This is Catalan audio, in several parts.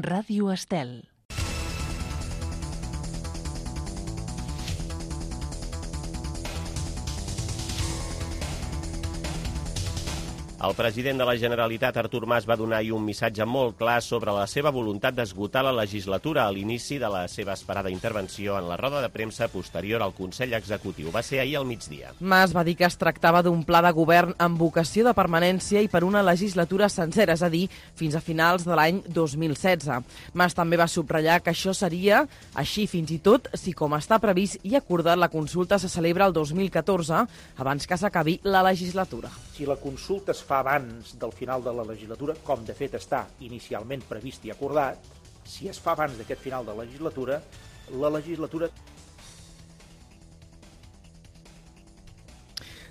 Ràdio Estel. El president de la Generalitat, Artur Mas, va donar ahir un missatge molt clar sobre la seva voluntat d'esgotar la legislatura a l'inici de la seva esperada intervenció en la roda de premsa posterior al Consell Executiu. Va ser ahir al migdia. Mas va dir que es tractava d'un pla de govern amb vocació de permanència i per una legislatura sencera, és a dir, fins a finals de l'any 2016. Mas també va subratllar que això seria així fins i tot si, com està previst i acordat, la consulta se celebra el 2014, abans que s'acabi la legislatura. Si la consulta es fa abans del final de la legislatura, com de fet està inicialment previst i acordat, si es fa abans d'aquest final de legislatura, la legislatura...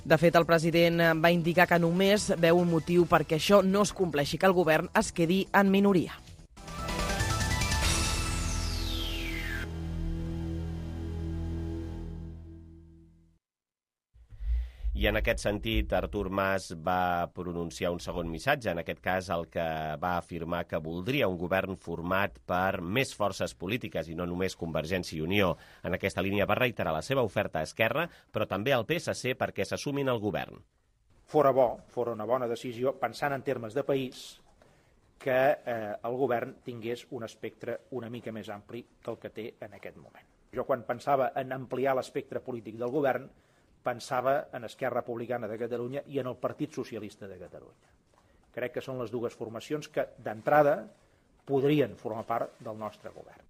De fet, el president va indicar que només veu un motiu perquè això no es compleixi, que el govern es quedi en minoria. I en aquest sentit, Artur Mas va pronunciar un segon missatge, en aquest cas el que va afirmar que voldria un govern format per més forces polítiques i no només Convergència i Unió. En aquesta línia va reiterar la seva oferta a Esquerra, però també al PSC perquè s'assumin al govern. Fora una bona decisió, pensant en termes de país, que el govern tingués un espectre una mica més ampli del que té en aquest moment. Jo quan pensava en ampliar l'espectre polític del govern, pensava en Esquerra Republicana de Catalunya i en el Partit Socialista de Catalunya. Crec que són les dues formacions que, d'entrada, podrien formar part del nostre govern.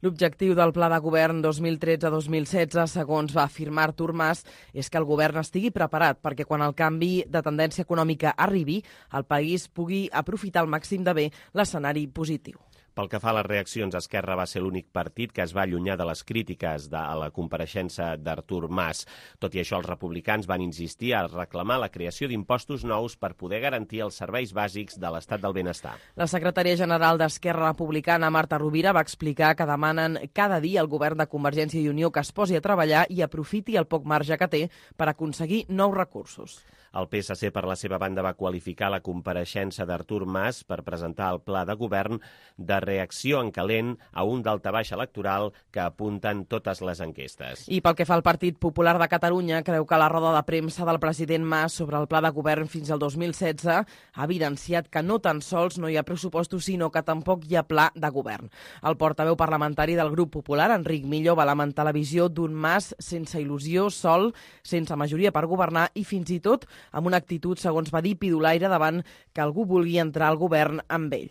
L'objectiu del Pla de Govern 2013-2016, segons va afirmar Artur Mas, és que el govern estigui preparat perquè quan el canvi de tendència econòmica arribi, el país pugui aprofitar al màxim de bé l'escenari positiu. Pel que fa a les reaccions, Esquerra va ser l'únic partit que es va allunyar de les crítiques a la compareixença d'Artur Mas. Tot i això, els republicans van insistir a reclamar la creació d'impostos nous per poder garantir els serveis bàsics de l'estat del benestar. La secretària general d'Esquerra Republicana, Marta Rovira, va explicar que demanen cada dia al govern de Convergència i Unió que es posi a treballar i aprofiti el poc marge que té per aconseguir nous recursos. El PSC, per la seva banda, va qualificar la compareixença d'Artur Mas per presentar el pla de govern de reacció en calent a un daltabaix electoral que apunten totes les enquestes. I pel que fa al Partit Popular de Catalunya, creu que la roda de premsa del president Mas sobre el pla de govern fins al 2016 ha evidenciat que no tan sols no hi ha pressupostos, sinó que tampoc hi ha pla de govern. El portaveu parlamentari del Grup Popular, Enric Millo, va lamentar la visió d'un Mas sense il·lusió, sol, sense majoria per governar i fins i tot amb una actitud, segons va dir, pidolaire davant que algú vulgui entrar al govern amb ell.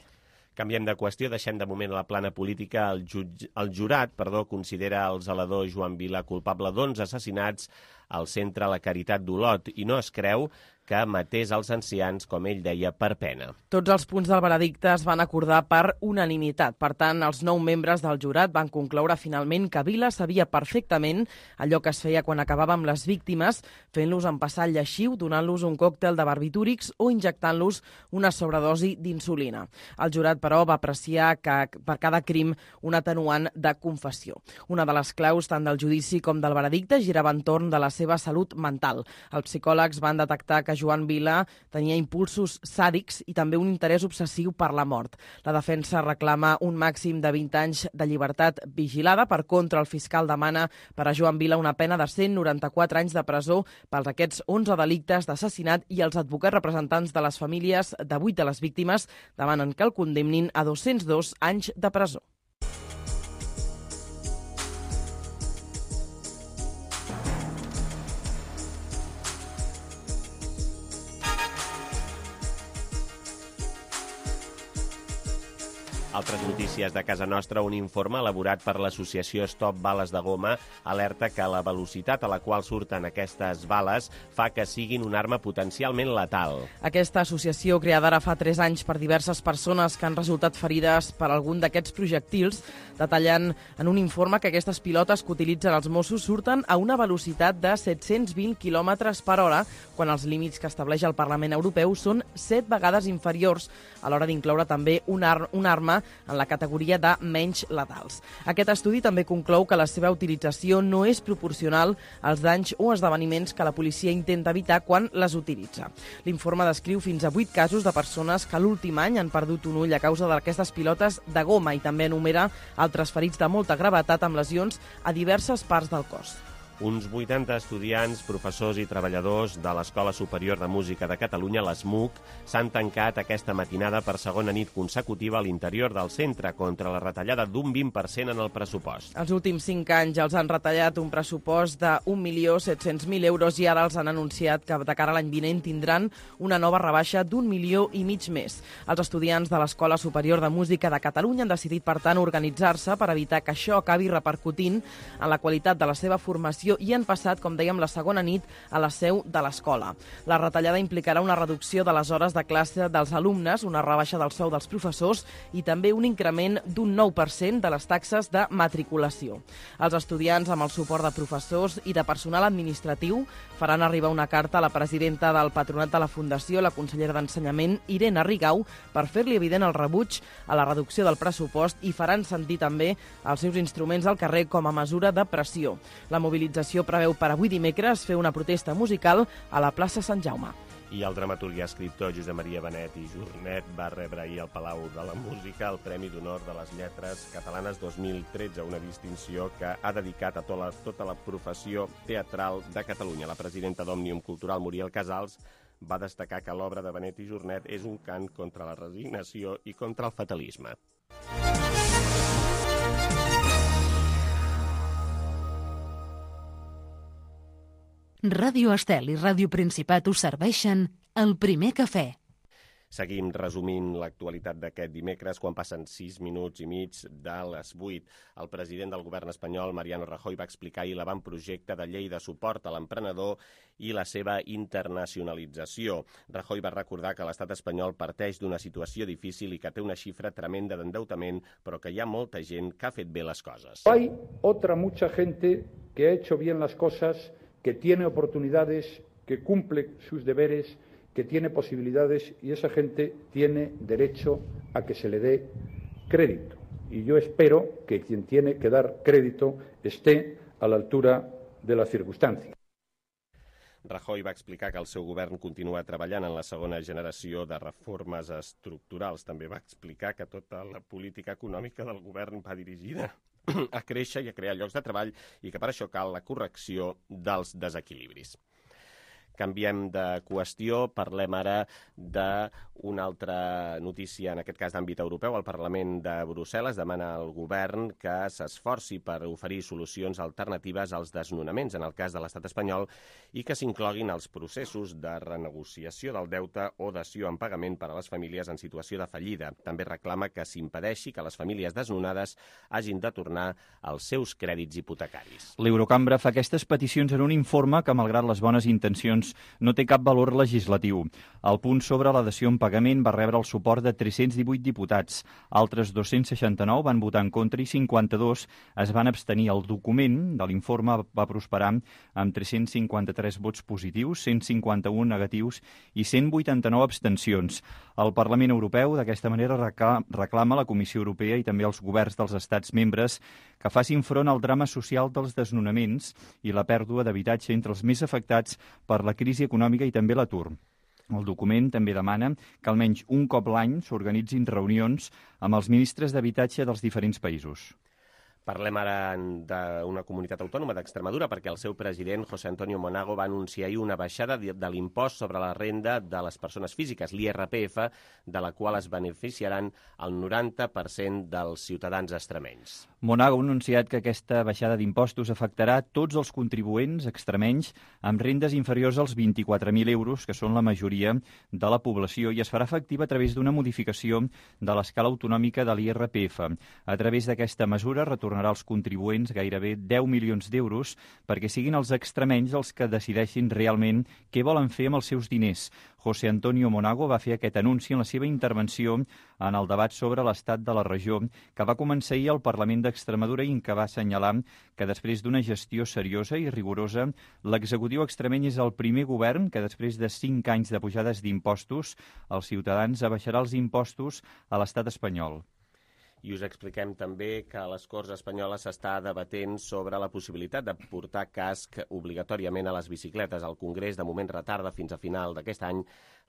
Canviem de qüestió, deixem de moment la plana política. El jurat considera el zelador Joan Vila culpable d'11 assassinats al centre La Caritat d'Olot i no es creu que matés els ancians, com ell deia, per pena. Tots els punts del veredicte es van acordar per unanimitat. Per tant, els 9 membres del jurat van concloure finalment que Vila sabia perfectament allò que es feia quan acabava amb les víctimes, fent-los empassar el lleixiu, donant-los un còctel de barbitúrics o injectant-los una sobredosi d'insulina. El jurat, però, va apreciar que per cada crim un atenuant de confessió. Una de les claus tant del judici com del veredicte girava entorn de la seva salut mental. Els psicòlegs van detectar que Joan Vila tenia impulsos sàdics i també un interès obsessiu per la mort. La defensa reclama un màxim de 20 anys de llibertat vigilada. Per contra, el fiscal demana per a Joan Vila una pena de 194 anys de presó pels aquests 11 delictes d'assassinat i els advocats representants de les famílies de 8 de les víctimes demanen que el condemnin a 202 anys de presó. Altres notícies de casa nostra, un informe elaborat per l'associació Stop Bales de Goma alerta que la velocitat a la qual surten aquestes bales fa que siguin una arma potencialment letal. Aquesta associació, creada ara fa 3 anys per diverses persones que han resultat ferides per algun d'aquests projectils, detallen en un informe que aquestes pilotes que utilitzen els Mossos surten a una velocitat de 720 km per hora, quan els límits que estableix el Parlament Europeu són 7 vegades inferiors, a l'hora d'incloure també una arma entra en la categoria de menys letals. Aquest estudi també conclou que la seva utilització no és proporcional als danys o esdeveniments que la policia intenta evitar quan les utilitza. L'informe descriu fins a 8 casos de persones que l'últim any han perdut un ull a causa d'aquestes pilotes de goma i també enumera altres ferits de molta gravetat amb lesions a diverses parts del cos. Uns 80 estudiants, professors i treballadors de l'Escola Superior de Música de Catalunya, l'ESMUC, s'han tancat aquesta matinada per segona nit consecutiva a l'interior del centre contra la retallada d'un 20% en el pressupost. Els últims 5 anys els han retallat un pressupost de 1.700.000 euros i ara els han anunciat que de cara a l'any vinent tindran una nova rebaixa d'1,5 milió més. Els estudiants de l'Escola Superior de Música de Catalunya han decidit, per tant, organitzar-se per evitar que això acabi repercutint en la qualitat de la seva formació i han passat, com dèiem, la segona nit a la seu de l'escola. La retallada implicarà una reducció de les hores de classe dels alumnes, una rebaixa del sou dels professors i també un increment d'un 9% de les taxes de matriculació. Els estudiants, amb el suport de professors i de personal administratiu, faran arribar una carta a la presidenta del Patronat de la Fundació, la consellera d'Ensenyament, Irene Rigau, per fer-li evident el rebuig a la reducció del pressupost i faran sentir també els seus instruments al carrer com a mesura de pressió. La mobilització preveu per avui dimecres fer una protesta musical a la plaça Sant Jaume. I el dramaturg i escriptor Josep Maria Benet i Jornet va rebre ahir al Palau de la Música el Premi d'Honor de les Lletres Catalanes 2013, una distinció que ha dedicat a tota la professió teatral de Catalunya. La presidenta d'Òmnium Cultural, Muriel Casals, va destacar que l'obra de Benet i Jornet és un cant contra la resignació i contra el fatalisme. Ràdio Estel i Ràdio Principat us serveixen el primer cafè. Seguim resumint l'actualitat d'aquest dimecres quan passen 6 minuts i mig de les 8. El president del govern espanyol, Mariano Rajoy, va explicar ahir l'avantprojecte de llei de suport a l'emprenedor i la seva internacionalització. Rajoy va recordar que l'estat espanyol parteix d'una situació difícil i que té una xifra tremenda d'endeutament, però que hi ha molta gent que ha fet bé les coses. Hay otra mucha gente que ha hecho bien las cosas, que tiene oportunidades, que cumple sus deberes, que tiene posibilidades y esa gente tiene derecho a que se le dé crédito. Y yo espero que quien tiene que dar crédito esté a la altura de las circunstancias. Rajoy va explicar que el seu govern continua treballant en la segona generació de reformes estructurals. També va explicar que tota la política econòmica del govern va dirigida a créixer i a crear llocs de treball i que per això cal la correcció dels desequilibris. Canviem de qüestió, parlem ara d'una altra notícia, en aquest cas d'àmbit europeu. El Parlament de Brussel·les demana al govern que s'esforci per oferir solucions alternatives als desnonaments, en el cas de l'estat espanyol, i que s'incloguin els processos de renegociació del deute o dació en pagament per a les famílies en situació de fallida. També reclama que s'impedeixi que les famílies desnonades hagin de tornar als seus crèdits hipotecaris. L'Eurocambra fa aquestes peticions en un informe que, malgrat les bones intencions, no té cap valor legislatiu. El punt sobre la dació en pagament va rebre el suport de 318 diputats. Altres 269 van votar en contra i 52 es van abstenir. El document de l'informe va prosperar amb 353 vots positius, 151 negatius i 189 abstencions. El Parlament Europeu, d'aquesta manera, reclama a la Comissió Europea i també als governs dels estats membres que facin front al drama social dels desnonaments i la pèrdua d'habitatge entre els més afectats per la crisi econòmica i també l'atur. El document també demana que almenys un cop l'any s'organitzin reunions amb els ministres d'habitatge dels diferents països. Parlem ara d'una comunitat autònoma d'Extremadura perquè el seu president, José Antonio Monago, va anunciar ahir una baixada de l'impost sobre la renda de les persones físiques, l'IRPF, de la qual es beneficiaran el 90% dels ciutadans extremenys. Monago ha anunciat que aquesta baixada d'impostos afectarà tots els contribuents extremenys amb rendes inferiors als 24.000 euros, que són la majoria de la població, i es farà efectiva a través d'una modificació de l'escala autonòmica de l'IRPF. A través d'aquesta mesura retornarà als contribuents gairebé 10 milions d'euros perquè siguin els extremenys els que decideixin realment què volen fer amb els seus diners. José Antonio Monago va fer aquest anunci en la seva intervenció en el debat sobre l'estat de la regió, que va començar ahir al Parlament d'Extremadura i en què va assenyalar que després d'una gestió seriosa i rigorosa, l'executiu extremeny és el primer govern que després de 5 anys de pujades d'impostos, als ciutadans abaixarà els impostos a l'estat espanyol. I us expliquem també que a les Corts Espanyoles s'està debatent sobre la possibilitat de portar casc obligatòriament a les bicicletes. El Congrés de moment retarda fins a final d'aquest any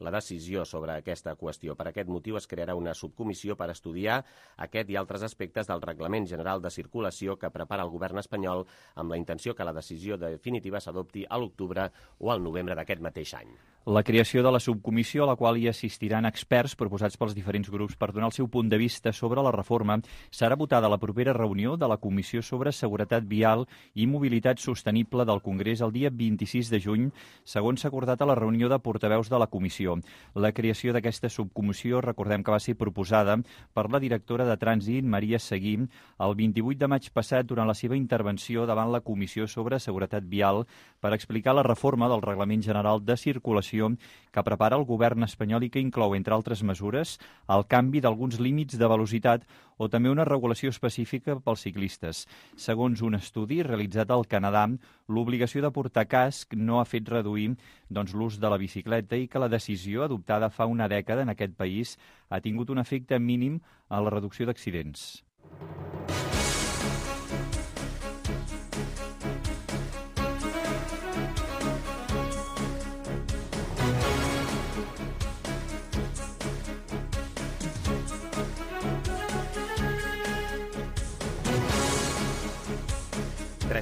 la decisió sobre aquesta qüestió. Per aquest motiu es crearà una subcomissió per estudiar aquest i altres aspectes del Reglament General de Circulació que prepara el govern espanyol amb la intenció que la decisió definitiva s'adopti a l'octubre o al novembre d'aquest mateix any. La creació de la subcomissió, a la qual hi assistiran experts proposats pels diferents grups per donar el seu punt de vista sobre la reforma, serà votada a la propera reunió de la Comissió sobre Seguretat Vial i Mobilitat Sostenible del Congrés el dia 26 de juny, segons s'ha acordat a la reunió de portaveus de la comissió. La creació d'aquesta subcomissió, recordem que va ser proposada per la directora de Trànsit, Maria Seguí, el 28 de maig passat durant la seva intervenció davant la Comissió sobre Seguretat Vial per explicar la reforma del Reglament General de Circulació que prepara el govern espanyol i que inclou, entre altres mesures, el canvi d'alguns límits de velocitat o també una regulació específica pels ciclistes. Segons un estudi realitzat al Canadà, l'obligació de portar casc no ha fet reduir l'ús de la bicicleta i que la decisió adoptada fa una dècada en aquest país ha tingut un efecte mínim en la reducció d'accidents.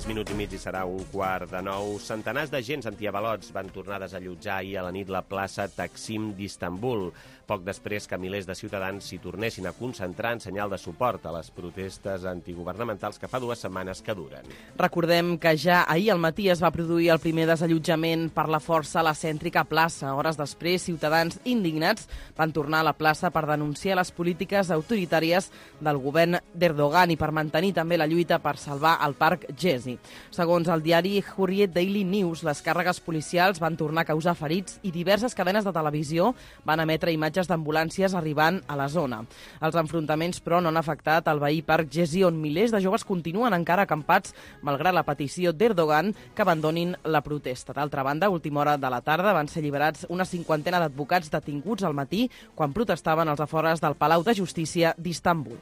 Minuts i mig i serà 8:45. Centenars d'agents antiavalots van tornar a desallotjar ahir a la nit la plaça Taksim d'Istanbul, poc després que milers de ciutadans s'hi tornessin a concentrar en senyal de suport a les protestes antiguvernamentals que fa 2 setmanes que duren. Recordem que ja ahir al matí es va produir el primer desallotjament per la força a la cèntrica plaça. Hores després, ciutadans indignats van tornar a la plaça per denunciar les polítiques autoritàries del govern d'Erdogan i per mantenir també la lluita per salvar el parc Gezi. Segons el diari Hurriyet Daily News, les càrregues policials van tornar a causar ferits i diverses cadenes de televisió van emetre imatges d'ambulàncies arribant a la zona. Els enfrontaments, però, no han afectat el veí parc Gezi, on milers de joves continuen encara acampats malgrat la petició d'Erdogan que abandonin la protesta. D'altra banda, a última hora de la tarda van ser alliberats una 50ena d'advocats detinguts al matí quan protestaven als afores del Palau de Justícia d'Istanbul.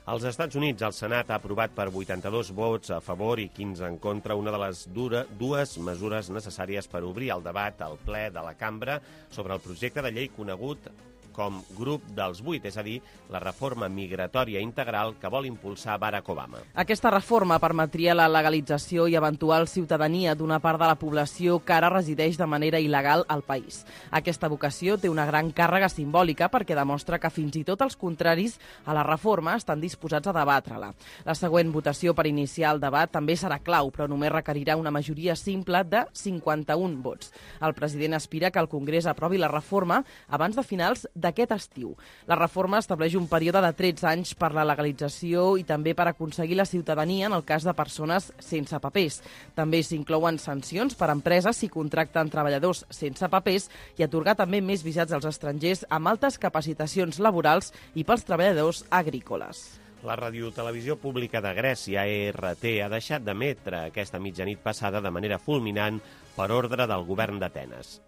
Als Estats Units, el Senat ha aprovat per 82 vots a favor i 15 en contra una de les dues mesures necessàries per obrir el debat al ple de la cambra sobre el projecte de llei conegut com Grup dels 8, és a dir, la reforma migratòria integral que vol impulsar Barack Obama. Aquesta reforma permetria la legalització i eventual ciutadania d'una part de la població que ara resideix de manera il·legal al país. Aquesta vocació té una gran càrrega simbòlica perquè demostra que fins i tot els contraris a la reforma estan disposats a debatre-la. La següent votació per iniciar el debat també serà clau, però només requerirà una majoria simple de 51 vots. El president aspira que el Congrés aprovi la reforma abans de finals d'aquest estiu. La reforma estableix un període de 13 anys per la legalització i també per aconseguir la ciutadania en el cas de persones sense papers. També s'inclouen sancions per a empreses si contracten treballadors sense papers i atorgar també més visats als estrangers amb altes capacitacions laborals i pels treballadors agrícoles. La radiotelevisió pública de Grècia, ERT, ha deixat d'emetre aquesta mitjanit passada de manera fulminant per ordre del govern d'Atenes.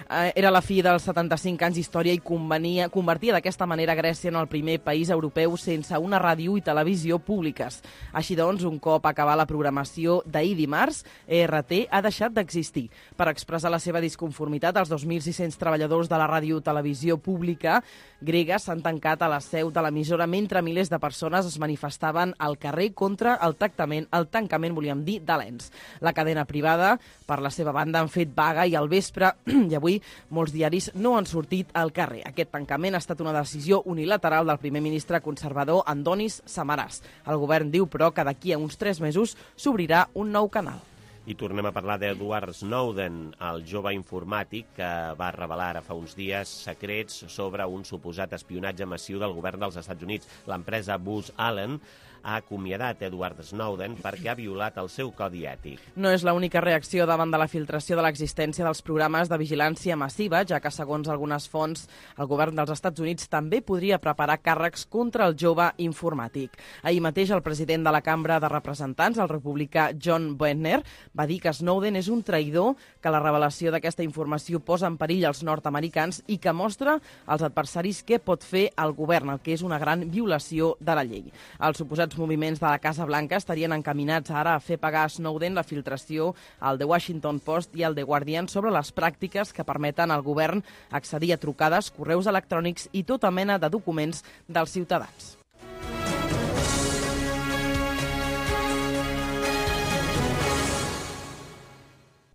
Era la fi dels 75 anys d'història i convertia d'aquesta manera Grècia en el primer país europeu sense una ràdio i televisió públiques. Així doncs, un cop acabar la programació d'ahir dimarts, ERT ha deixat d'existir. Per expressar la seva disconformitat, els 2.600 treballadors de la radiotelevisió pública grega s'han tancat a la seu de l'emissora mentre milers de persones es manifestaven al carrer contra el tancament, volíem dir, de l'ENS. La cadena privada, per la seva banda, han fet vaga i al vespre i avui molts diaris no han sortit al carrer. Aquest tancament ha estat una decisió unilateral del primer ministre conservador Antonis Samaras. El govern diu, però, que d'aquí a uns 3 mesos s'obrirà un nou canal. I tornem a parlar d'Edward Snowden, el jove informàtic que va revelar ara fa uns dies secrets sobre un suposat espionatge massiu del govern dels Estats Units. L'empresa Booz Allen ha acomiadat Edward Snowden perquè ha violat el seu codi ètic. No és l'única reacció davant de la filtració de l'existència dels programes de vigilància massiva, ja que, segons algunes fonts, el govern dels Estats Units també podria preparar càrrecs contra el jove informàtic. Ahir mateix, el president de la Cambra de Representants, el republicà John Boehner, va dir que Snowden és un traïdor, que la revelació d'aquesta informació posa en perill els nord-americans i que mostra als adversaris què pot fer el govern, el que és una gran violació de la llei. Els suposats moviments de la Casa Blanca estarien encaminats ara a fer pagar a Snowden la filtració al The Washington Post i al The Guardian sobre les pràctiques que permeten al govern accedir a trucades, correus electrònics i tota mena de documents dels ciutadans.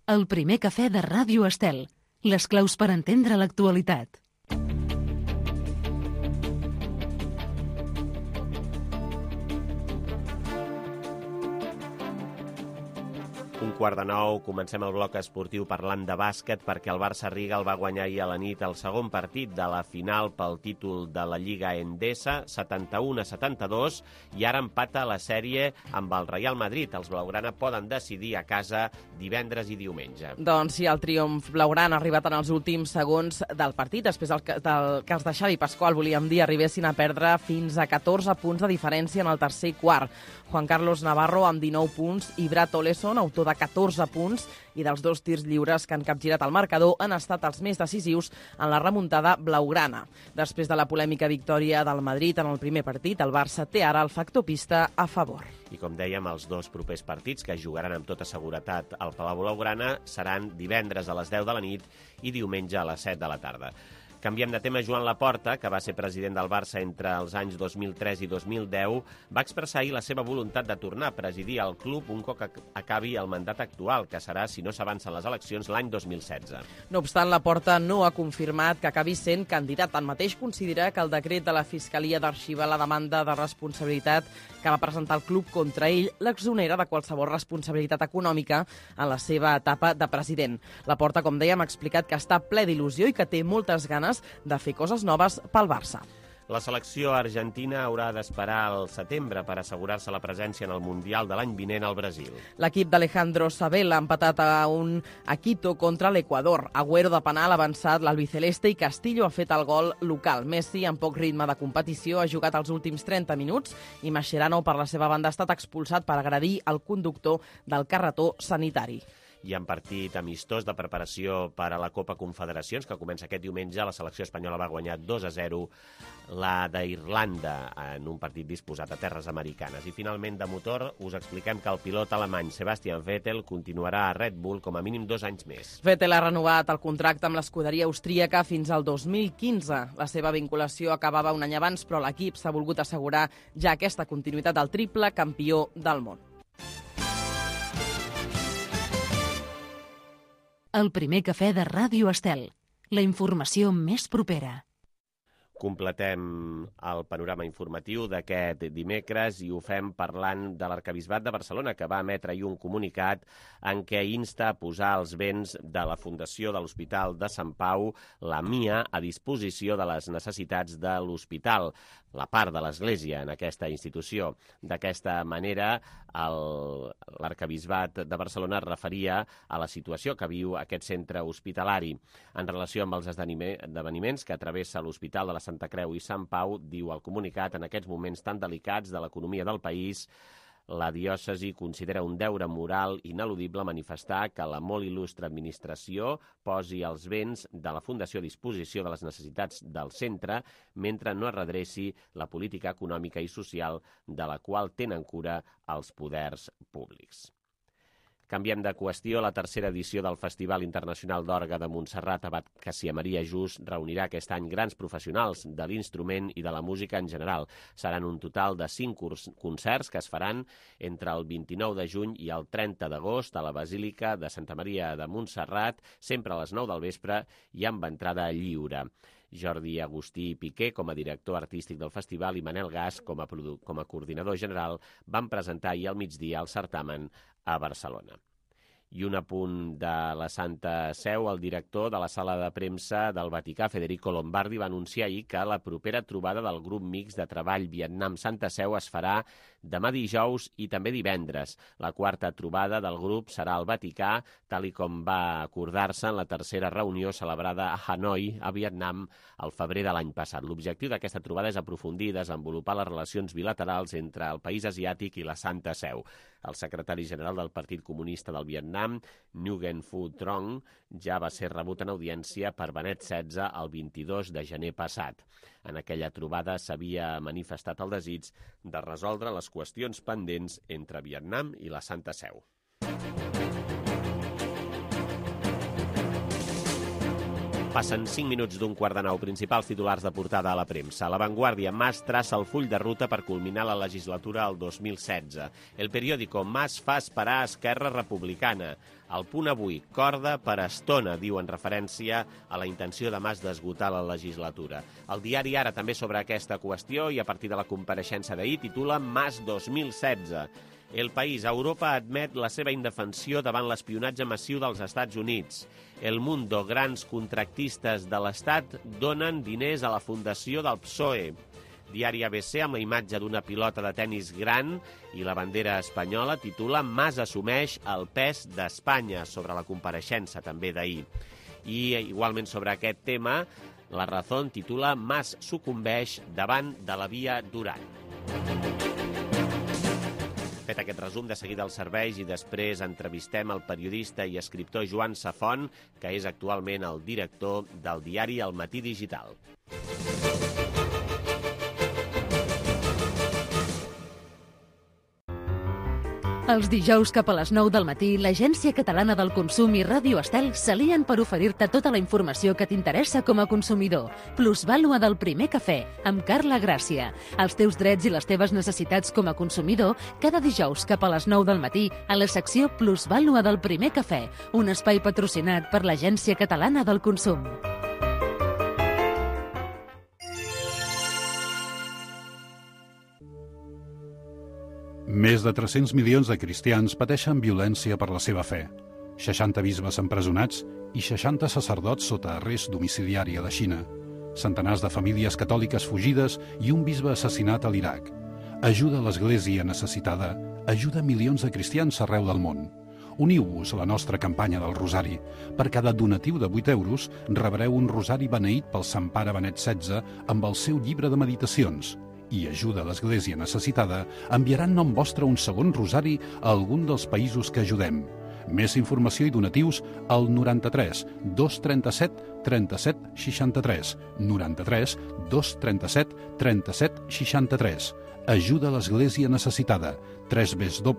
El primer cafè de Ràdio Estel. Les claus per entendre l'actualitat. Un quart de nou, comencem el bloc esportiu parlant de bàsquet perquè el Barça Riga el va guanyar ahir a la nit el segon partit de la final pel títol de la Lliga Endesa, 71-72, i ara empata la sèrie amb el Real Madrid. Els blaugrana poden decidir a casa divendres i diumenge. Doncs sí, el triomf blaugrana ha arribat en els últims segons del partit, després que els de Xavi Pascual, volíem dir, arribessin a perdre fins a 14 punts de diferència en el tercer i quart. Juan Carlos Navarro amb 19 punts i Brad Oleson, autor de 14 punts, i dels 2 tirs lliures que han capgirat el marcador han estat els més decisius en la remuntada blaugrana. Després de la polèmica victòria del Madrid en el primer partit, el Barça té ara el factor pista a favor. I com dèiem, els 2 propers partits que jugaran amb tota seguretat al Palau Blaugrana seran divendres a les 10 de la nit i diumenge a les 7 de la tarda. Canviem de tema. Joan Laporta, que va ser president del Barça entre els anys 2003 i 2010, va expressar ahir la seva voluntat de tornar a presidir el club un cop acabi el mandat actual, que serà, si no s'avancen les eleccions, l'any 2016. No obstant, Laporta no ha confirmat que acabi sent candidat. Tanmateix, considera que el decret de la Fiscalia d'arxivar la demanda de responsabilitat que va presentar el club contra ell l'exonera de qualsevol responsabilitat econòmica en la seva etapa de president. Laporta, com dèiem, ha explicat que està ple d'il·lusió i que té moltes ganes de fer coses noves pel Barça. La selecció argentina haurà d'esperar al setembre per assegurar-se la presència en el Mundial de l'any vinent al Brasil. L'equip d'Alejandro Sabella ha empatat a Quito contra l'Equador. Agüero de penal ha avançat l'albiceleste i Castillo ha fet el gol local. Messi, amb poc ritme de competició, ha jugat els últims 30 minuts i Mascherano, per la seva banda, ha estat expulsat per agredir el conductor del carretó sanitari. I en partit amistós de preparació per a la Copa Confederacions, que comença aquest diumenge, la selecció espanyola va guanyar 2-0 la d'Irlanda en un partit disposat a terres americanes. I finalment, de motor, us expliquem que el pilot alemany Sebastian Vettel continuarà a Red Bull com a mínim 2 anys més. Vettel ha renovat el contracte amb l'escuderia austríaca fins al 2015. La seva vinculació acabava un any abans, però l'equip s'ha volgut assegurar ja aquesta continuïtat del triple campió del món. El primer cafè de Ràdio Estel. La informació més propera. Completem el panorama informatiu d'aquest dimecres i ho fem parlant de l'Arquebisbat de Barcelona, que va emetre ahir un comunicat en què insta a posar els béns de la Fundació de l'Hospital de Sant Pau, la MIA, a disposició de les necessitats de l'hospital, la part de l'Església en aquesta institució. D'aquesta manera, l'Arquebisbat de Barcelona es referia a la situació que viu aquest centre hospitalari. En relació amb els esdeveniments que travessa l'Hospital de la Santa Creu i Sant Pau, diu el comunicat, en aquests moments tan delicats de l'economia del país, la diòcesi considera un deure moral ineludible manifestar que la molt il·lustre administració posi els béns de la Fundació a disposició de les necessitats del centre mentre no es redreci la política econòmica i social de la qual tenen cura els poders públics. Canviem de qüestió. La tercera edició del Festival Internacional d'Orgue de Montserrat Abat Casia Maria Just reunirà aquest any grans professionals de l'instrument i de la música en general. Seran un total de 5 concerts que es faran entre el 29 de juny i el 30 d'agost a la Basílica de Santa Maria de Montserrat, sempre a les 9 del vespre i amb entrada lliure. Jordi Agustí Piqué, com a director artístic del festival, i Manel Gas, com a coordinador general, van presentar ahir al migdia el certamen a Barcelona. I un apunt de la Santa Seu, el director de la sala de premsa del Vaticà, Federico Lombardi, va anunciar ahir que la propera trobada del grup mixt de treball Vietnam-Santa Seu es farà demà dijous i també divendres. La quarta trobada del grup serà al Vaticà, tal i com va acordar-se en la tercera reunió celebrada a Hanoi, a Vietnam, al febrer de l'any passat. L'objectiu d'aquesta trobada és aprofundir i desenvolupar les relacions bilaterals entre el país asiàtic i la Santa Seu. El secretari general del Partit Comunista del Vietnam, Nguyen Phu Trong, ja va ser rebut en audiència per Benet XVI el 22 de gener passat. En aquella trobada s'havia manifestat el desig de resoldre les qüestions pendents entre Vietnam i la Santa Seu. Passen 5 minuts d'un quart de 9. Principals titulars de portada a la premsa. La Vanguardia, Mas traça el full de ruta per culminar la legislatura al 2016. El periòdico, Mas fa esperar a Esquerra Republicana. El Punt avui, corda per estona, diu en referència a la intenció de Mas d'esgotar la legislatura. El diari Ara també sobre aquesta qüestió i a partir de la compareixença d'ahir titula Mas 2016. El País, Europa admet la seva indefensió davant l'espionatge massiu dels Estats Units. El Mundo, grans contractistes de l'Estat donen diners a la fundació del PSOE. Diari ABC, amb la imatge d'una pilota de tennis gran i la bandera espanyola, titula Mas assumeix el pes d'Espanya, sobre la compareixença també d'ahir. I igualment sobre aquest tema, La Razón titula Mas sucumbeix davant de la via Duran. Fet aquest resum, de seguida als serveis i després entrevistem el periodista i escriptor Joan Safont, que és actualment el director del diari El Matí Digital. Els dijous cap a les 9 del matí, l'Agència Catalana del Consum i Ràdio Estel s'alien per oferir-te tota la informació que t'interessa com a consumidor. Plusvàlua del primer cafè, amb Carla Gràcia. Els teus drets i les teves necessitats com a consumidor, cada dijous cap a les 9 del matí, a la secció Plusvàlua del primer cafè, un espai patrocinat per l'Agència Catalana del Consum. Més de 300 milions de cristians pateixen violència per la seva fe. 60 bisbes empresonats i 60 sacerdots sota arrest domiciliari a la Xina. Centenars de famílies catòliques fugides i un bisbe assassinat a l'Iraq. Ajuda a l'Església necessitada, ajuda milions de cristians arreu del món. Uniu-vos a la nostra campanya del Rosari. Per cada donatiu de 8 euros rebreu un rosari beneït pel Sant Pare Benet XVI amb el seu llibre de meditacions. I ajuda a l'Església necessitada, enviaran nom vostre un segon rosari a algun dels països que ajudem. Més informació i donatius al 93 237 37 63. 93 237 37 63. Ajuda a l'Església necessitada. www.ain-es.org.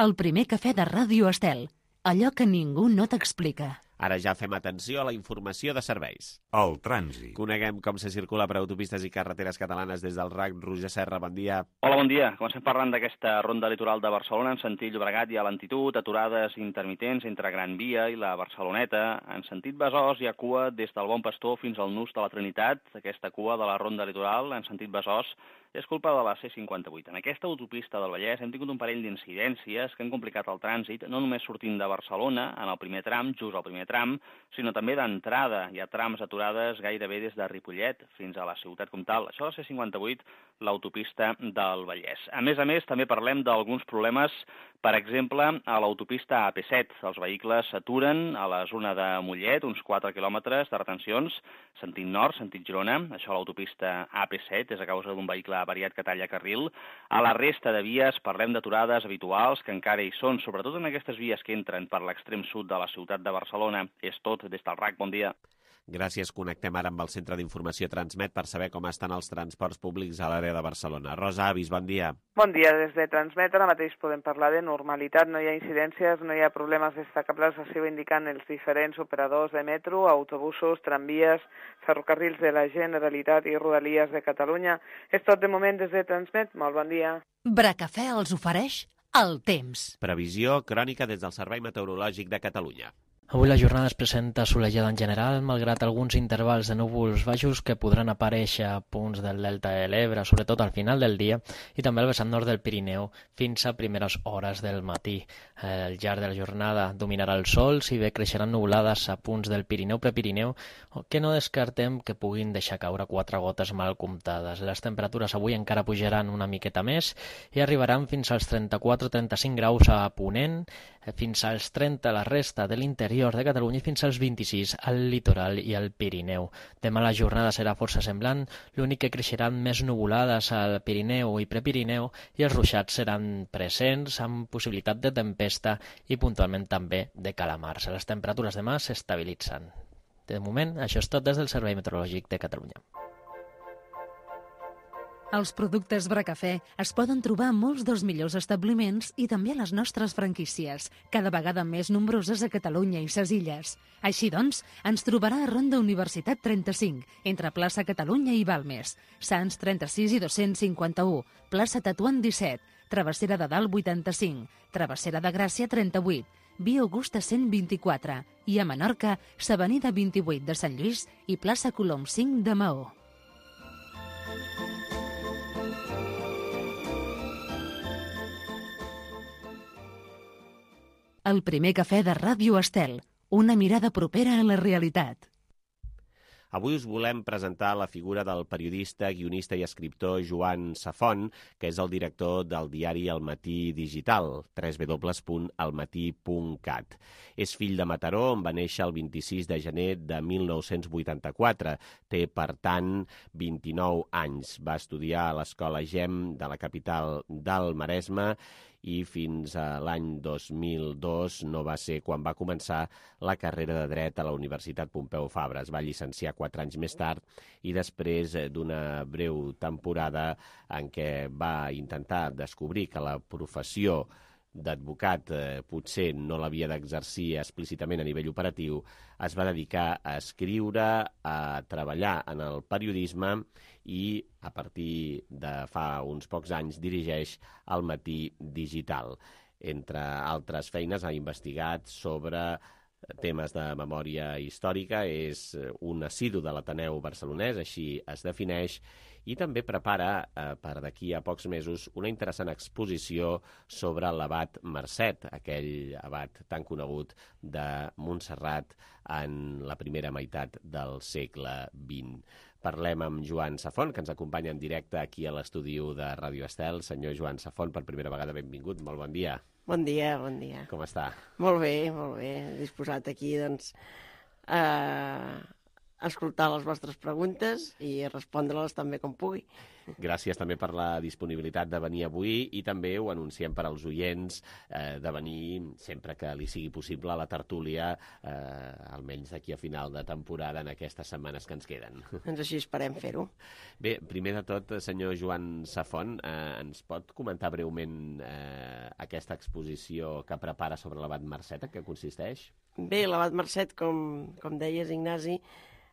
El primer cafè de Ràdio Estel. Allò que ningú no t'explica. Ara ja fem atenció a la informació de serveis. El trànsit. Coneguem com se circula per autopistes i carreteres catalanes des del RAC. Roger Serra, bon dia. Hola, bon dia. Comencem parlant d'aquesta ronda litoral de Barcelona. En sentit Llobregat hi ha lentitud, aturades intermitents entre Gran Via i la Barceloneta. En sentit Besòs hi ha cua des del Bon Pastor fins al Nus de la Trinitat. Aquesta cua de la ronda litoral, en sentit Besòs, és culpa de la C58. En aquesta autopista del Vallès hem tingut un parell d'incidències que han complicat el trànsit, no només sortint de Barcelona, en el primer tram, just al primer tram, sinó també d'entrada. Hi ha trams aturades gairebé des de Ripollet fins a la ciutat comtal. Això és la C58, l'autopista del Vallès. A més, també parlem d'alguns problemes, per exemple, a l'autopista AP7. Els vehicles s'aturen a la zona de Mollet, uns 4 quilòmetres de retencions, sentit nord, sentit Girona. Això a l'autopista AP7 és a causa d'un vehicle avariat que talla carril. A la resta de vies parlem d'aturades habituals que encara hi són, sobretot en aquestes vies que entren per l'extrem sud de la ciutat de Barcelona. És tot des del RAC. Bon dia. Gràcies. Connectem ara amb el Centre d'Informació Transmet per saber com estan els transports públics a l'àrea de Barcelona. Rosa Avis, bon dia. Bon dia. Des de Transmet ara mateix podem parlar de normalitat. No hi ha incidències, no hi ha problemes destacables, així ho indiquen els diferents operadors de metro, autobusos, tramvies, ferrocarrils de la Generalitat i Rodalies de Catalunya. És tot de moment des de Transmet. Molt bon dia. Bracafè els ofereix el temps. Previsió crònica des del Servei Meteorològic de Catalunya. Avui la jornada es presenta solejada en general, malgrat alguns intervals de núvols baixos que podran aparèixer a punts del delta de l'Ebre, sobretot al final del dia, i també al vessant nord del Pirineu, fins a primeres hores del matí. Al llarg de la jornada dominarà el sol, si bé creixeran nuvolades a punts del Pirineu prepirineu, que no descartem que puguin deixar caure 4 gotes mal comptades. Les temperatures avui encara pujaran una miqueta més i arribaran fins als 34-35 graus a Ponent, fins als 30 a la resta de l'interior de Catalunya i fins als 26 al litoral i al Pirineu. Demà la jornada serà força semblant, l'únic que creixeran més nuvolades al Pirineu i Prepirineu i els ruixats seran presents amb possibilitat de tempesta i puntualment també de calamars. Les temperatures demà s'estabilitzen. De moment, això és tot des del Servei Meteorològic de Catalunya. Els productes Bracafè es poden trobar a molts dels millors establiments i també a les nostres franquícies, cada vegada més nombroses a Catalunya i ses illes. Així doncs, ens trobarà a Ronda Universitat 35, entre plaça Catalunya i Balmes, Sants 36 i 251, plaça Tatuant 17, Travessera de Dalt 85, Travessera de Gràcia 38, Via Augusta 124 i a Menorca, s'Avenida 28 de Sant Lluís i plaça Colom 5 de Maó. El primer cafè de Ràdio Estel, una mirada propera a la realitat. Avui us volem presentar la figura del periodista, guionista i escriptor Joan Safont, que és el director del diari El Matí Digital, www.elmatí.cat. És fill de Mataró, on va néixer el 26 de gener de 1984. Té, per tant, 29 anys. Va estudiar a l'Escola GEM de la capital del Maresme i fins a l'any 2002 no va ser quan va començar la carrera de dret a la Universitat Pompeu Fabra. Es va llicenciar 4 anys més tard i després d'una breu temporada en què va intentar descobrir que la professió d'advocat potser no l'havia d'exercir explícitament a nivell operatiu, es va dedicar a escriure, a treballar en el periodisme i a partir de fa uns pocs anys dirigeix El Matí Digital. Entre altres feines ha investigat sobre temes de memòria històrica, és un assidu de l'Ateneu barcelonès, així es defineix, i també prepara per d'aquí a pocs mesos una interessant exposició sobre l'abat Marcet, aquell abat tan conegut de Montserrat en la primera meitat del segle XX. Parlem amb Joan Safont, que ens acompanya en directe aquí a l'estudi de Ràdio Estel. Senyor Joan Safont, per primera vegada benvingut, molt bon dia. Bon dia, bon dia. Com està? Molt bé, disposat aquí, doncs, escoltar les vostres preguntes i respondre-les també com pugui. Gràcies també per la disponibilitat de venir avui i també ho anunciem per als oients de venir sempre que li sigui possible a la tertúlia, almenys d'aquí a final de temporada en aquestes setmanes que ens queden. Doncs així esperem fer-ho. Bé, primer de tot, senyor Joan Safont, ens pot comentar breument aquesta exposició que prepara sobre l'abat Marcet, en què consisteix? Bé, l'abat Marcet, com deies, Ignasi,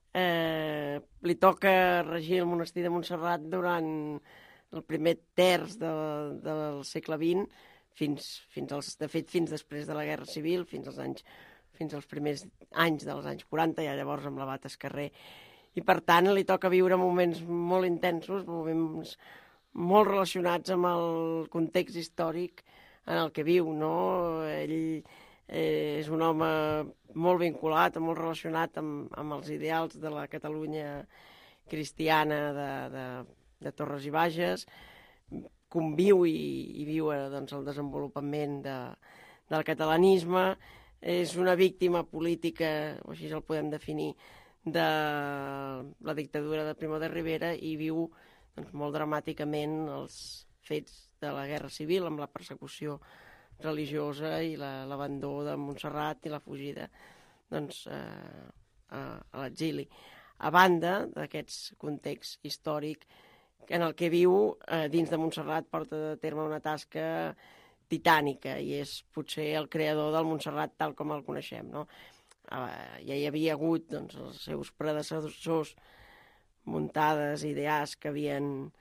li toca regir el monestir de Montserrat durant el primer terç del segle XX, de fet fins després de la Guerra Civil, fins als primers anys dels anys 40, ja llavors amb l'abat Escarrer. I per tant li toca viure moments molt intensos, moments molt relacionats amb el context històric en el que viu, no? Ell és un home molt vinculat, molt relacionat amb els ideals de la Catalunya cristiana de Torres i Bages, conviu i viu doncs, el desenvolupament del catalanisme, és una víctima política, o així el podem definir, de la dictadura de Primo de Rivera i viu doncs, molt dramàticament els fets de la Guerra Civil amb la persecució religiosa i l'abandó de Montserrat i la fugida doncs, a l'exili. A banda d'aquest context històric en el que viu, dins de Montserrat porta a terme una tasca titànica i és potser el creador del Montserrat tal com el coneixem. No? Ja hi havia hagut doncs, els seus predecessors muntades, idees que havien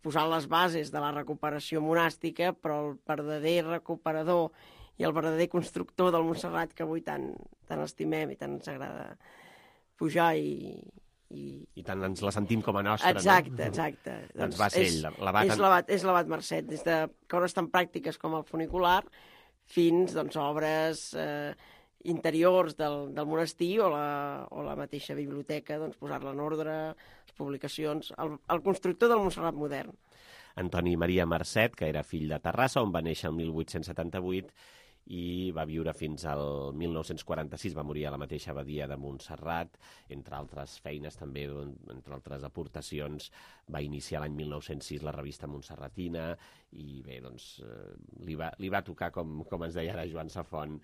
posant les bases de la recuperació monàstica, però el verdader recuperador i el verdader constructor del Montserrat que avui tant estimem i tant ens agrada pujar i tant ens la sentim com a nostra, exacte, no? Exacte. Doncs va ser ell, l'abat. És l'abat Marcet, des de coses tan pràctiques com el funicular fins doncs, obres interiors del monestir o la mateixa biblioteca, doncs, posar-la en ordre, les publicacions, el constructor del Montserrat modern. Antoni Maria Marcet, que era fill de Terrassa, on va néixer el 1878, i va viure fins al 1946, va morir a la mateixa abadia de Montserrat, entre altres feines també, entre altres aportacions, va iniciar l'any 1906 la revista Montserratina i bé, doncs li va tocar, com ens deia ara Joan Safont,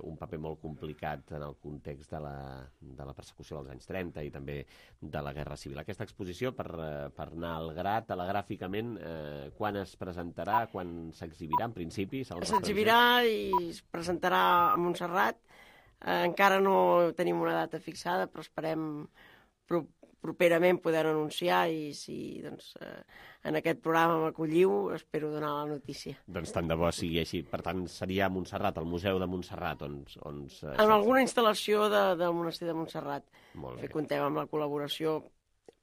un paper molt complicat en el context de la persecució dels anys 30 i també de la Guerra Civil. Aquesta exposició, per anar al gra, telegràficament, quan es presentarà, quan s'exhibirà en principi? S'exhibirà i es presentarà a Montserrat. Encara no tenim una data fixada, però esperem properament poder anunciar i si doncs, en aquest programa m'acolliu, espero donar la notícia. Doncs tant de bo sigui així. Per tant, seria a Montserrat, al Museu de Montserrat, on en alguna instal·lació del monestir de Montserrat. Molt bé. Comptem amb la col·laboració,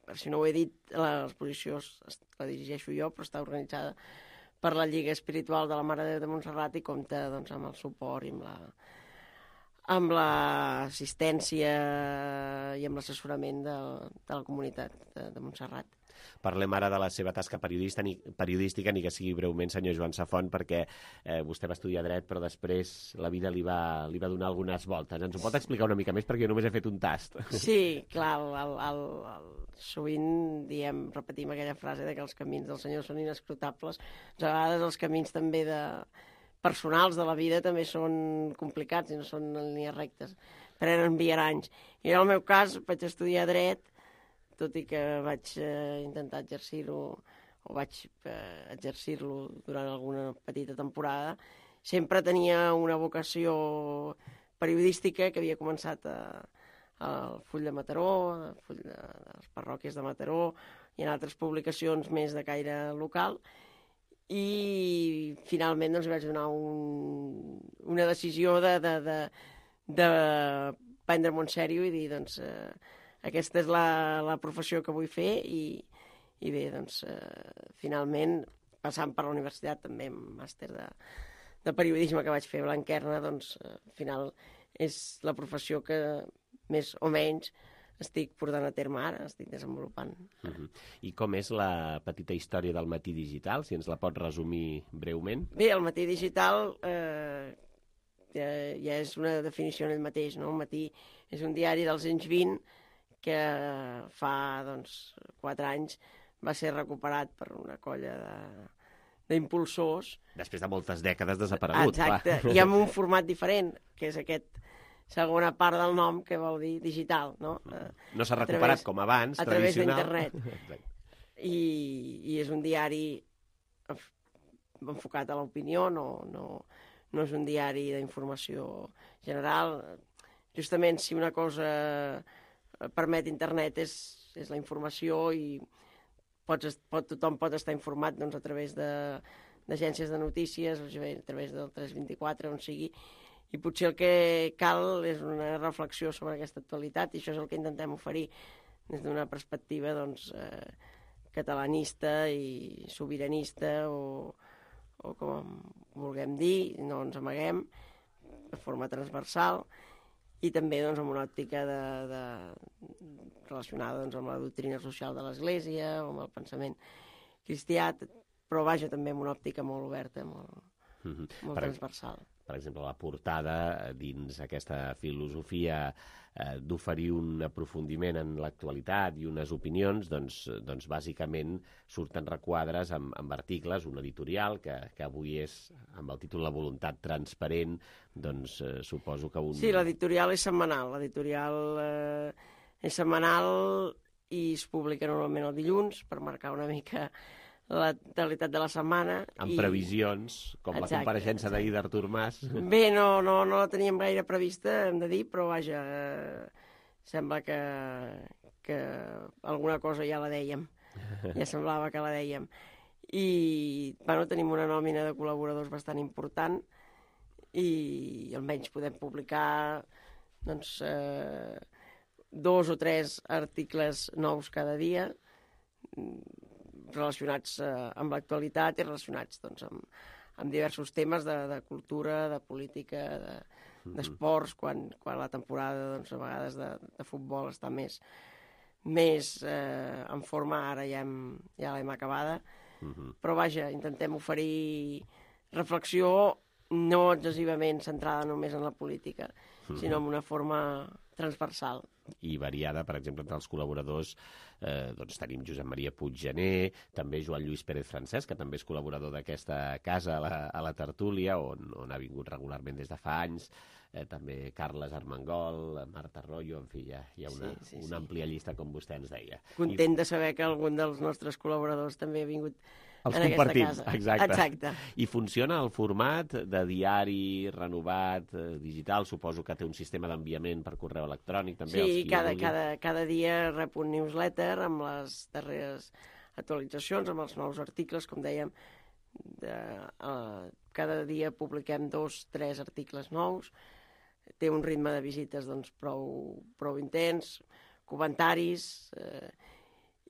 per si no ho he dit, l'exposició la dirigeixo jo, però està organitzada per la Lliga Espiritual de la Mare de Déu de Montserrat i compta doncs, amb el suport i amb l'assistència i amb l'assessorament de la comunitat de Montserrat. Parlem ara de la seva tasca periodística, ni que sigui breument, senyor Joan Safont, perquè vostè va estudiar dret, però després la vida li va donar algunes voltes. Ens ho pot explicar una mica més, perquè jo només he fet un tast. Sí, clar, sovint repetim aquella frase de que els camins del Senyor són inescrutables. A vegades els camins també personals de la vida també són complicats i no són en línies rectes, prenen viaranys. I en el meu cas vaig estudiar dret, tot i que vaig intentar exercir-ho o vaig exercir-lo durant alguna petita temporada, sempre tenia una vocació periodística que havia començat al Full de Mataró, al Full de les parròquies de Mataró i en altres publicacions més de caire local, i finalment doncs, vaig donar una decisió de prendre-m'ho en sèrio i dir, doncs, aquesta és la professió que vull fer i bé, doncs, finalment, passant per la universitat, també amb màster de periodisme que vaig fer a Blanquerna, doncs, al final és la professió que més o menys estic portant a terme ara, estic desenvolupant. I com és la petita història del Matí Digital, si ens la pot resumir breument? Bé, el Matí Digital ja és una definició en ell mateix, no? El Matí és un diari dels anys 20 que fa 4 anys va ser recuperat per una colla d'impulsors. Després de moltes dècades desaparegut. Exacte, i amb un format diferent, que és aquest segona part del nom, que vol dir digital, no? No s'ha recuperat com abans, tradicional. A través d'internet. I és un diari enfocat a l'opinió, no és un diari d'informació general. Justament, si una cosa permet internet és la informació i tothom pot estar informat doncs, a través d'agències de notícies, a través del 324, on sigui, i potser el que cal és una reflexió sobre aquesta actualitat i això és el que intentem oferir des d'una perspectiva doncs, catalanista i sobiranista o com vulguem dir, no ens amaguem, de forma transversal i també doncs, amb una òptica relacionada doncs, amb la doctrina social de l'Església o amb el pensament cristià, però vaja també amb una òptica molt oberta, molt transversal. Per exemple, la portada dins aquesta filosofia d'oferir un aprofundiment en l'actualitat i unes opinions, doncs bàsicament surten requadres amb articles, un editorial que avui és, amb el títol La voluntat transparent, doncs suposo que Sí, l'editorial és setmanal. L'editorial és setmanal i es publica normalment el dilluns per marcar una mica l'actualitat de la setmana. Amb previsions, com la compareixença d'ahir d'Artur Mas. Bé, no la teníem gaire prevista, hem de dir, però vaja, sembla que alguna cosa ja la dèiem. Ja semblava que la dèiem. I, tenim una nòmina de col·laboradors bastant important i almenys podem publicar, doncs, 2 o 3 articles nous cada dia, relacionats amb l'actualitat i relacionats doncs, amb diversos temes de cultura, de política, d'esports, quan la temporada doncs, a vegades de futbol està més en forma, ara ja l'hem acabada. Però vaja, intentem oferir reflexió no excessivament centrada només en la política, sinó en una forma transversal. I variada, per exemple, entre els col·laboradors doncs tenim Josep Maria Puiggener, també Joan Lluís Pérez Francesc, que també és col·laborador d'aquesta casa a la tertúlia, on ha vingut regularment des de fa anys, també Carles Armengol, Marta Arroyo, en fi, hi ha una àmplia llista, com vostè ens deia. Content de saber que algun dels nostres col·laboradors també ha vingut els en compartim, aquesta casa. Exacte. I funciona el format de diari renovat, digital, suposo que té un sistema d'enviament per correu electrònic, també. Sí, cada dia rep un newsletter amb les darreres actualitzacions, amb els nous articles, com dèiem, cada dia publiquem 2-3 articles nous, té un ritme de visites doncs, prou intens, comentaris,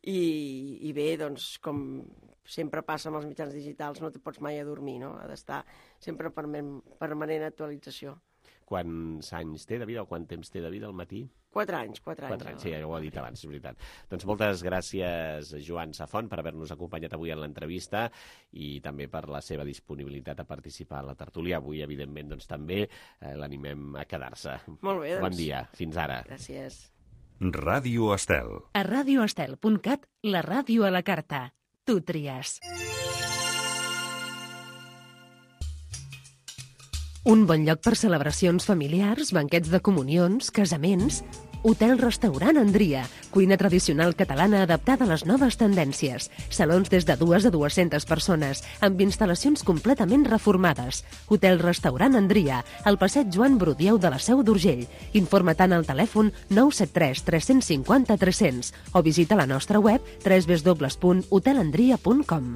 i bé, doncs, com sempre passa amb els mitjans digitals, no te pots mai adormir, no? Ha d'estar sempre permanent actualització. Quants anys té de vida o quant temps té de vida al matí? 4 anys. 4 anys, sí, ja ho ha dit abans, és veritat. Doncs moltes gràcies, Joan Safont, per haver-nos acompanyat avui en l'entrevista i també per la seva disponibilitat a participar a la tertúlia. Avui, evidentment, doncs també l'animem a quedar-se. Molt bé, doncs. Bon dia, fins ara. Gràcies. Ràdio Estel. A radioestel.cat, la ràdio a la carta. Tu tries. Un bon lloc per celebracions familiars, banquets de comunions, casaments... Hotel-restaurant Andria, cuina tradicional catalana adaptada a les noves tendències. Salons des de 2 a 200 persones, amb instal·lacions completament reformades. Hotel-restaurant Andria, al passeig Joan Brudieu de la Seu d'Urgell. Informa-te'n al telèfon 973 350 300 o visita la nostra web www.hotelandria.com.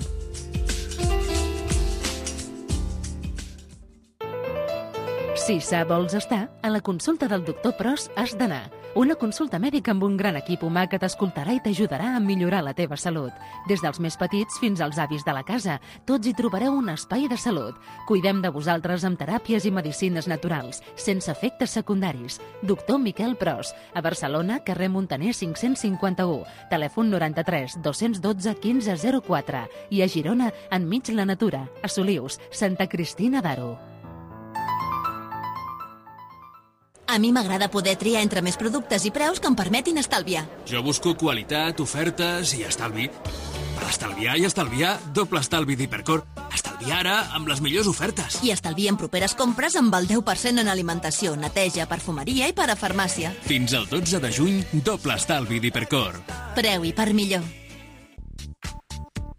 Si sa vols estar, a la consulta del doctor Pros has d'anar. Una consulta mèdica amb un gran equip humà que t'escoltarà i t'ajudarà a millorar la teva salut. Des dels més petits fins als avis de la casa, tots hi trobareu un espai de salut. Cuidem de vosaltres amb teràpies i medicines naturals, sense efectes secundaris. Doctor Miquel Pros, a Barcelona, carrer Muntaner 551, telèfon 93 212 1504 i a Girona, enmig la natura, a Solius, Santa Cristina d'Aro. A mi m'agrada poder triar entre més productes i preus que em permetin estalviar. Jo busco qualitat, ofertes i estalvi. Per estalviar i estalviar, doble estalvi d'Hipercor. Estalviar ara amb les millors ofertes. I estalvia en properes compres amb el 10% en alimentació, neteja, perfumeria i parafarmàcia. Fins al 12 de juny, doble estalvi d'Hipercor. Preu i per millor.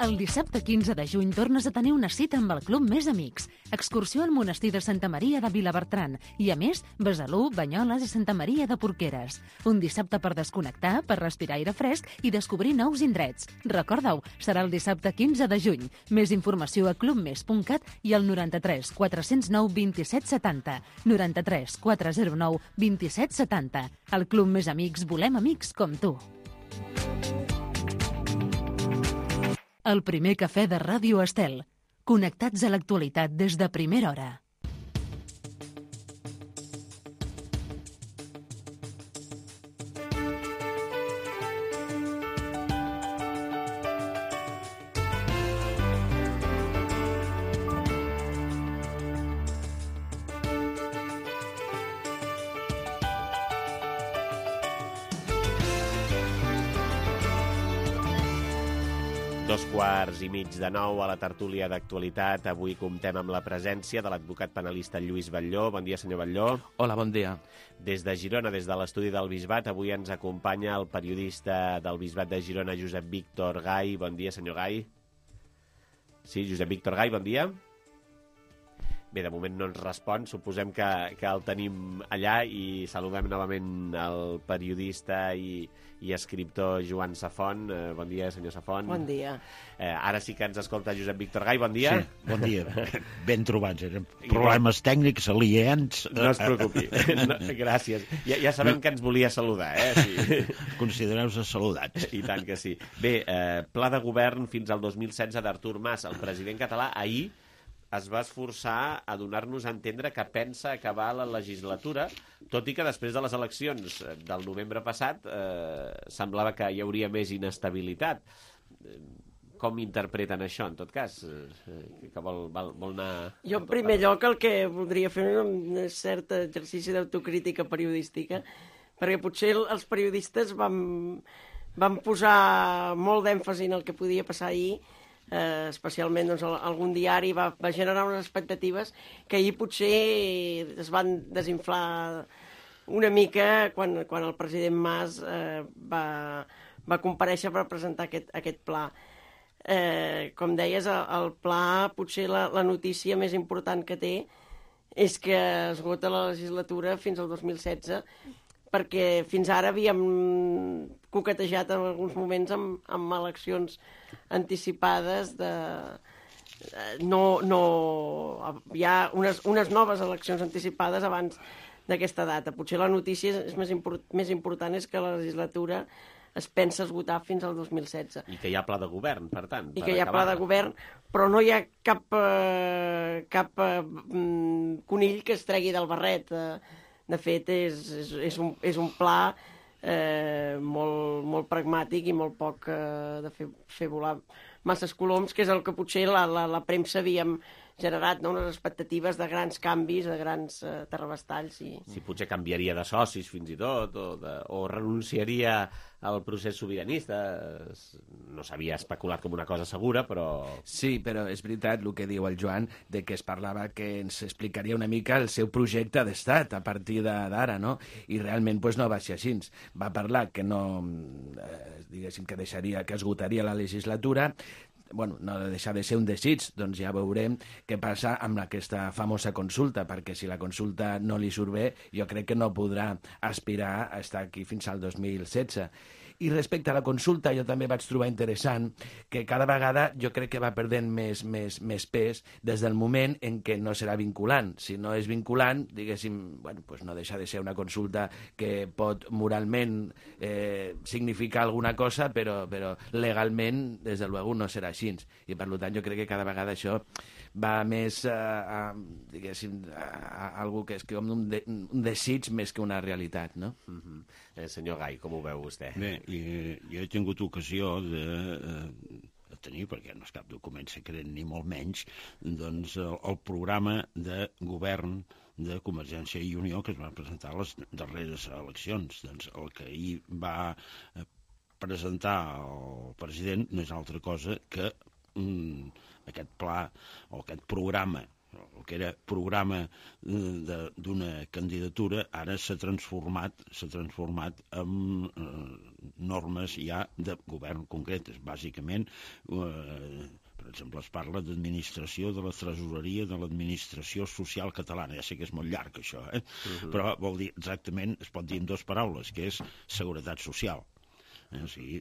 El dissabte 15 de juny tornes a tenir una cita amb el Club Més Amics. Excursió al monestir de Santa Maria de Vilabertran i, a més, Besalú, Banyoles i Santa Maria de Porqueres. Un dissabte per desconnectar, per respirar aire fresc i descobrir nous indrets. Recorda-ho, serà el dissabte 15 de juny. Més informació a clubmes.cat i al 93 409 27 70. 93 409 27 70. Al Club Més Amics volem amics com tu. El primer cafè de Ràdio Estel. Connectats a l'actualitat des de primera hora. Dos quarts i mig de 9 a la tertúlia d'actualitat. Avui comptem amb la presència de l'advocat penalista Lluís Batlló. Bon dia, senyor Batlló. Hola, bon dia. Des de Girona, des de l'estudi del Bisbat, avui ens acompanya el periodista del Bisbat de Girona, Josep Víctor Gai. Bon dia, senyor Gai. Sí, Josep Víctor Gai, bon dia. Bé, de moment no ens respon, suposem que el tenim allà i saludem novament el periodista i escriptor Joan Safont. Bon dia, senyor Safont. Bon dia. Ara sí que ens escolta Josep Víctor Gai, bon dia. Sí, bon dia. Ben trobats, eren problemes tècnics aliens. No es preocupi, no, gràcies. Ja sabem que ens volia saludar, Sí. Considereu-vos saludats. I tant que sí. Bé, pla de govern fins al 2016 d'Artur Mas. El president català ahir es va esforçar a donar-nos a entendre que pensa acabar la legislatura, tot i que després de les eleccions del novembre passat semblava que hi hauria més inestabilitat. com interpreten això, en tot cas? Que vol anar... Jo, en primer lloc, el que voldria fer és un cert exercici d'autocrítica periodística, perquè potser els periodistes vam posar molt d'èmfasi en el que podia passar ahir, especialment doncs, algun diari va generar unes expectatives que ahir potser es van desinflar una mica quan el president Mas va comparèixer per presentar aquest pla. Com deies, el pla, potser la notícia més important que té és que esgota la legislatura fins al 2016, perquè fins ara havíem coquetejat en alguns moments amb eleccions anticipades hi ha unes noves eleccions anticipades abans d'aquesta data. Potser la notícia més important és que la legislatura es pensa esgotar fins al 2016. I que hi ha pla de govern, per tant. I que hi ha pla de govern, però no hi ha cap conill que es tregui del barret. De fet, és un pla molt pragmàtic i molt poc de fer volar masses coloms, que és el que potser la premsa havíem generat, no? Unes expectatives de grans canvis, de grans terrabastalls. Sí, potser canviaria de socis fins i tot, o renunciaria al procés sobiranista. No s'havia especulat com una cosa segura, però... Sí, però és veritat el que diu el Joan, de que es parlava que ens explicaria una mica el seu projecte d'estat a partir d'ara, no? I realment pues, no va ser així. Va parlar que no, diguéssim, que esgotaria la legislatura. Bueno, no ha de deixar de ser un desig, doncs ja veurem què passa amb aquesta famosa consulta, perquè si la consulta no li surt bé, jo crec que no podrà aspirar a estar aquí fins al 2016. I respecte a la consulta, jo també vaig trobar interessant que cada vegada jo crec que va perdent més pes des del moment en què no serà vinculant. Si no és vinculant, diguéssim, bueno, pues no deixa de ser una consulta que pot moralment significar alguna cosa, però legalment, des de luego, no serà així. I per tant, jo crec que cada vegada això va més diguéssim, a algo que és com un desig més que una realitat, no? Senyor Gai, com ho veu vostè? Bé, jo he tingut ocasió de tenir, perquè no és cap document secret ni molt menys, doncs el programa de govern de Convergència i Unió que es va presentar a les darreres eleccions. Doncs el que ahir va presentar el president no és altra cosa que aquest pla o aquest programa, el que era programa d'una candidatura, ara s'ha transformat en normes ja de govern concretes. Bàsicament, per exemple, es parla d'administració de la tresoreria de l'administració social catalana. Ja sé que és molt llarg, això, però vol dir exactament, es pot dir en dues paraules, que és seguretat social. O sigui,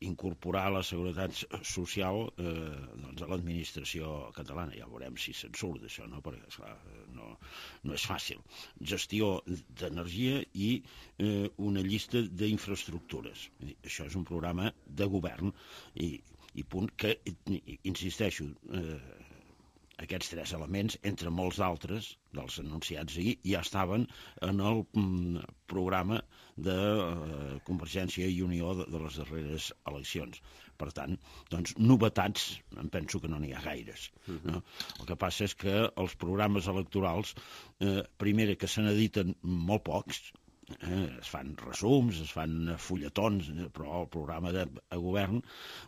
incorporar la seguretat social doncs a l'administració catalana. Ja veurem si se'n surt d'això, no? Perquè, esclar, no és fàcil. Gestió d'energia i una llista d'infraestructures. Això és un programa de govern i punt que, insisteixo, aquests tres elements, entre molts altres dels anunciats ahir, ja estaven en el programa de Convergència i Unió de les darreres eleccions. Per tant, doncs, novetats, em penso que no n'hi ha gaires. No? El que passa és que els programes electorals, primera, que se n'editen molt pocs, es fan resums, es fan fulletons, però el programa de govern,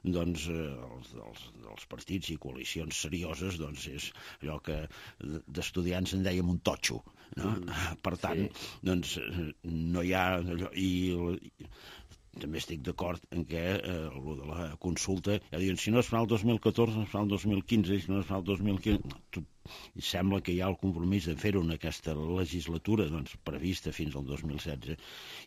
doncs, dels partits i coalicions serioses, doncs, és allò que d'estudiants en dèiem un totxo, no? Per tant, doncs, no hi ha... També estic d'acord en què el de la consulta, ja diuen, si no es fa el 2014, no es fa el 2015, si no es fa el 2015... I sembla que hi ha el compromís de fer-ho en aquesta legislatura, doncs, prevista fins al 2016,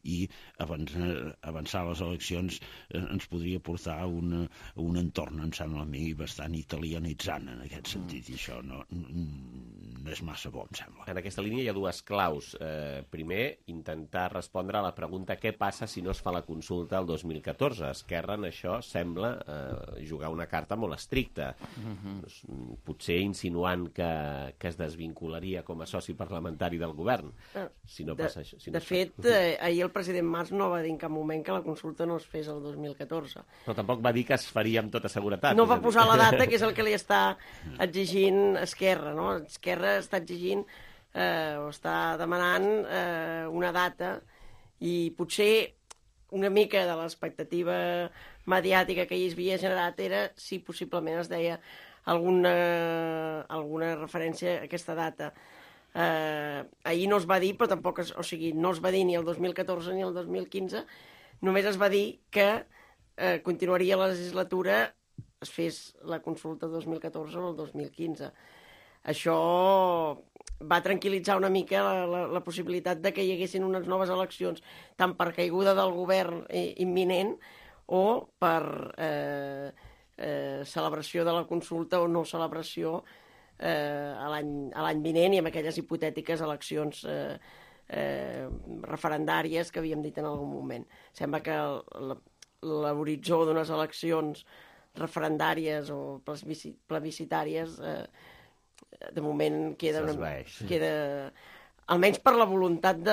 i avançar les eleccions ens podria portar a un entorn, em sembla a mi, bastant italianitzant en aquest sentit, i això no és massa bo, em sembla. En aquesta línia hi ha dues claus. Primer, intentar respondre a la pregunta què passa si no es fa la consulta el 2014. Esquerra en això sembla jugar una carta molt estricta, potser insinuant que que es desvincularia com a soci parlamentari del govern, si no passa això. De fet, ahir el president Mas no va dir en cap moment que la consulta no es fes el 2014. Però tampoc va dir que es faria amb tota seguretat. No va posar la data, que és el que li està exigint Esquerra, no? Esquerra està exigint o està demanant una data i potser una mica de l'expectativa mediàtica que hi havia generat era si possiblement es deia alguna referència a aquesta data. Ahir no es va dir, però tampoc no es va dir ni el 2014 ni el 2015, només es va dir que continuaria la legislatura, es fes la consulta el 2014 o el 2015. Això va tranquil·litzar una mica la possibilitat de que hi haguessin unes noves eleccions, tant per caiguda del govern imminent o per celebració de la consulta o no celebració a l'any vinent i amb aquelles hipotètiques eleccions referendàries que havíem dit en algun moment. Sembla que l'horitzó d'unes eleccions referendàries o plebiscitàries de moment queda almenys per la voluntat de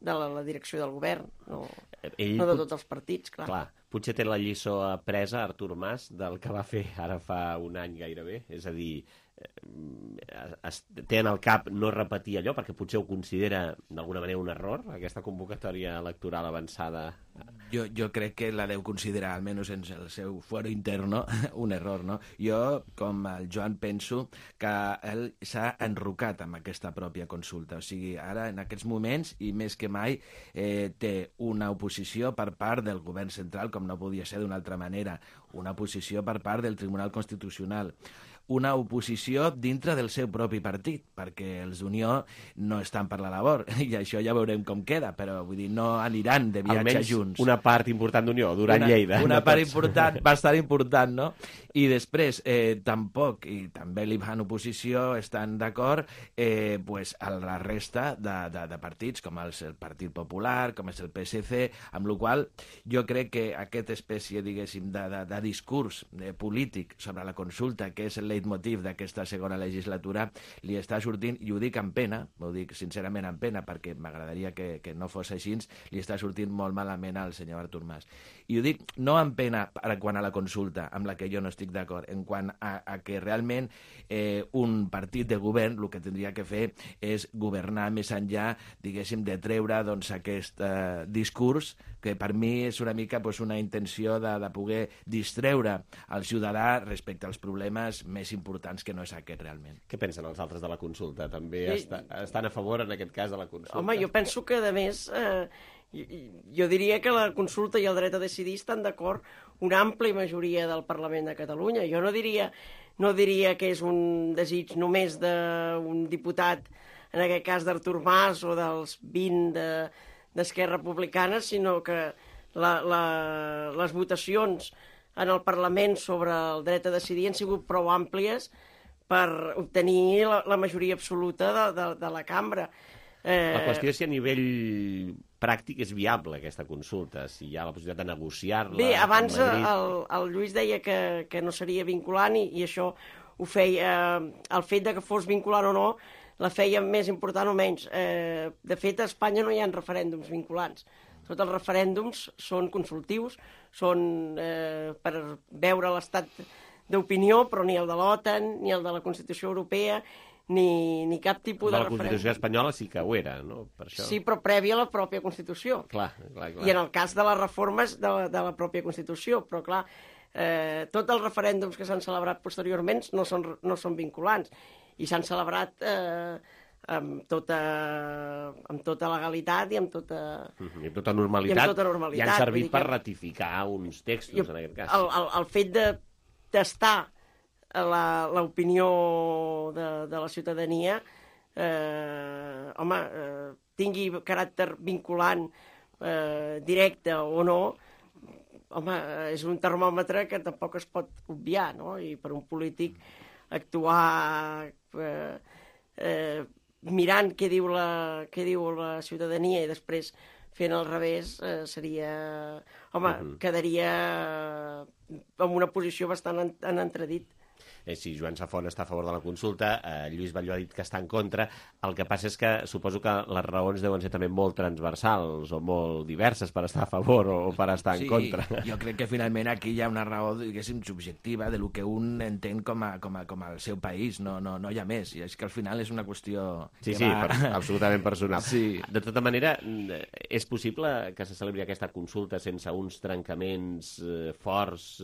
la direcció del govern, no de tots els partits, clar. Potser té la lliçó apresa Artur Mas del que va fer ara fa un any gairebé, és a dir, té en el cap no repetir allò, perquè potser ho considera d'alguna manera un error, aquesta convocatòria electoral avançada. Jo crec que la deu considerar, almenys en el seu fuero interno, un error, no? Jo, com el Joan, penso que ell s'ha enrocat amb aquesta pròpia consulta. O sigui, ara, en aquests moments, i més que mai, té una oposició per part del govern central, com no podia ser d'una altra manera, una oposició per part del Tribunal Constitucional, una oposició dintre del seu propi partit, perquè els d'Unió no estan per la labor, i això ja veurem com queda, però vull dir, no aniran de viatge junts. Almenys una part important d'Unió, Duran Lleida. Una part important, bastant important, no? I després, tampoc, i també li van oposició, estan d'acord, a la resta de partits, com el Partit Popular, com és el PSC, amb la qual jo crec que aquesta espècie, diguéssim, de discurs polític sobre la consulta, que és el leitmotiv d'aquesta segona legislatura, li està sortint, i ho dic amb pena, ho dic sincerament amb pena, perquè m'agradaria que no fos així, li està sortint molt malament al senyor Artur Mas. I ho dic no amb pena quant a la consulta, amb la que jo no estic d'acord, en quant a que realment un partit de govern el que tindria que fer és governar més enllà, diguéssim, de treure aquest discurs, que per mi és una mica una intenció de poder distreure el ciutadà respecte als problemes més importants, que no és aquest realment. Què pensen els altres de la consulta? També estan a favor, en aquest cas, de la consulta? Home, jo penso que, a més, jo diria que la consulta i el dret a decidir estan d'acord una àmplia majoria del Parlament de Catalunya. Jo no diria que és un desig només d'un diputat, en aquest cas d'Artur Mas, o dels 20 d'Esquerra Republicana, sinó que les votacions en el Parlament sobre el dret a decidir han sigut prou àmplies per obtenir la majoria absoluta de la cambra. La qüestió és si a nivell pràctic és viable aquesta consulta, si hi ha la possibilitat de negociar-la. Bé, abans el Lluís deia que no seria vinculant i això ho feia, el fet de que fos vinculant o no, la feia més important o menys. De fet, a Espanya no hi ha referèndums vinculants. Tots els referèndums són consultius, són per veure l'estat d'opinió, però ni el de l'OTAN, ni el de la Constitució Europea, ni cap tipus de referèndum. La Constitució espanyola sí que ho era, no? Per això. Sí, però prèvia a la pròpia Constitució. Clar. I en el cas de les reformes de la pròpia Constitució, però clar, tots els referèndums que s'han celebrat posteriorment no són vinculants i s'han celebrat amb tota legalitat i amb tota normalitat. I han servit per ratificar uns textos, en aquest cas. El fet de testar l'opinió de la ciutadania, tingui caràcter vinculant directe o no, és un termòmetre que tampoc es pot obviar, no? I per un polític actuar mirant què diu la ciutadania i després fent al revés seria... quedaria en una posició bastant en entredit. Si Joan Safont està a favor de la consulta, Lluís Batlló ha dit que està en contra. El que passa és que suposo que les raons deuen ser també molt transversals o molt diverses per estar a favor o per estar en contra. Jo crec que finalment aquí hi ha una raó, diguéssim, subjectiva de lo que un entén com el seu país, no hi ha més. I és que al final és una qüestió... Sí, absolutament personal. Sí. De tota manera, és possible que se celebri aquesta consulta sense uns trencaments forts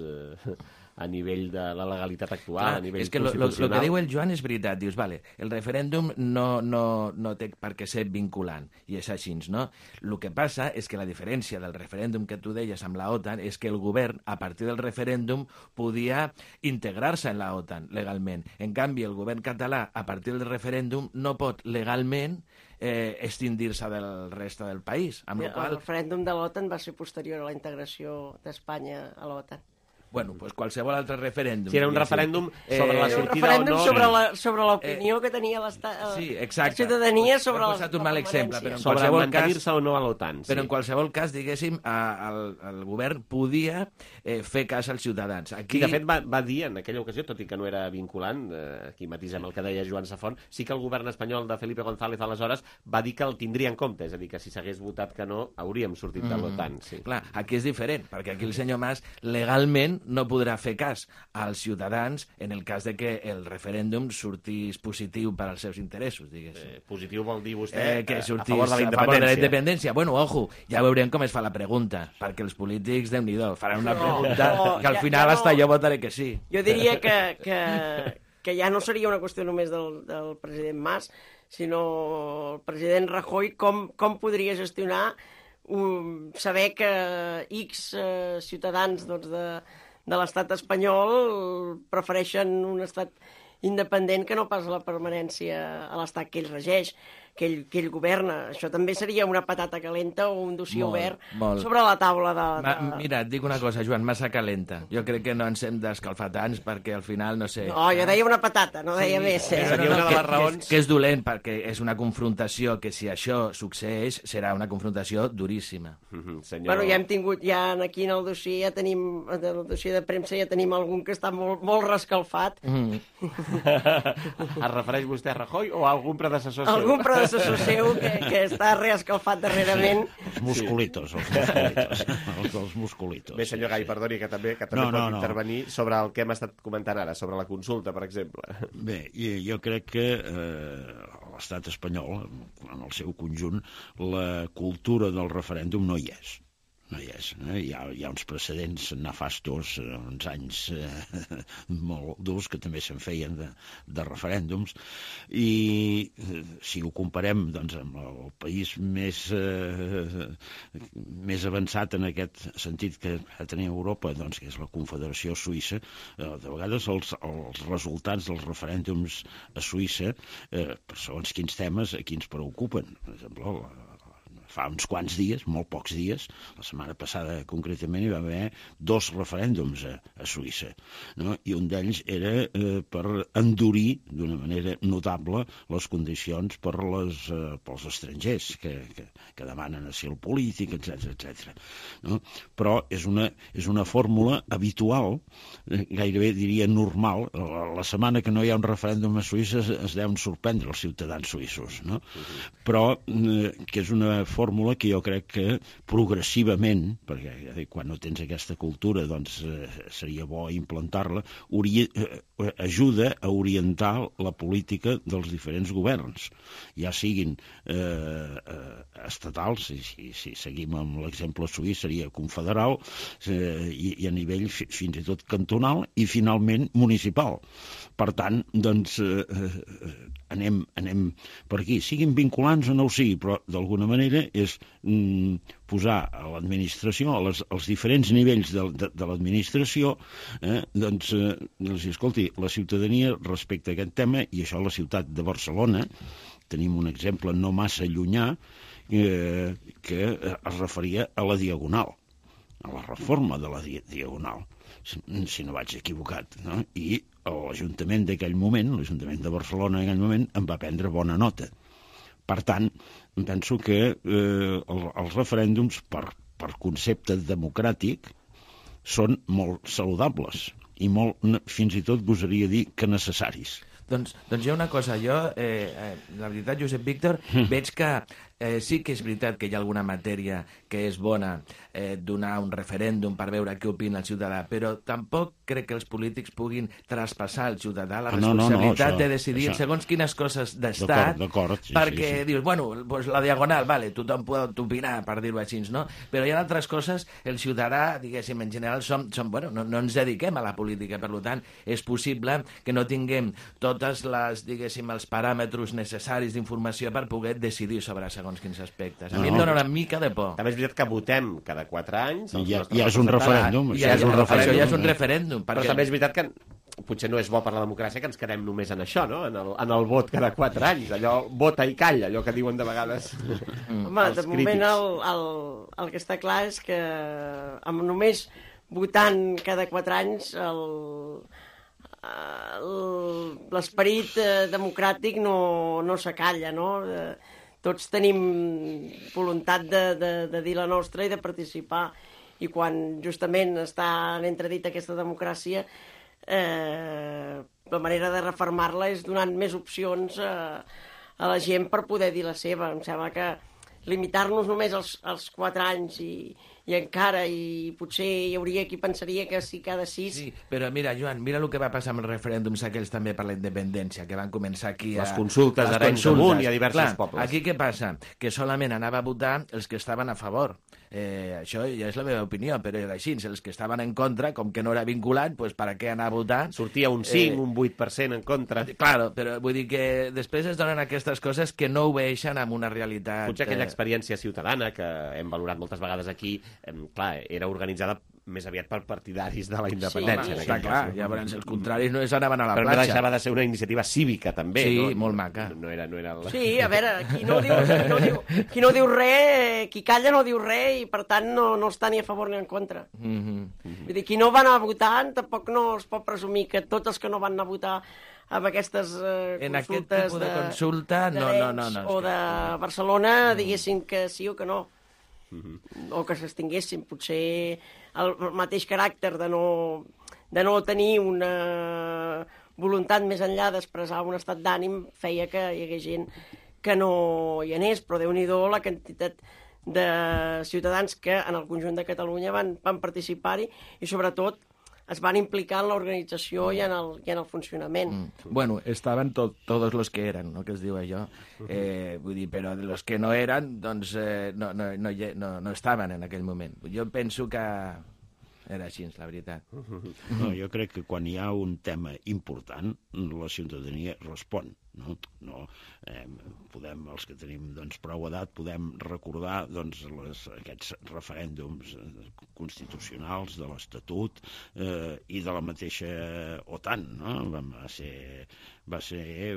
a nivell de la legalitat actual, a nivell constitucional? És que el que diu el Joan és veritat. Dius, vale, el referèndum no té per què ser vinculant, i és així, no? El que passa és que la diferència del referèndum que tu deies amb la OTAN és que el govern, a partir del referèndum, podia integrar-se en la OTAN legalment. En canvi, el govern català, a partir del referèndum, no pot legalment extindir-se del reste del país. El referèndum de l'OTAN va ser posterior a la integració d'Espanya a l'OTAN. Bueno, pues qualsevol altre referèndum. Si era un referèndum sobre la sortida o no... Un referèndum sobre l'opinió que tenia la ciutadania sobre la l'exemple, però sobre mantenir-se o no a l'OTAN. Però en qualsevol cas, diguéssim, el govern podia fer cas als ciutadans. Aquí, de fet, va dir en aquella ocasió, tot i que no era vinculant, aquí matisem el que deia Joan Safont, sí que el govern espanyol de Felipe González aleshores va dir que el tindria en compte, és a dir, que si s'hagués votat que no, hauríem sortit de l'OTAN. Clar, aquí és diferent, perquè aquí el senyor Mas legalment no podrà fer cas als ciutadans en el cas de que el referèndum sortís positiu per als seus interessos, diguéssim. Positiu vol dir vostè que a favor de la independència. Bueno, ojo, ja veurem com es fa la pregunta, perquè els polítics, Déu-n'hi-do, faran una pregunta que al final hasta jo votaré que sí. Jo diria que ja no seria una qüestió només del president Mas, sinó el president Rajoy, com podria gestionar saber que X ciutadans de l'estat espanyol prefereixen un estat independent que no pas la permanència a l'estat que ell regeix, que ell governa. Això també seria una patata calenta o un dossier obert sobre la taula de... Mira, et dic una cosa, Joan, massa calenta. Jo crec que no ens hem d'escalfar tants perquè al final, no sé... No, jo deia una patata, no deia més. Seria una de les raons... Que és dolent, perquè és una confrontació que si això succeeix serà una confrontació duríssima. Bueno, ja hem tingut, aquí en el dossier el dossier de premsa ja tenim algun que està molt rescalfat. Es refereix vostè a Rajoy o a algun predecessor seu? Algun predecessor seu que està reescalfat darrerament. Els musculitos. Els musculitos. Bé, senyor Gai, perdoni, que també pot intervenir sobre el que hem estat comentant ara, sobre la consulta, per exemple. Bé, jo crec que l'estat espanyol, en el seu conjunt, la cultura del referèndum no hi és. No hi és. Hi ha uns precedents nefastos, uns anys molt durs que també se'n feien de referèndums, i si ho comparem doncs, amb el país més avançat en aquest sentit que tenia Europa, doncs, que és la Confederació Suïssa, de vegades els resultats dels referèndums a Suïssa, per segons quins temes, aquí ens preocupen. Per exemple, fa uns quants dies, molt pocs dies, la setmana passada concretament hi va haver 2 referèndums a Suïssa, no? I un d'ells era per endurir d'una manera notable les condicions pels estrangers que demanen asil polític, etc. No? Però és una fórmula habitual, gairebé diria normal. La setmana que no hi ha un referèndum a Suïssa es deuen sorprendre els ciutadans suïssos, no? Però que és una fórmula que jo crec que progressivament, perquè quan no tens aquesta cultura doncs seria bo implantar-la, ajuda a orientar la política dels diferents governs, ja siguin estatals, si seguim amb l'exemple suís seria confederal, i a nivell fins i tot cantonal, i finalment municipal. Per tant, doncs anem per aquí, siguin vinculants o no ho sigui, però d'alguna manera és posar a l'administració, als diferents nivells de l'administració, doncs dir, escolti, la ciutadania respecte a aquest tema, i això a la ciutat de Barcelona, tenim un exemple no massa llunyà, que es referia a la Diagonal, a la reforma de la Diagonal, si no vaig equivocat, no? I l'Ajuntament d'aquell moment, l'Ajuntament de Barcelona en aquell moment, en va prendre bona nota. Per tant, penso que els referèndums, per concepte democràtic, són molt saludables. i molt, fins i tot gosaria dir que necessaris. Doncs hi ha una cosa, jo, la veritat, Josep Víctor, veig que sí que és veritat que hi ha alguna matèria que és bona donar un referèndum per veure què opina el ciutadà, però tampoc crec que els polítics puguin traspassar al ciutadà la responsabilitat de decidir segons quines coses d'estat, perquè dius, bueno, pues la diagonal, vale, tothom pot opinar, per dir-ho així, no? Però hi ha altres coses, el ciutadà, diguéssim, en general, bueno, no ens dediquem a la política, per tant, és possible que no tinguem totes les, diguéssim, els paràmetres necessaris d'informació per poder decidir sobre segons quins aspectes. A mi em dóna una mica de por. També és veritat que votem cada 4 anys. Ja és un referèndum. Això ja és un referèndum. Però també és veritat que potser no és bo per la democràcia que ens quedem només en això, no? En el vot cada 4 anys. Allò, vota i calla, allò que diuen de vegades Home, de moment el que està clar és que amb només votant cada 4 anys l'esperit democràtic no s'acalla, no? Tots tenim voluntat de dir la nostra i de participar, i quan justament està en entredit aquesta democràcia, la manera de refermar-la és donant més opcions a la gent per poder dir la seva. Em sembla que limitar-nos només als 4 anys i encara, i potser hi hauria qui pensaria que sí cada 6... Sí, però mira, Joan, mira el que va passar amb els referèndums aquells també per la independència, que van començar aquí les consultes d'Arenys de Munt i a diversos pobles. Aquí què passa? Que solament anava a votar els que estaven a favor. Això ja és la meva opinió, però era així. Els que estaven en contra, com que no era vinculant, doncs per a què anar a votar? Sortia un 5, un 8% en contra. Claro, però vull dir que després es donen aquestes coses que no obeeixen amb una realitat... Potser aquella experiència ciutadana que hem valorat moltes vegades aquí, clar, era organitzada més aviat per partidaris de la independència. Sí, està clar, llavors els contraris no anaven a la platja. Però no deixava de ser una iniciativa cívica, també. Sí, no? molt maca. No era Sí, a veure, qui no diu res, qui calla no diu res, i per tant no està ni a favor ni en contra. Vull dir, qui no va anar a votar, tampoc no es pot presumir que tots els que no van anar a votar amb aquestes en aquest tipus de consulta no, o de Barcelona diguessin que sí o que no. O que s'extinguessin. Potser el mateix caràcter de no tenir una voluntat més enllà d'expressar un estat d'ànim feia que hi hagués gent que no hi anés, però Déu-n'hi-do la quantitat de ciutadans que en el conjunt de Catalunya van participar-hi i sobretot es van implicar en l'organització i en el funcionament. Bueno, estaven todos los que eren, no?, que es diu allò. Vull dir, però los que no eren, doncs no estaven en aquell moment. Jo penso que era així, la veritat. No, jo crec que quan hi ha un tema important, la ciutadania respon. No podem, els que tenim prou edat, podem recordar aquests referèndums constitucionals de l'Estatut i de la mateixa OTAN, no? Va ser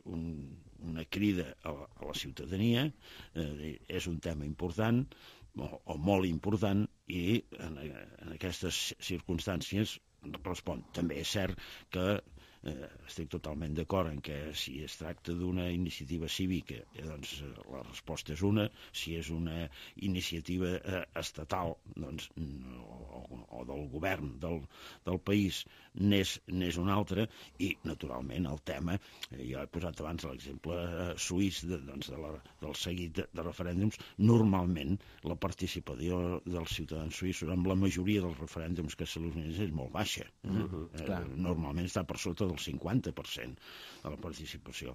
una crida a la ciutadania, és un tema important o molt important, i en aquestes circumstàncies respon. També és cert que estic totalment d'acord en que si es tracta d'una iniciativa cívica, doncs la resposta és una. Si és una iniciativa estatal o del govern del país, n'és una altra. I, naturalment, el tema, jo he posat abans l'exemple suís del seguit de referèndums. Normalment la participació dels ciutadans suïssos amb la majoria dels referèndums que s'organitzen és molt baixa. Normalment està per sota del 50% de la participació,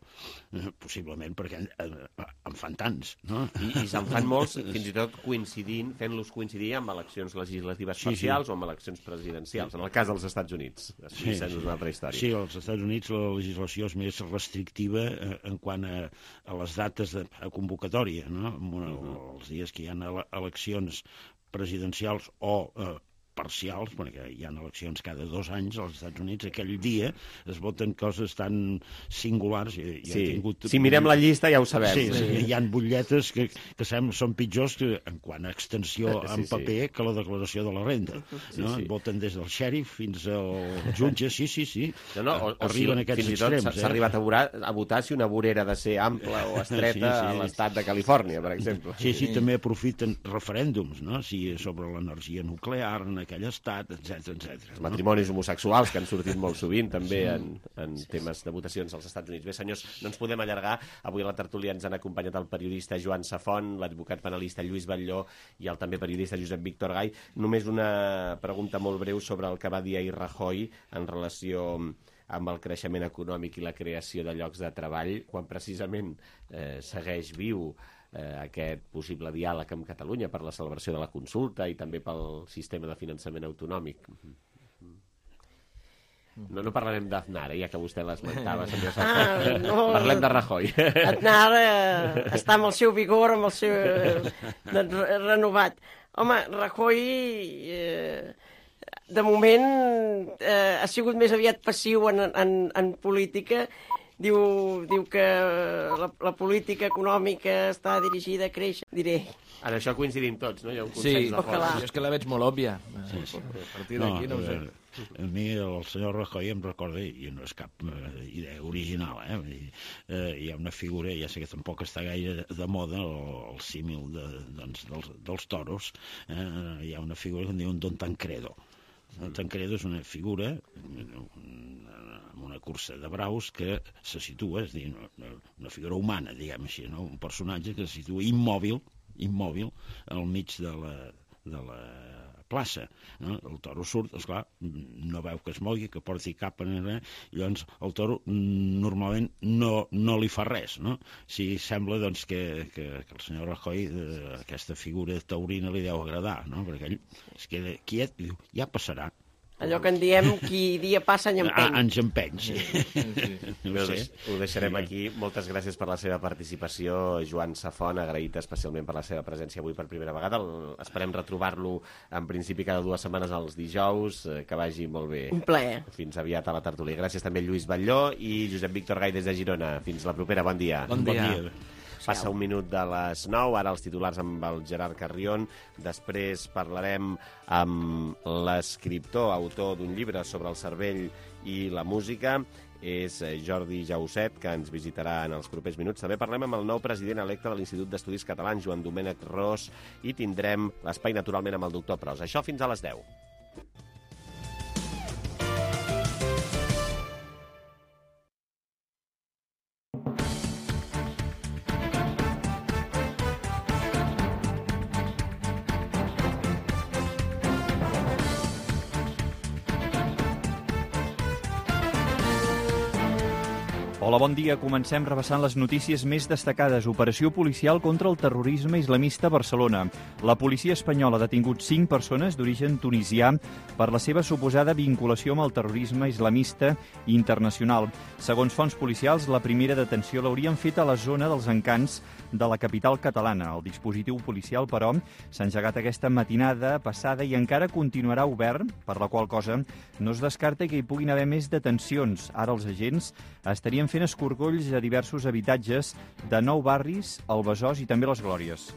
possiblement perquè en fan tants, no? I se'n fan molts, fins i tot fent-los coincidir amb eleccions legislatives parcials o amb eleccions presidencials, en el cas dels Estats Units. És una altra història. Sí, als Estats Units la legislació és més restrictiva en quant a les dates de convocatòria, no? Els dies que hi ha eleccions presidencials o parcials, perquè hi ha eleccions cada 2 anys als Estats Units, aquell dia es voten coses tan singulars. Si mirem la llista ja ho sabem. Sí, hi ha butlletes que són pitjors en quant a extensió en paper que la declaració de la renda. Voten des del xèrif fins al jutge, sí. Arriben aquests extrems. S'ha arribat a votar si una vorera ha de ser ampla o estreta a l'estat de Califòrnia, per exemple. Sí, també aprofiten referèndums, no? Si sobre l'energia nuclear, en aquell estat, etc. Els matrimonis homosexuals, que han sortit molt sovint també en temes de votacions als Estats Units. Bé, senyors, no ens podem allargar. Avui a la tertúlia ens han acompanyat el periodista Joan Safont, l'advocat penalista Lluís Batlló i el també periodista Josep Víctor Gay. Només una pregunta molt breu sobre el que va dir ahir Rajoy en relació amb el creixement econòmic i la creació de llocs de treball, quan precisament segueix viu aquest possible diàleg amb Catalunya per la celebració de la consulta i també pel sistema de finançament autonòmic. No parlarem d'Aznar, ja que vostè l'esmentava, senyor Safont. Parlem de Rajoy. Aznar està amb el seu vigor, amb el seu renovat. Home, Rajoy de moment ha sigut més aviat passiu en política. Diu que la política econòmica està dirigida a créixer. Diré. En això coincidim tots, no? Hi ha un consens de fora. Jo és que la veig molt òbvia. A partir d'aquí no ho sé. A mi el senyor Rajoy em recorda, i no és cap idea original, hi ha una figura, ja sé que tampoc està gaire de moda, el símil dels toros, hi ha una figura que en diuen Don Tancredo. Don Tancredo és una figura amb una cursa de braus que se situa, és a dir, una figura humana, diguem així, no? Un personatge que se situa immòbil al mig de la plaça. No? El toro surt, esclar, no veu que es mogui, que porti cap en res, i llavors el toro normalment no li fa res, no? Si sembla doncs, que el senyor Rajoy aquesta figura taurina li deu agradar, no? Perquè ell es queda quiet i diu, ja passarà. Allò que en diem, qui dia passa any empeny. Anys empeny, sí. Ho deixarem aquí. Moltes gràcies per la seva participació, Joan Safont, agraït especialment per la seva presència avui per primera vegada. Esperem retrobar-lo en principi cada 2 setmanes els dijous. Que vagi molt bé. Un plaer. Fins aviat a la tertúlia. Gràcies també a Lluís Batlló i Josep Víctor Gay des de Girona. Fins la propera. Bon dia. Bon dia. Passa 1 minut de les 9, ara els titulars amb el Gerard Carrion. Després parlarem amb l'escriptor, autor d'un llibre sobre el cervell i la música. És Jordi Jauset, que ens visitarà en els propers minuts. També parlem amb el nou president electe de l'Institut d'Estudis Catalans, Joan Domènec Ros, i tindrem l'espai naturalment amb el doctor Pros. Això fins a les 10. Hola, bon dia. Comencem repassant les notícies més destacades. Operació policial contra el terrorisme islamista a Barcelona. La policia espanyola ha detingut 5 persones d'origen tunisià per la seva suposada vinculació amb el terrorisme islamista internacional. Segons fonts policials, la primera detenció l'haurien fet a la zona dels Encants de la capital catalana. El dispositiu policial, però, s'ha engegat aquesta matinada passada i encara continuarà obert, per la qual cosa no es descarta que hi puguin haver més detencions. Ara els agents estarien fent escorcolls a diversos habitatges de 9 barris, el Besòs i també les Glòries.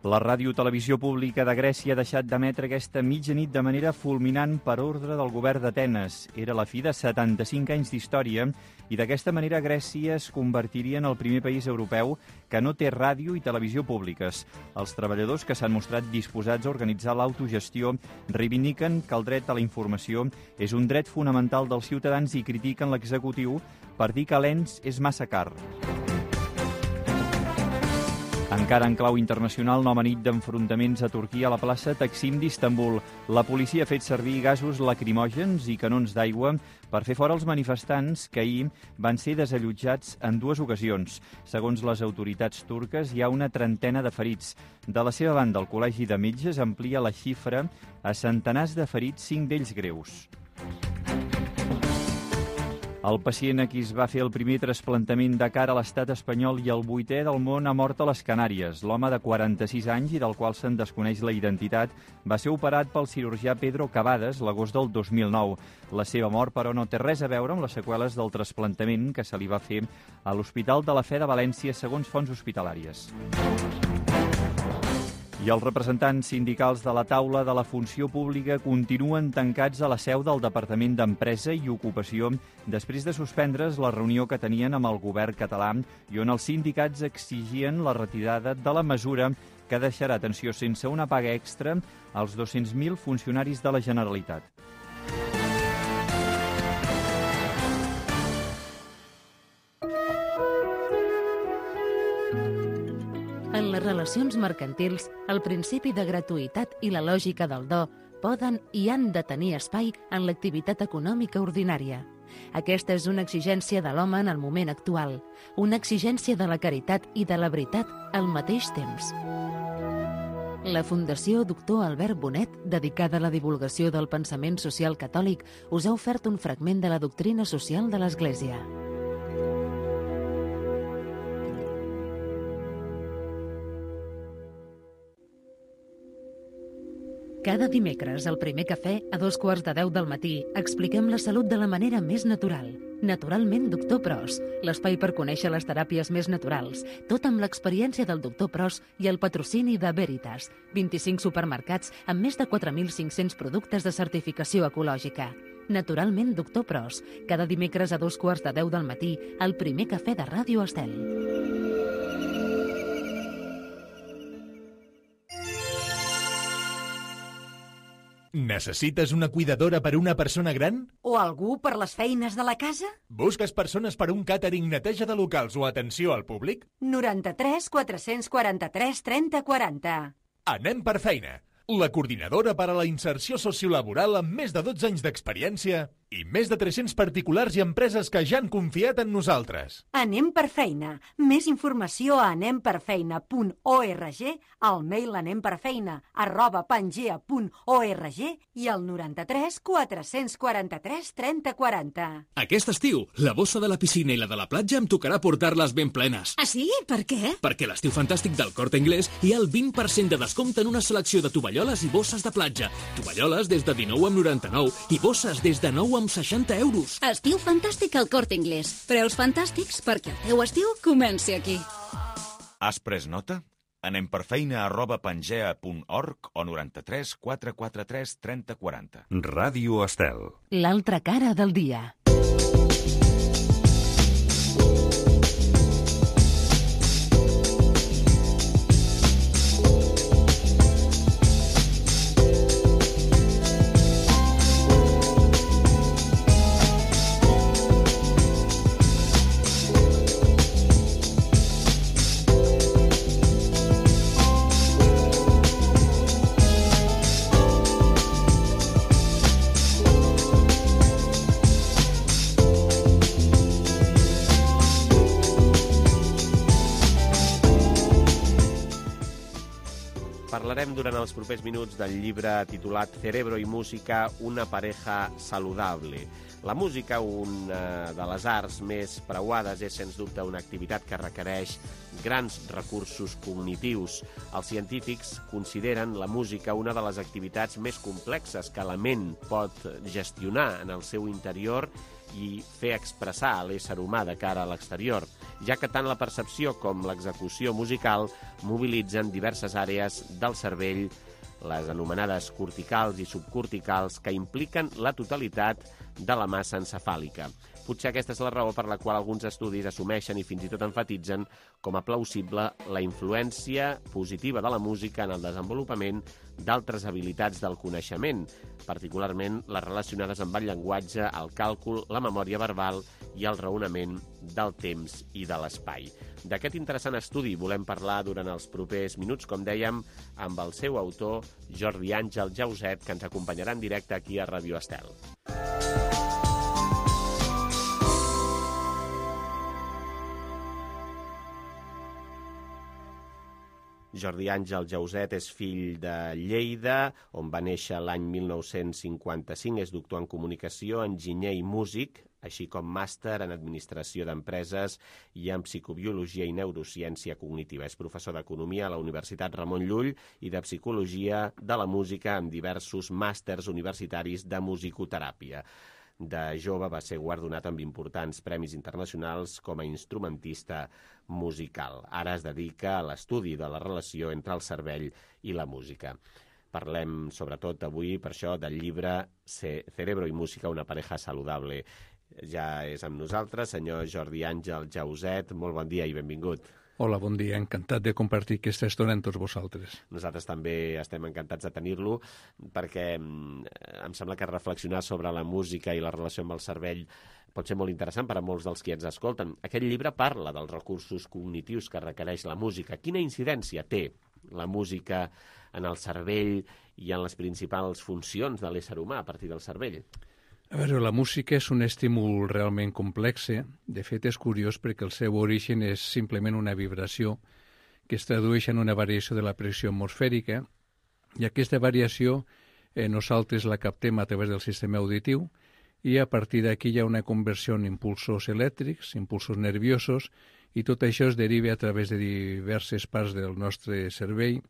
La Ràdio-Televisió Pública de Grècia ha deixat d'emetre aquesta mitjanit de manera fulminant per ordre del govern d'Atenes. Era la fi de 75 anys d'història i d'aquesta manera Grècia es convertiria en el primer país europeu que no té ràdio i televisió públiques. Els treballadors que s'han mostrat disposats a organitzar l'autogestió reivindiquen que el dret a la informació és un dret fonamental dels ciutadans i critiquen l'executiu per dir que l'ENS és massa car. Encara en clau internacional, nova nit d'enfrontaments a Turquia a la plaça Taksim d'Istanbul. La policia ha fet servir gasos lacrimògens i canons d'aigua per fer fora els manifestants que ahir van ser desallotjats en 2 ocasions. Segons les autoritats turques, hi ha una trentena de ferits. De la seva banda, el Col·legi de Metges amplia la xifra a centenars de ferits, 5 d'ells greus. El pacient a qui es va fer el primer trasplantament de cara a l'estat espanyol i el 8è del món ha mort a les Canàries. L'home de 46 anys i del qual se'n desconeix la identitat va ser operat pel cirurgià Pedro Cavades l'agost del 2009. La seva mort, però, no té res a veure amb les seqüeles del trasplantament que se li va fer a l'Hospital de la Fe de València, segons fonts hospitalàries. I els representants sindicals de la taula de la funció pública continuen tancats a la seu del Departament d'Empresa i Ocupació després de suspendre's la reunió que tenien amb el govern català i on els sindicats exigien la retirada de la mesura que deixarà, atenció, sense una paga extra als 200.000 funcionaris de la Generalitat. En les relacions mercantils, el principi de gratuïtat i la lògica del do poden i han de tenir espai en l'activitat econòmica ordinària. Aquesta és una exigència de l'home en el moment actual, una exigència de la caritat i de la veritat al mateix temps. La Fundació Doctor Albert Bonet, dedicada a la divulgació del pensament social catòlic, us ha ofert un fragment de la doctrina social de l'Església. Cada dimecres, al primer cafè, a 2:15 del matí, expliquem la salut de la manera més natural. Naturalment, Doctor Pros, l'espai per conèixer les teràpies més naturals, tot amb l'experiència del Doctor Pros i el patrocini de Veritas, 25 supermercats amb més de 4.500 productes de certificació ecològica. Naturalment, Doctor Pros, cada dimecres a 2:15 del matí, al primer cafè de Ràdio Estel. Necessites una cuidadora per a una persona gran? O algú per les feines de la casa? Busques persones per a un càtering, neteja de locals o atenció al públic? 93 443 30 40. Anem per feina. La coordinadora per a la inserció sociolaboral amb més de 12 anys d'experiència i més de 300 particulars i empreses que ja han confiat en nosaltres. Anem per feina. Més informació a anemperfeina.org, al mail anemperfeina@pangea.org i al 93 443 30 40. Aquest estiu, la bossa de la piscina i la de la platja em tocarà portar-les ben plenes. Ah, sí? Per què? Perquè a l'estiu fantàstic del Corte Inglés hi ha el 20% de descompte en una selecció de tovalloles i bosses de platja. Tovalloles des de 19,99 i bosses des de 9,60 euros. Estiu fantàstic al Corte Inglés. Preus fantàstics perquè el teu estiu comenci aquí. Has pres nota? anemperfeina@pangea.org o 93 443 30 40. Ràdio Estel. L'altra cara del dia. Parlarem durant els propers minuts del llibre titulat Cerebro y música, una pareja saludable. La música, una de les arts més preuades, és sens dubte una activitat que requereix grans recursos cognitius. Els científics consideren la música una de les activitats més complexes que la ment pot gestionar en el seu interior i fer expressar a l'ésser humà de cara a l'exterior, ja que tant la percepció com l'execució musical mobilitzen diverses àrees del cervell, les anomenades corticals i subcorticals, que impliquen la totalitat de la massa encefàlica. Potser aquesta és la raó per la qual alguns estudis assumeixen i fins i tot enfatitzen com a plausible la influència positiva de la música en el desenvolupament d'altres habilitats del coneixement, particularment les relacionades amb el llenguatge, el càlcul, la memòria verbal i el raonament del temps i de l'espai. D'aquest interessant estudi volem parlar durant els propers minuts, com dèiem, amb el seu autor, Jordi Àngel Jauset, que ens acompanyarà en directe aquí a Ràdio Estel. Jordi Àngel Jauset és fill de Lleida, on va néixer l'any 1955, és doctor en comunicació, enginyer i músic, així com màster en administració d'empreses i en psicobiologia i neurociència cognitiva. És professor d'economia a la Universitat Ramon Llull i de psicologia de la música amb diversos màsters universitaris de musicoteràpia. De jove va ser guardonat amb importants premis internacionals com a instrumentista musical. Ara es dedica a l'estudi de la relació entre el cervell i la música. Parlem, sobretot avui, per això, del llibre Cerebro y música, una pareja saludable. Ja és amb nosaltres, senyor Jordi Àngel Jauset. Molt bon dia i benvingut. Hola, bon dia. Encantat de compartir aquesta estona amb tots vosaltres. Nosaltres també estem encantats de tenir-lo perquè em sembla que reflexionar sobre la música i la relació amb el cervell pot ser molt interessant per a molts dels qui ens escolten. Aquest llibre parla dels recursos cognitius que requereix la música. Quina incidència té la música en el cervell i en les principals funcions de l'ésser humà a partir del cervell? A veure, la música és un estímul realment complex. De fet, és curiós perquè el seu origen és simplement una vibració que es tradueix en una variació de la pressió atmosfèrica, i aquesta variació nosaltres la captem a través del sistema auditiu, i a partir d'aquí hi ha una conversió en impulsos elèctrics, impulsos nerviosos, i tot això es deriva a través de diverses parts del nostre cervell,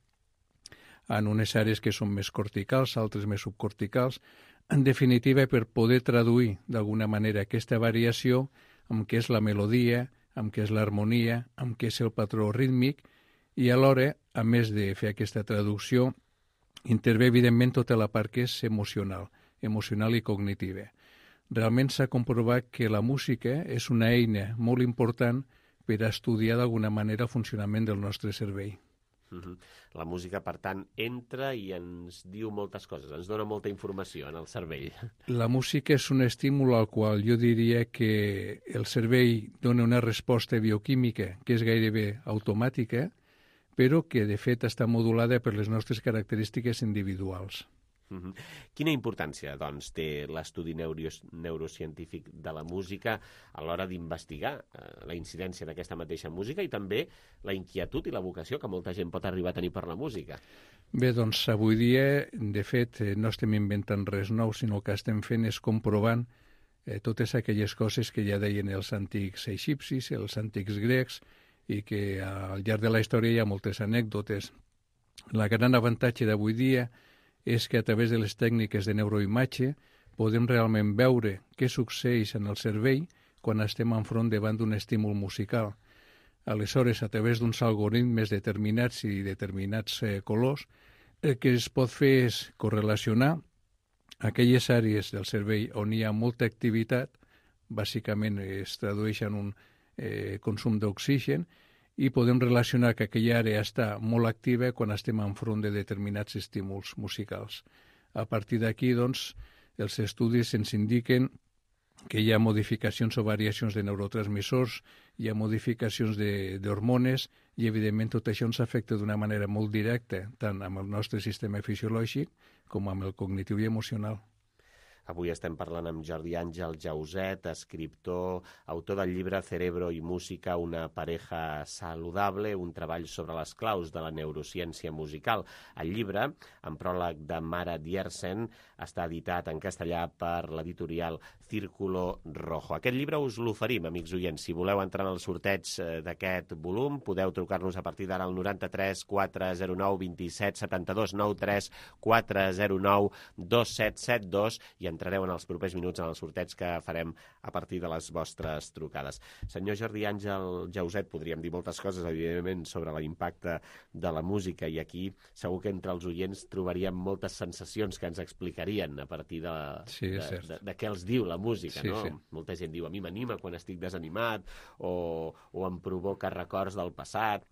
en unes àrees que són més corticals, altres més subcorticals, en definitiva, per poder traduir d'alguna manera aquesta variació amb què és la melodia, amb què és l'harmonia, amb què és el patró rítmic, i alhora, a més de fer aquesta traducció, intervé evidentment tota la part que és emocional i cognitiva. Realment s'ha comprovat que la música és una eina molt important per a estudiar d'alguna manera el funcionament del nostre cervell. La música, per tant, entra i ens diu moltes coses, ens dona molta informació en el cervell. La música és un estímul al qual jo diria que el cervell dona una resposta bioquímica que és gairebé automàtica, però que de fet està modulada per les nostres característiques individuals. Quina importància, doncs, té l'estudi neurocientífic de la música a l'hora d'investigar la incidència d'aquesta mateixa música i també la inquietud i la vocació que molta gent pot arribar a tenir per la música? Bé, doncs avui dia, de fet, no estem inventant res nou, sinó que estem fent és comprovant totes aquelles coses que ja deien els antics egipcis, els antics grecs, i que al llarg de la història hi ha moltes anècdotes. La gran avantatge d'avui dia és que a través de les tècniques de neuroimatge podem realment veure què succeeix en el cervell quan estem enfront davant d'un estímul musical. Aleshores, a través d'uns algoritmes determinats i determinats colors, el que es pot fer és correlacionar aquelles àrees del cervell on hi ha molta activitat, bàsicament es tradueix en un consum d'oxigen, i podem relacionar que aquella àrea està molt activa quan estem enfront de determinats estímuls musicals. A partir d'aquí, doncs, els estudis ens indiquen que hi ha modificacions o variacions de neurotransmissors, hi ha modificacions d'hormones, i evidentment tot això ens afecta d'una manera molt directa, tant amb el nostre sistema fisiològic com amb el cognitiu i emocional. Avui estem parlant amb Jordi Àngel Jauset, escriptor, autor del llibre Cerebro i música, una pareja saludable, un treball sobre les claus de la neurociència musical. El llibre, en pròleg de Mara Diersen, està editat en castellà per l'editorial Círculo Rojo. Aquest llibre us l'oferim, amics oients. Si voleu entrar en el sorteig d'aquest volum, podeu trucar-nos a partir d'ara al 93 409 27 72, 93 409 2772 i entrareu en els propers minuts en el sorteig que farem a partir de les vostres trucades. Senyor Jordi Àngel Jauset, podríem dir moltes coses, evidentment, sobre l'impacte de la música, i aquí segur que entre els oients trobaríem moltes sensacions que ens explicarien a partir de què els diu la música, no? Sí. Molta gent diu, a mi m'anima quan estic desanimat o em provoca records del passat.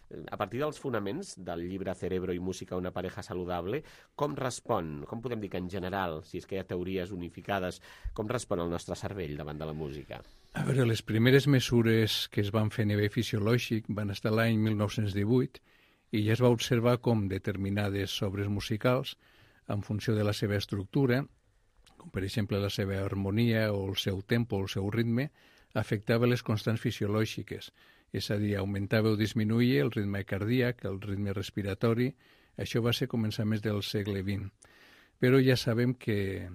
A partir dels fonaments del llibre Cerebro i música, una pareja saludable, com respon, com podem dir que en general, si és que hi ha teories unificades, com respon el nostre cervell davant de la música? A veure, les primeres mesures que es van fer a nivell fisiològic van estar l'any 1918 i ja es va observar com determinades obres musicals, en funció de la seva estructura, com per exemple la seva harmonia o el seu tempo o el seu ritme, afectava les constants fisiològiques. És a dir, augmentava o disminuïa el ritme cardíac, el ritme respiratori. Això va ser començaments del segle XX. Però ja sabem que,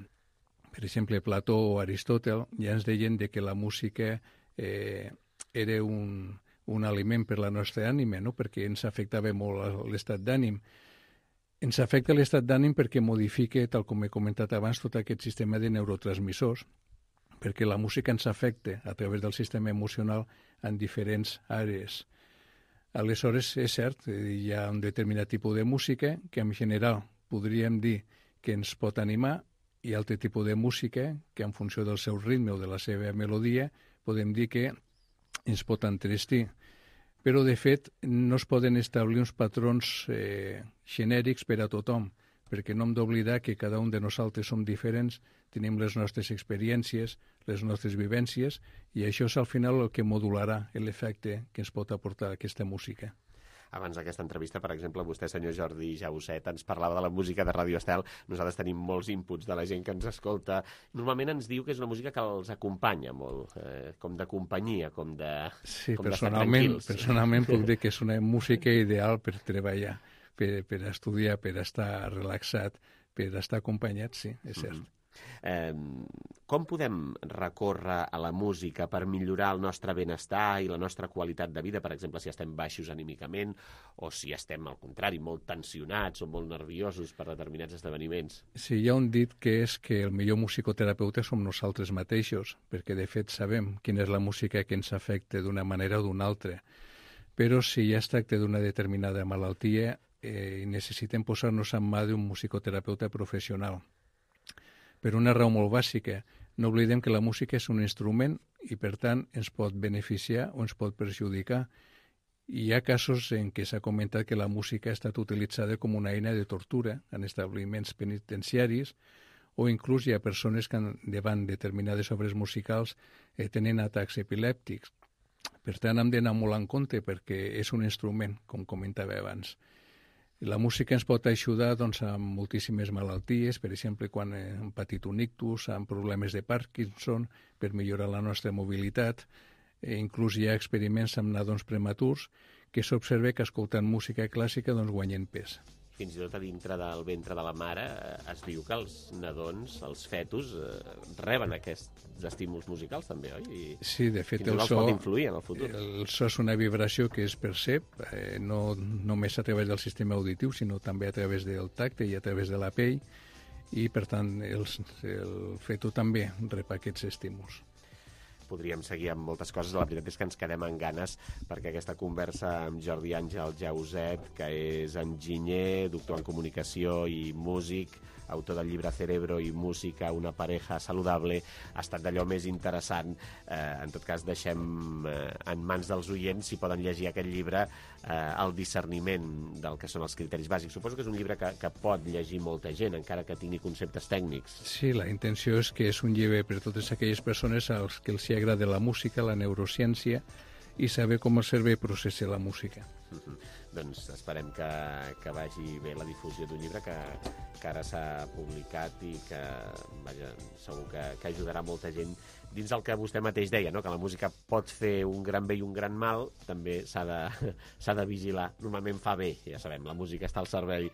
per exemple, Plató o Aristòtel ja ens deien que la música era un aliment per la nostra ànima, no? Perquè ens afectava molt l'estat d'ànim. Ens afecta l'estat d'ànim perquè modifica, tal com he comentat abans, tot aquest sistema de neurotransmissors, perquè la música ens afecta a través del sistema emocional en diferents àrees. Aleshores, és cert, hi ha un determinat tipus de música que en general podríem dir que ens pot animar, i altre tipus de música que en funció del seu ritme o de la seva melodia podem dir que ens pot entristir. però de fet no es poden establir uns patrons genèrics per a tothom, perquè no hem d'oblidar que cada un de nosaltres som diferents, tenim les nostres experiències, les nostres vivències, i això és al final el que modularà l'efecte que ens pot aportar aquesta música. Abans d'aquesta entrevista, per exemple, vostè, senyor Jordi Jauset, ens parlava de la música de Ràdio Estel. Nosaltres tenim molts inputs de la gent que ens escolta. Normalment ens diu que és una música que els acompanya molt, com de companyia, com d'estar tranquils. Personalment puc dir que és una música ideal per treballar, per estudiar, per estar relaxat, per estar acompanyat, sí, és cert. Com podem recórrer a la música per millorar el nostre benestar i la nostra qualitat de vida, per exemple, si estem baixos anímicament o si estem, al contrari, molt tensionats o molt nerviosos per determinats esdeveniments? Sí, hi ha un dit que és que el millor musicoterapeuta som nosaltres mateixos, perquè de fet sabem quina és la música que ens afecta d'una manera o d'una altra. Però si ja es tracta d'una determinada malaltia, necessitem posar-nos en mà d'un musicoterapeuta professional. Per una raó molt bàsica, no oblidem que la música és un instrument i, per tant, ens pot beneficiar o ens pot perjudicar. Hi ha casos en què s'ha comentat que la música ha estat utilitzada com una eina de tortura en establiments penitenciaris, o inclús hi ha persones que davant determinades obres musicals tenen atacs epilèptics. Per tant, hem d'anar molt en compte perquè és un instrument, com comentava abans. La música ens pot ajudar amb moltíssimes malalties, per exemple, quan hem patit un ictus, amb problemes de Parkinson, per millorar la nostra mobilitat. Inclús hi ha experiments amb nadons prematurs que s'observa que escoltant música clàssica guanyen pes. Fins i tot a dintre del ventre de la mare es diu que els nadons, els fetus, reben aquests estímuls musicals també, oi? Sí, de fet el so pot influir en el futur. El so és una vibració que es percep no només a través del sistema auditiu, sinó també a través del tacte i a través de la pell, i per tant el feto també rep aquests estímuls. Podríem seguir amb moltes coses, la veritat és que ens quedem amb ganes perquè aquesta conversa amb Jordi Àngel Jauset, que és enginyer, doctor en comunicació i músic, autor del llibre Cerebro i música, una pareja saludable, ha estat d'allò més interessant. En tot cas, deixem en mans dels oients, si poden llegir aquest llibre, el discerniment del que són els criteris bàsics. Suposo que és un llibre que pot llegir molta gent, encara que tingui conceptes tècnics. Sí, la intenció és que és un llibre per totes aquelles persones als que els agrada la música, la neurociència i saber com el cervell processa la música. Doncs esperem que vagi bé la difusió d'un llibre que ara s'ha publicat i que segur que ajudarà molta gent dins el que vostè mateix deia, no? Que la música pot fer un gran bé i un gran mal, també s'ha de vigilar. Normalment fa bé, ja sabem, la música està al servei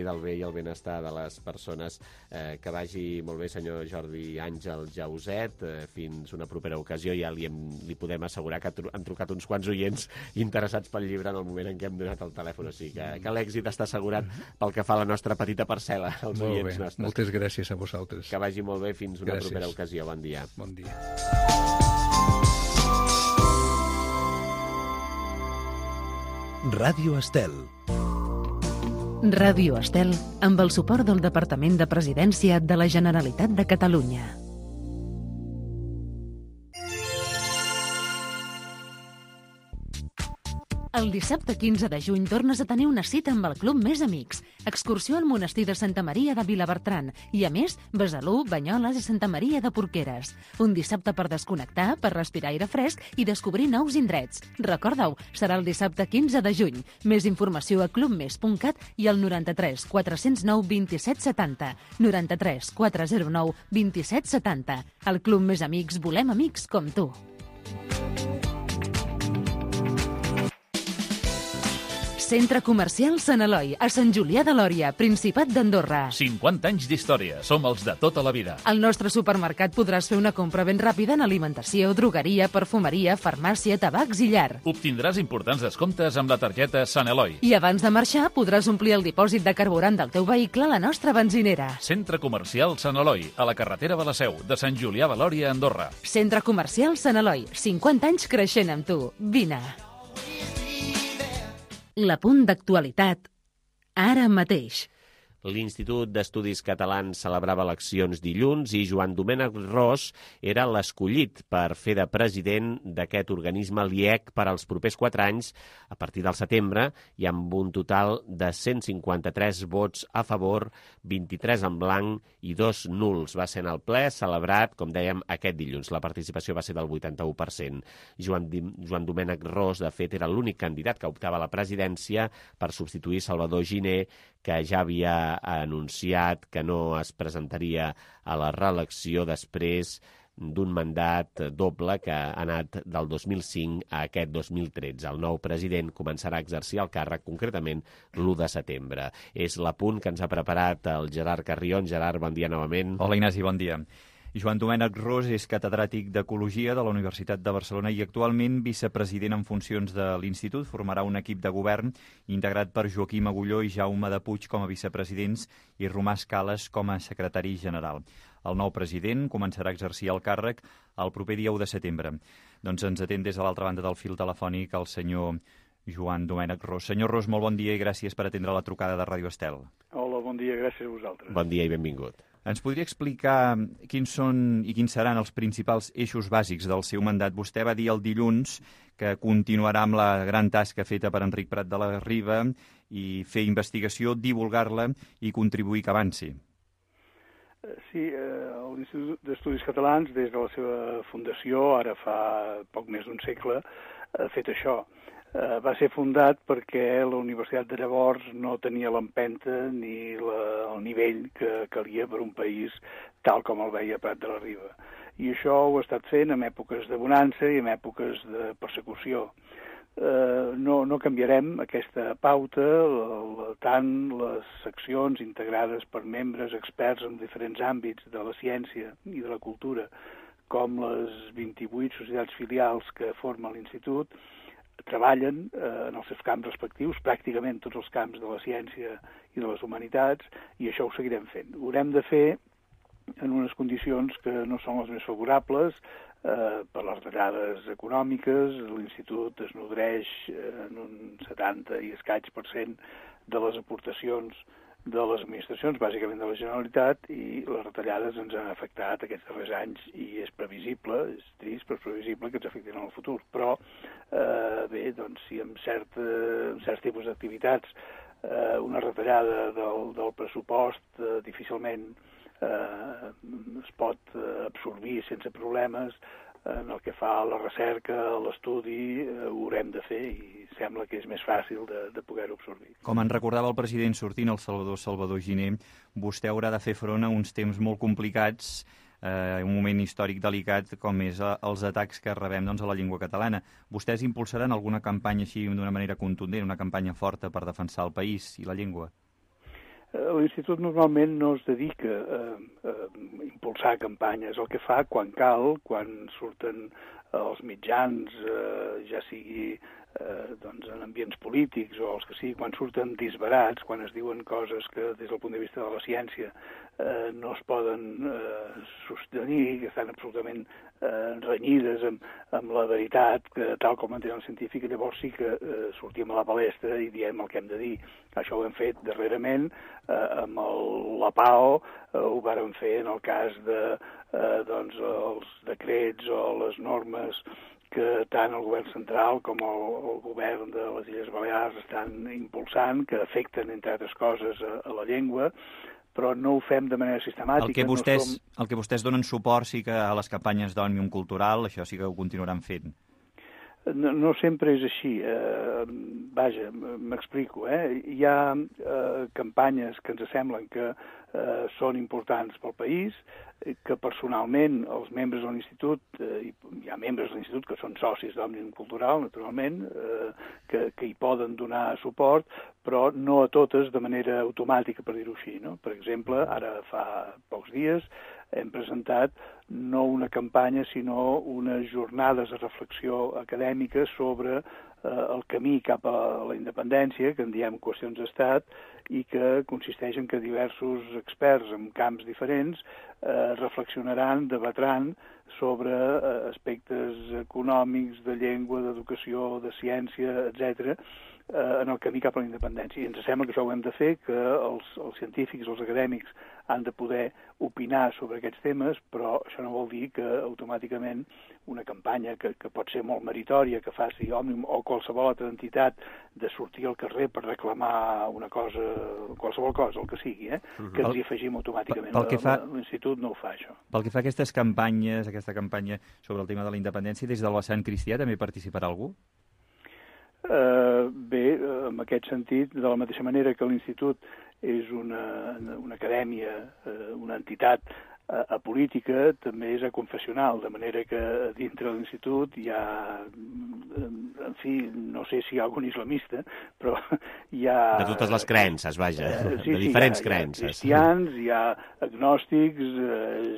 del bé i el benestar de les persones. Que vagi molt bé, senyor Jordi Àngel Jauset. Fins una propera ocasió. Ja li podem assegurar que han trucat uns quants oients interessats pel llibre en el moment en què hem donat el telèfon. O sigui que l'èxit està assegurat pel que fa a la nostra petita parcel·la, als oients nostres. Moltes gràcies a vosaltres. Que vagi molt bé. Fins una propera ocasió. Bon dia. Bon dia. Ràdio Estel. Ràdio Estel, amb el suport del Departament de Presidència de la Generalitat de Catalunya. El dissabte 15 de juny tornes a tenir una cita amb el Club Més Amics. Excursió al monestir de Santa Maria de Vilabertran i, a més, Besalú, Banyoles i Santa Maria de Porqueres. Un dissabte per desconnectar, per respirar aire fresc i descobrir nous indrets. Recorda-ho, serà el dissabte 15 de juny. Més informació a clubmes.cat i al 93 409 27 70. 93 409 27 70. Al Club Més Amics volem amics com tu. Centre Comercial Sant Eloi, a Sant Julià de Lòria, Principat d'Andorra. 50 anys d'història, som els de tota la vida. Al nostre supermercat podràs fer una compra ben ràpida en alimentació, drogueria, perfumeria, farmàcia, tabacs i llar. Obtindràs importants descomptes amb la targeta Sant Eloi. I abans de marxar podràs omplir el dipòsit de carburant del teu vehicle a la nostra benzinera. Centre Comercial Sant Eloi, a la carretera de la Seu, de Sant Julià de Lòria, Andorra. Centre Comercial Sant Eloi, 50 anys creixent amb tu. Vine. L'apunt d'actualitat, ara mateix. L'Institut d'Estudis Catalans celebrava eleccions dilluns i Joan Domènec Ros era l'escollit per fer de president d'aquest organisme l'IEC per als propers 4 anys a partir del setembre i amb un total de 153 vots a favor, 23 en blanc i 2 nuls. Va ser en el ple celebrat, com dèiem, aquest dilluns. La participació va ser del 81%. Joan Domènec Ros, de fet, era l'únic candidat que optava a la presidència per substituir Salvador Giner, que ja havia anunciat que no es presentaria a la reelecció després d'un mandat doble que ha anat del 2005 a aquest 2013. El nou president començarà a exercir el càrrec concretament l'1 de setembre. És l'apunt que ens ha preparat el Gerard Carrion. Gerard, bon dia novament. Hola, Ignasi, bon dia. Joan Domènec Ros és catedràtic d'Ecologia de la Universitat de Barcelona i actualment vicepresident en funcions de l'Institut. Formarà un equip de govern integrat per Joaquim Agulló i Jaume de Puig com a vicepresidents i Romà Escales com a secretari general. El nou president començarà a exercir el càrrec el proper dia 1 de setembre. Doncs ens atén des de l'altra banda del fil telefònic el senyor Joan Domènec Ros. Senyor Ros, molt bon dia i gràcies per atendre la trucada de Ràdio Estel. Hola, bon dia, gràcies a vosaltres. Bon dia i benvingut. Ens podria explicar quins són i quins seran els principals eixos bàsics del seu mandat? Vostè va dir el dilluns que continuarà amb la gran tasca feta per Enric Prat de la Riba i fer investigació, divulgar-la i contribuir que avanci. Sí, l'Institut d'Estudis Catalans, des de la seva fundació, ara fa poc més d'un segle, ha fet això. Va ser fundat perquè la universitat de llavors no tenia l'empenta ni el nivell que calia per un país tal com el veia Prat de la Riba. I això ho ha estat fent en èpoques de bonança i en èpoques de persecució. No canviarem aquesta pauta, tant les seccions integrades per membres experts en diferents àmbits de la ciència i de la cultura, com les 28 societats filials que forma l'Institut, treballen en els seus camps respectius, pràcticament tots els camps de la ciència i de les humanitats, i això ho seguirem fent. Ho haurem de fer en unes condicions que no són les més favorables, per les retallades econòmiques. L'Institut es nodreix en un 70 i escaig % de les aportacions de les administracions, bàsicament de la Generalitat, i les retallades ens han afectat aquests darrers anys i és previsible, és trist, però és previsible que ens afectin en el futur. Però, bé, doncs, si en certs tipus d'activitats una retallada del pressupost difícilment es pot absorbir sense problemes, en el que fa a la recerca, a l'estudi, ho haurem de fer i sembla que és més fàcil de poder-ho absorbir. Com en recordava el president sortint, el Salvador Giner, vostè haurà de fer front a uns temps molt complicats, un moment històric delicat com és els atacs que rebem a la llengua catalana. Vostès impulsaran alguna campanya així d'una manera contundent, una campanya forta per defensar el país i la llengua? L'Institut normalment no es dedica a impulsar campanyes. El que fa quan cal, quan surten els mitjans, ja sigui en ambients polítics o els que sigui, quan surten disbarats, quan es diuen coses que des del punt de vista de la ciència no es poden sostenir, que estan absolutament renyides amb la veritat, que tal com entén el científic, llavors sí que sortim a la palestra i diem el que hem de dir. Això ho hem fet darrerament amb la PAO, ho vàrem fer en el cas els decrets o les normes que tant el govern central com el govern de les Illes Balears estan impulsant, que afecten, entre altres coses, a la llengua, però no ho fem de manera sistemàtica. El que vostès donen suport sí que a les campanyes d'Òmnium Cultural, això sí que ho continuaran fent. No sempre és així. Vaja, m'explico. Hi ha campanyes que ens semblen que són importants pel país, que personalment els membres de l'Institut, hi ha membres de l'Institut que són socis d'Òmnium Cultural, naturalment, que hi poden donar suport, però no a totes de manera automàtica, per dir-ho així. No? Per exemple, ara fa pocs dies hem presentat no una campanya, sinó unes jornades de reflexió acadèmica sobre el camí cap a la independència, que en diem qüestions d'estat, i que consisteix en que diversos experts en camps diferents reflexionaran, debatran sobre aspectes econòmics, de llengua, d'educació, de ciència, etc., en el camí cap a la independència. I ens sembla que això ho hem de fer, que els científics, els acadèmics han de poder opinar sobre aquests temes, però això no vol dir que automàticament una campanya que pot ser molt meritòria, que faci Òmnium o qualsevol altra entitat de sortir al carrer per reclamar una cosa, qualsevol cosa, el que sigui, que ens hi afegim automàticament. L'Institut no ho fa, això. Pel que fa a aquesta campanya sobre el tema de la independència, des del vessant cristià també participarà algú? Bé, en aquest sentit, de la mateixa manera que l'Institut és una acadèmia, una entitat apolítica, també és aconfessional, de manera que dintre de l'Institut hi ha, en fi, no sé si hi ha algun islamista, però hi ha... De totes les creences, vaja, de diferents creences. Hi ha cristians, hi ha agnòstics,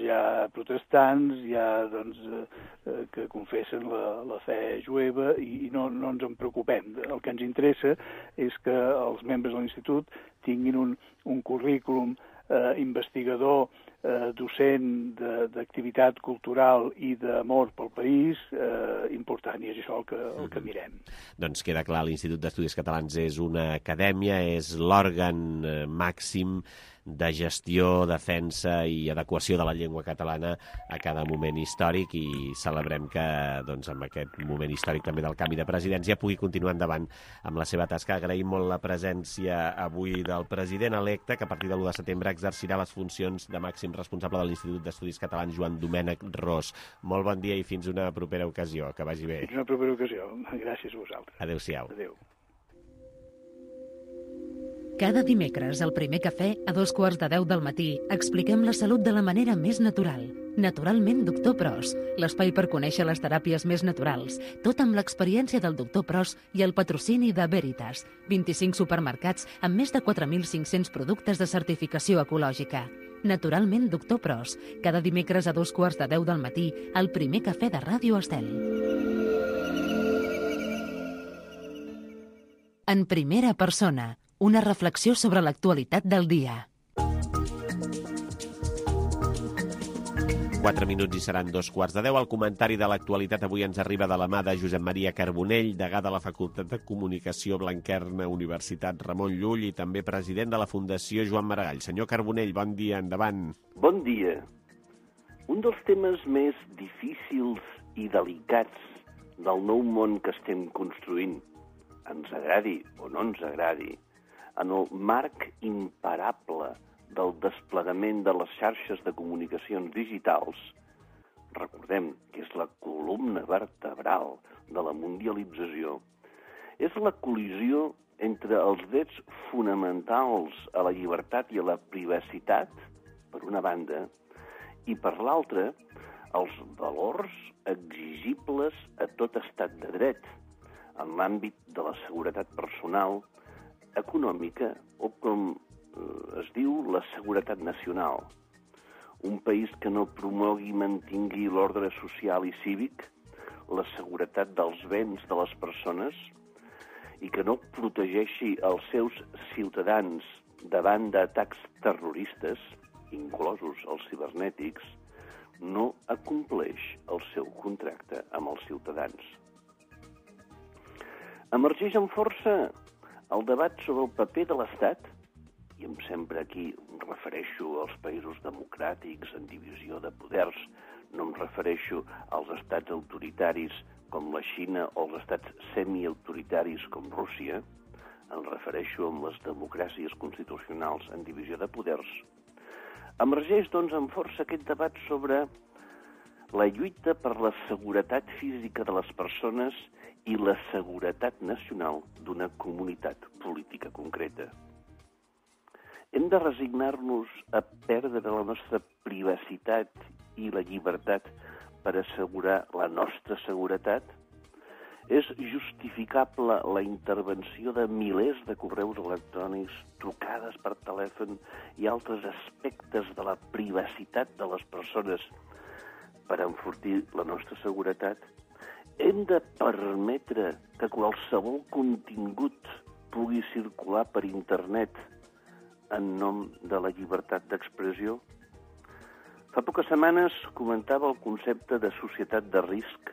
hi ha protestants, hi ha, doncs, que confessen la fe jueva i no ens en preocupem. El que ens interessa és que els membres de l'Institut tinguin un currículum investigador, docent d'activitat cultural i d'amor pel país important, i és això el que mirem. Doncs queda clar, l'Institut d'Estudis Catalans és una acadèmia, és l'òrgan màxim de gestió, defensa i adequació de la llengua catalana a cada moment històric, i celebrem que doncs, amb aquest moment històric també del canvi de presidència pugui continuar endavant amb la seva tasca. Agraïm molt la presència avui del president electe, que a partir de l'1 de setembre exercirà les funcions de màxim responsable de l'Institut d'Estudis Catalans, Joan Domènec Ros. Molt bon dia i fins una propera ocasió. Que vagi bé. Fins una propera ocasió. Gràcies a vosaltres. Adéu-siau. Adéu. Cada dimecres, al Primer Cafè, a 2:15 del matí, expliquem la salut de la manera més natural. Naturalment, Doctor Pros, l'espai per conèixer les teràpies més naturals, tot amb l'experiència del Doctor Pros i el patrocini de Veritas, 25 supermercats amb més de 4.500 productes de certificació ecològica. Naturalment, Doctor Pros, cada dimecres a 2:15 del matí, al Primer Cafè de Ràdio Estel. En primera persona, una reflexió sobre l'actualitat del dia. 4 minuts i seran 2:15. El comentari de l'actualitat avui ens arriba de la mà de Josep Maria Carbonell, degà de la Facultat de Comunicació Blanquerna, Universitat Ramon Llull, i també president de la Fundació Joan Maragall. Senyor Carbonell, bon dia, endavant. Bon dia. Un dels temes més difícils i delicats del nou món que estem construint, ens agradi o no ens agradi, en el marc imparable del desplegament de les xarxes de comunicacions digitals, recordem que és la columna vertebral de la mundialització, és la col·lisió entre els drets fonamentals a la llibertat i a la privacitat, per una banda, i per l'altra, els valors exigibles a tot estat de dret, en l'àmbit de la seguretat personal, econòmica o, com es diu, la seguretat nacional. Un país que no promogui i mantingui l'ordre social i cívic, la seguretat dels béns de les persones i que no protegeixi els seus ciutadans davant d'atacs terroristes, inclosos els cibernètics, no acompleix el seu contracte amb els ciutadans. Emergeix amb força el debat sobre el paper de l'Estat, i sempre aquí em refereixo als països democràtics en divisió de poders, no em refereixo als estats autoritaris com la Xina o als estats semiautoritaris com Rússia, em refereixo amb les democràcies constitucionals en divisió de poders. Emergeix, doncs, amb força aquest debat sobre la lluita per la seguretat física de les persones i la seguretat nacional d'una comunitat política concreta. Hem de resignar-nos a perdre la nostra privacitat i la llibertat per assegurar la nostra seguretat? És justificable la intervenció de milers de correus electrònics, trucades per telèfon i altres aspectes de la privacitat de les persones per enfortir la nostra seguretat? Hem de permetre que qualsevol contingut pugui circular per internet en nom de la llibertat d'expressió? Fa poques setmanes comentava el concepte de societat de risc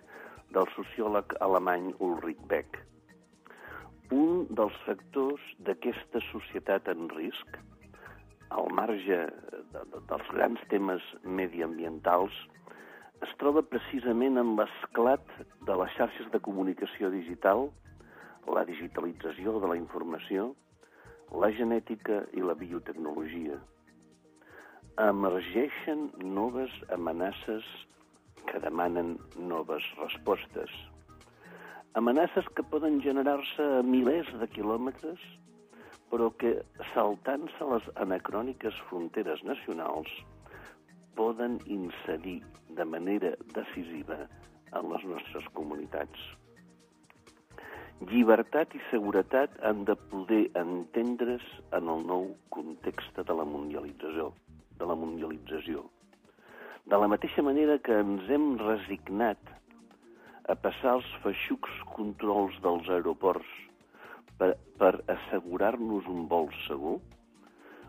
del sociòleg alemany Ulrich Beck. un dels factors d'aquesta societat en risc, al marge dels grans temes mediambientals, es troba precisament en l'esclat de les xarxes de comunicació digital, la digitalització de la informació, la genètica i la biotecnologia. Emergeixen noves amenaces que demanen noves respostes. Amenaces que poden generar-se a milers de quilòmetres, però que, saltant-se les anacròniques fronteres nacionals, poden incidir de manera decisiva en les nostres comunitats. Llibertat i seguretat han de poder entendre's en el nou context de la mundialització. De la mateixa manera que ens hem resignat a passar els feixucs controls dels aeroports per assegurar-nos un vol segur,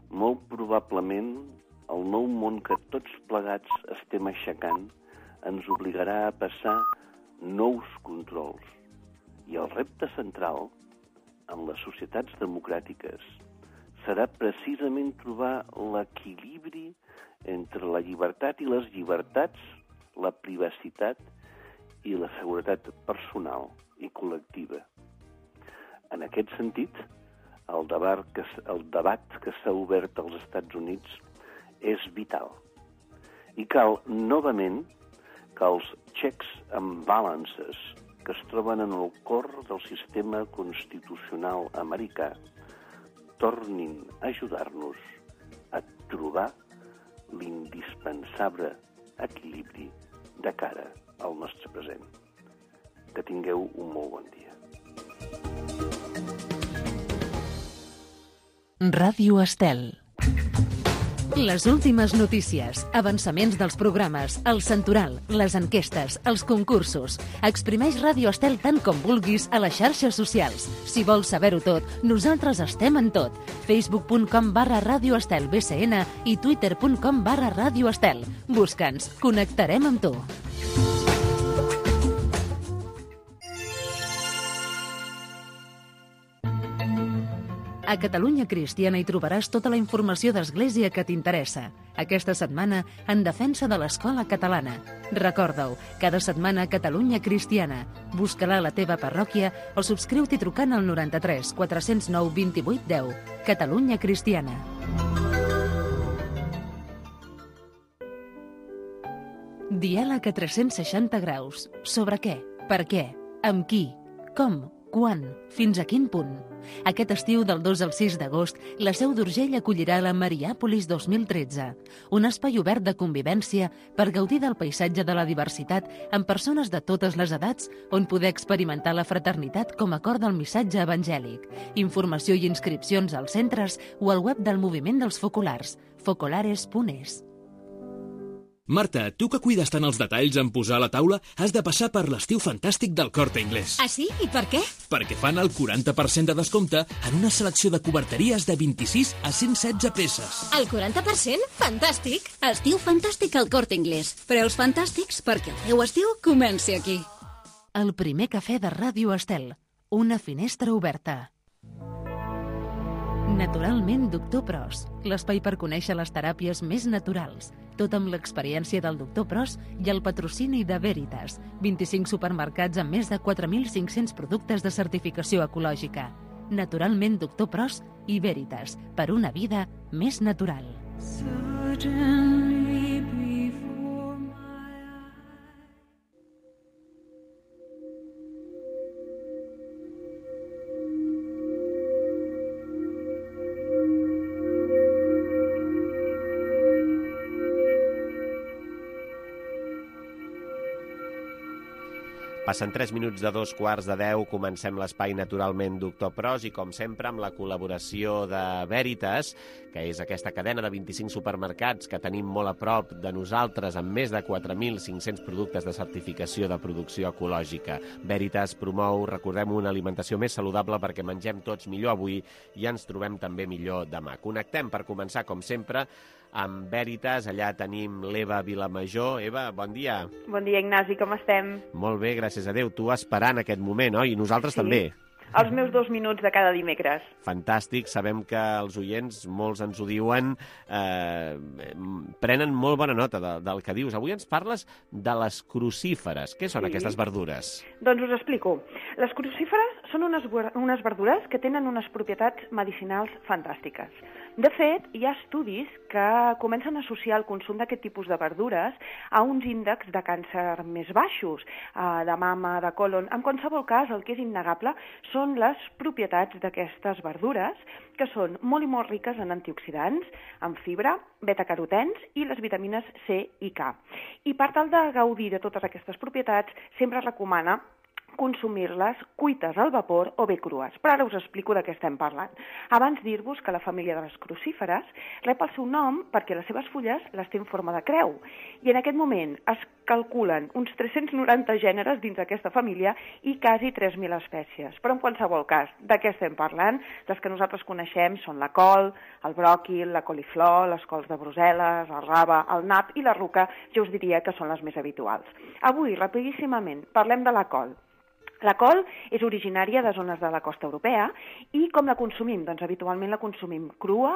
molt probablement el nou món que tots plegats estem aixecant ens obligarà a passar nous controls. I el repte central en les societats democràtiques serà precisament trobar l'equilibri entre la llibertat i les llibertats, la privacitat i la seguretat personal i col·lectiva. En aquest sentit, el debat que s'ha obert als Estats Units és vital. I cal, novament, que els checks and balances que es troben en el cor del sistema constitucional americà tornin a ajudar-nos a trobar l'indispensable equilibri de cara al nostre present. Que tingueu un molt bon dia. Ràdio Estel. Les últimes notícies, avançaments dels programes, el santoral, les enquestes, els concursos. Exprimeix Ràdio Estel tant com vulguis a les xarxes socials. Si vols saber-ho tot, nosaltres estem en tot. Facebook.com/Ràdio Estel BCN i Twitter.com/Ràdio Estel. Busca'ns, connectarem amb tu. A Catalunya Cristiana hi trobaràs tota la informació d'Església que t'interessa. Aquesta setmana, en defensa de l'escola catalana. Recorda-ho, cada setmana Catalunya Cristiana. Busca-la a la teva parròquia o subscriu-t'hi trucant al 93 409 28 10. Catalunya Cristiana. Diàleg a 360 graus. Sobre què? Per què? Amb qui? Com? Quan? Fins a quin punt? Aquest estiu, del 2 al 6 d'agost, la Seu d'Urgell acollirà la Mariàpolis 2013, un espai obert de convivència per gaudir del paisatge de la diversitat amb persones de totes les edats on poder experimentar la fraternitat com a cor del missatge evangèlic. Informació i inscripcions als centres o al web del Moviment dels Focolars, focolares.es. Marta, tu que cuides tant els detalls en posar a la taula, has de passar per l'estiu fantàstic del Corte Inglés. Ah, sí? I per què? Perquè fan el 40% de descompte en una selecció de coberteries de 26 a 116 peces. El 40%? Fantàstic! Estiu fantàstic al Corte Inglés. Preus fantàstics perquè el teu estiu comenci aquí. El primer cafè de Ràdio Estel. Una finestra oberta. Naturalment, Doctor Pros. L'espai per conèixer les teràpies més naturals. Tot amb l'experiència del Doctor Pros i el patrocini de Veritas. 25 supermercats amb més de 4.500 productes de certificació ecològica. Naturalment, Doctor Pros i Veritas. Per una vida més natural. Passen 3 minuts de 2:15, comencem l'espai Naturalment Doctor Pros i, com sempre, amb la col·laboració de Veritas, que és aquesta cadena de 25 supermercats que tenim molt a prop de nosaltres amb més de 4.500 productes de certificació de producció ecològica. Veritas promou, recordem, una alimentació més saludable perquè mengem tots millor avui i ens trobem també millor demà. Connectem, per començar, com sempre, amb Veritas. Allà tenim l'Eva Vilamajor. Eva, bon dia. Bon dia, Ignasi, com estem? Molt bé, gràcies a Déu. Tu esperant aquest moment, oi? I nosaltres també. els meus 2 minuts de cada dimecres. Fantàstic, sabem que els oients, molts ens ho diuen, prenen molt bona nota del que dius. Avui ens parles de les crucíferes. Què són aquestes verdures? Doncs us explico. Les crucíferes són unes verdures que tenen unes propietats medicinals fantàstiques. De fet, hi ha estudis que comencen a associar el consum d'aquest tipus de verdures a uns índexs de càncer més baixos, de mama, de colon. En qualsevol cas, el que és innegable són les propietats d'aquestes verdures, que són molt i molt riques en antioxidants, en fibra, betacarotens i les vitamines C i K. I per tal de gaudir de totes aquestes propietats, sempre es recomana consumir-les cuites al vapor o bé crues. Però ara us explico de què estem parlant. Abans dir-vos que la família de les crucíferes rep el seu nom perquè les seves fulles les té en forma de creu. I en aquest moment es calculen uns 390 gèneres dins d'aquesta família i quasi 3.000 espècies. Però en qualsevol cas, de què estem parlant? Les que nosaltres coneixem són la col, el bròquil, la coliflor, les cols de Brussel·les, el rave, el nap i la ruca, jo us diria que són les més habituals. Avui, rapidíssimament, parlem de la col. La col és originària de zones de la costa europea i com la consumim? Doncs habitualment la consumim crua,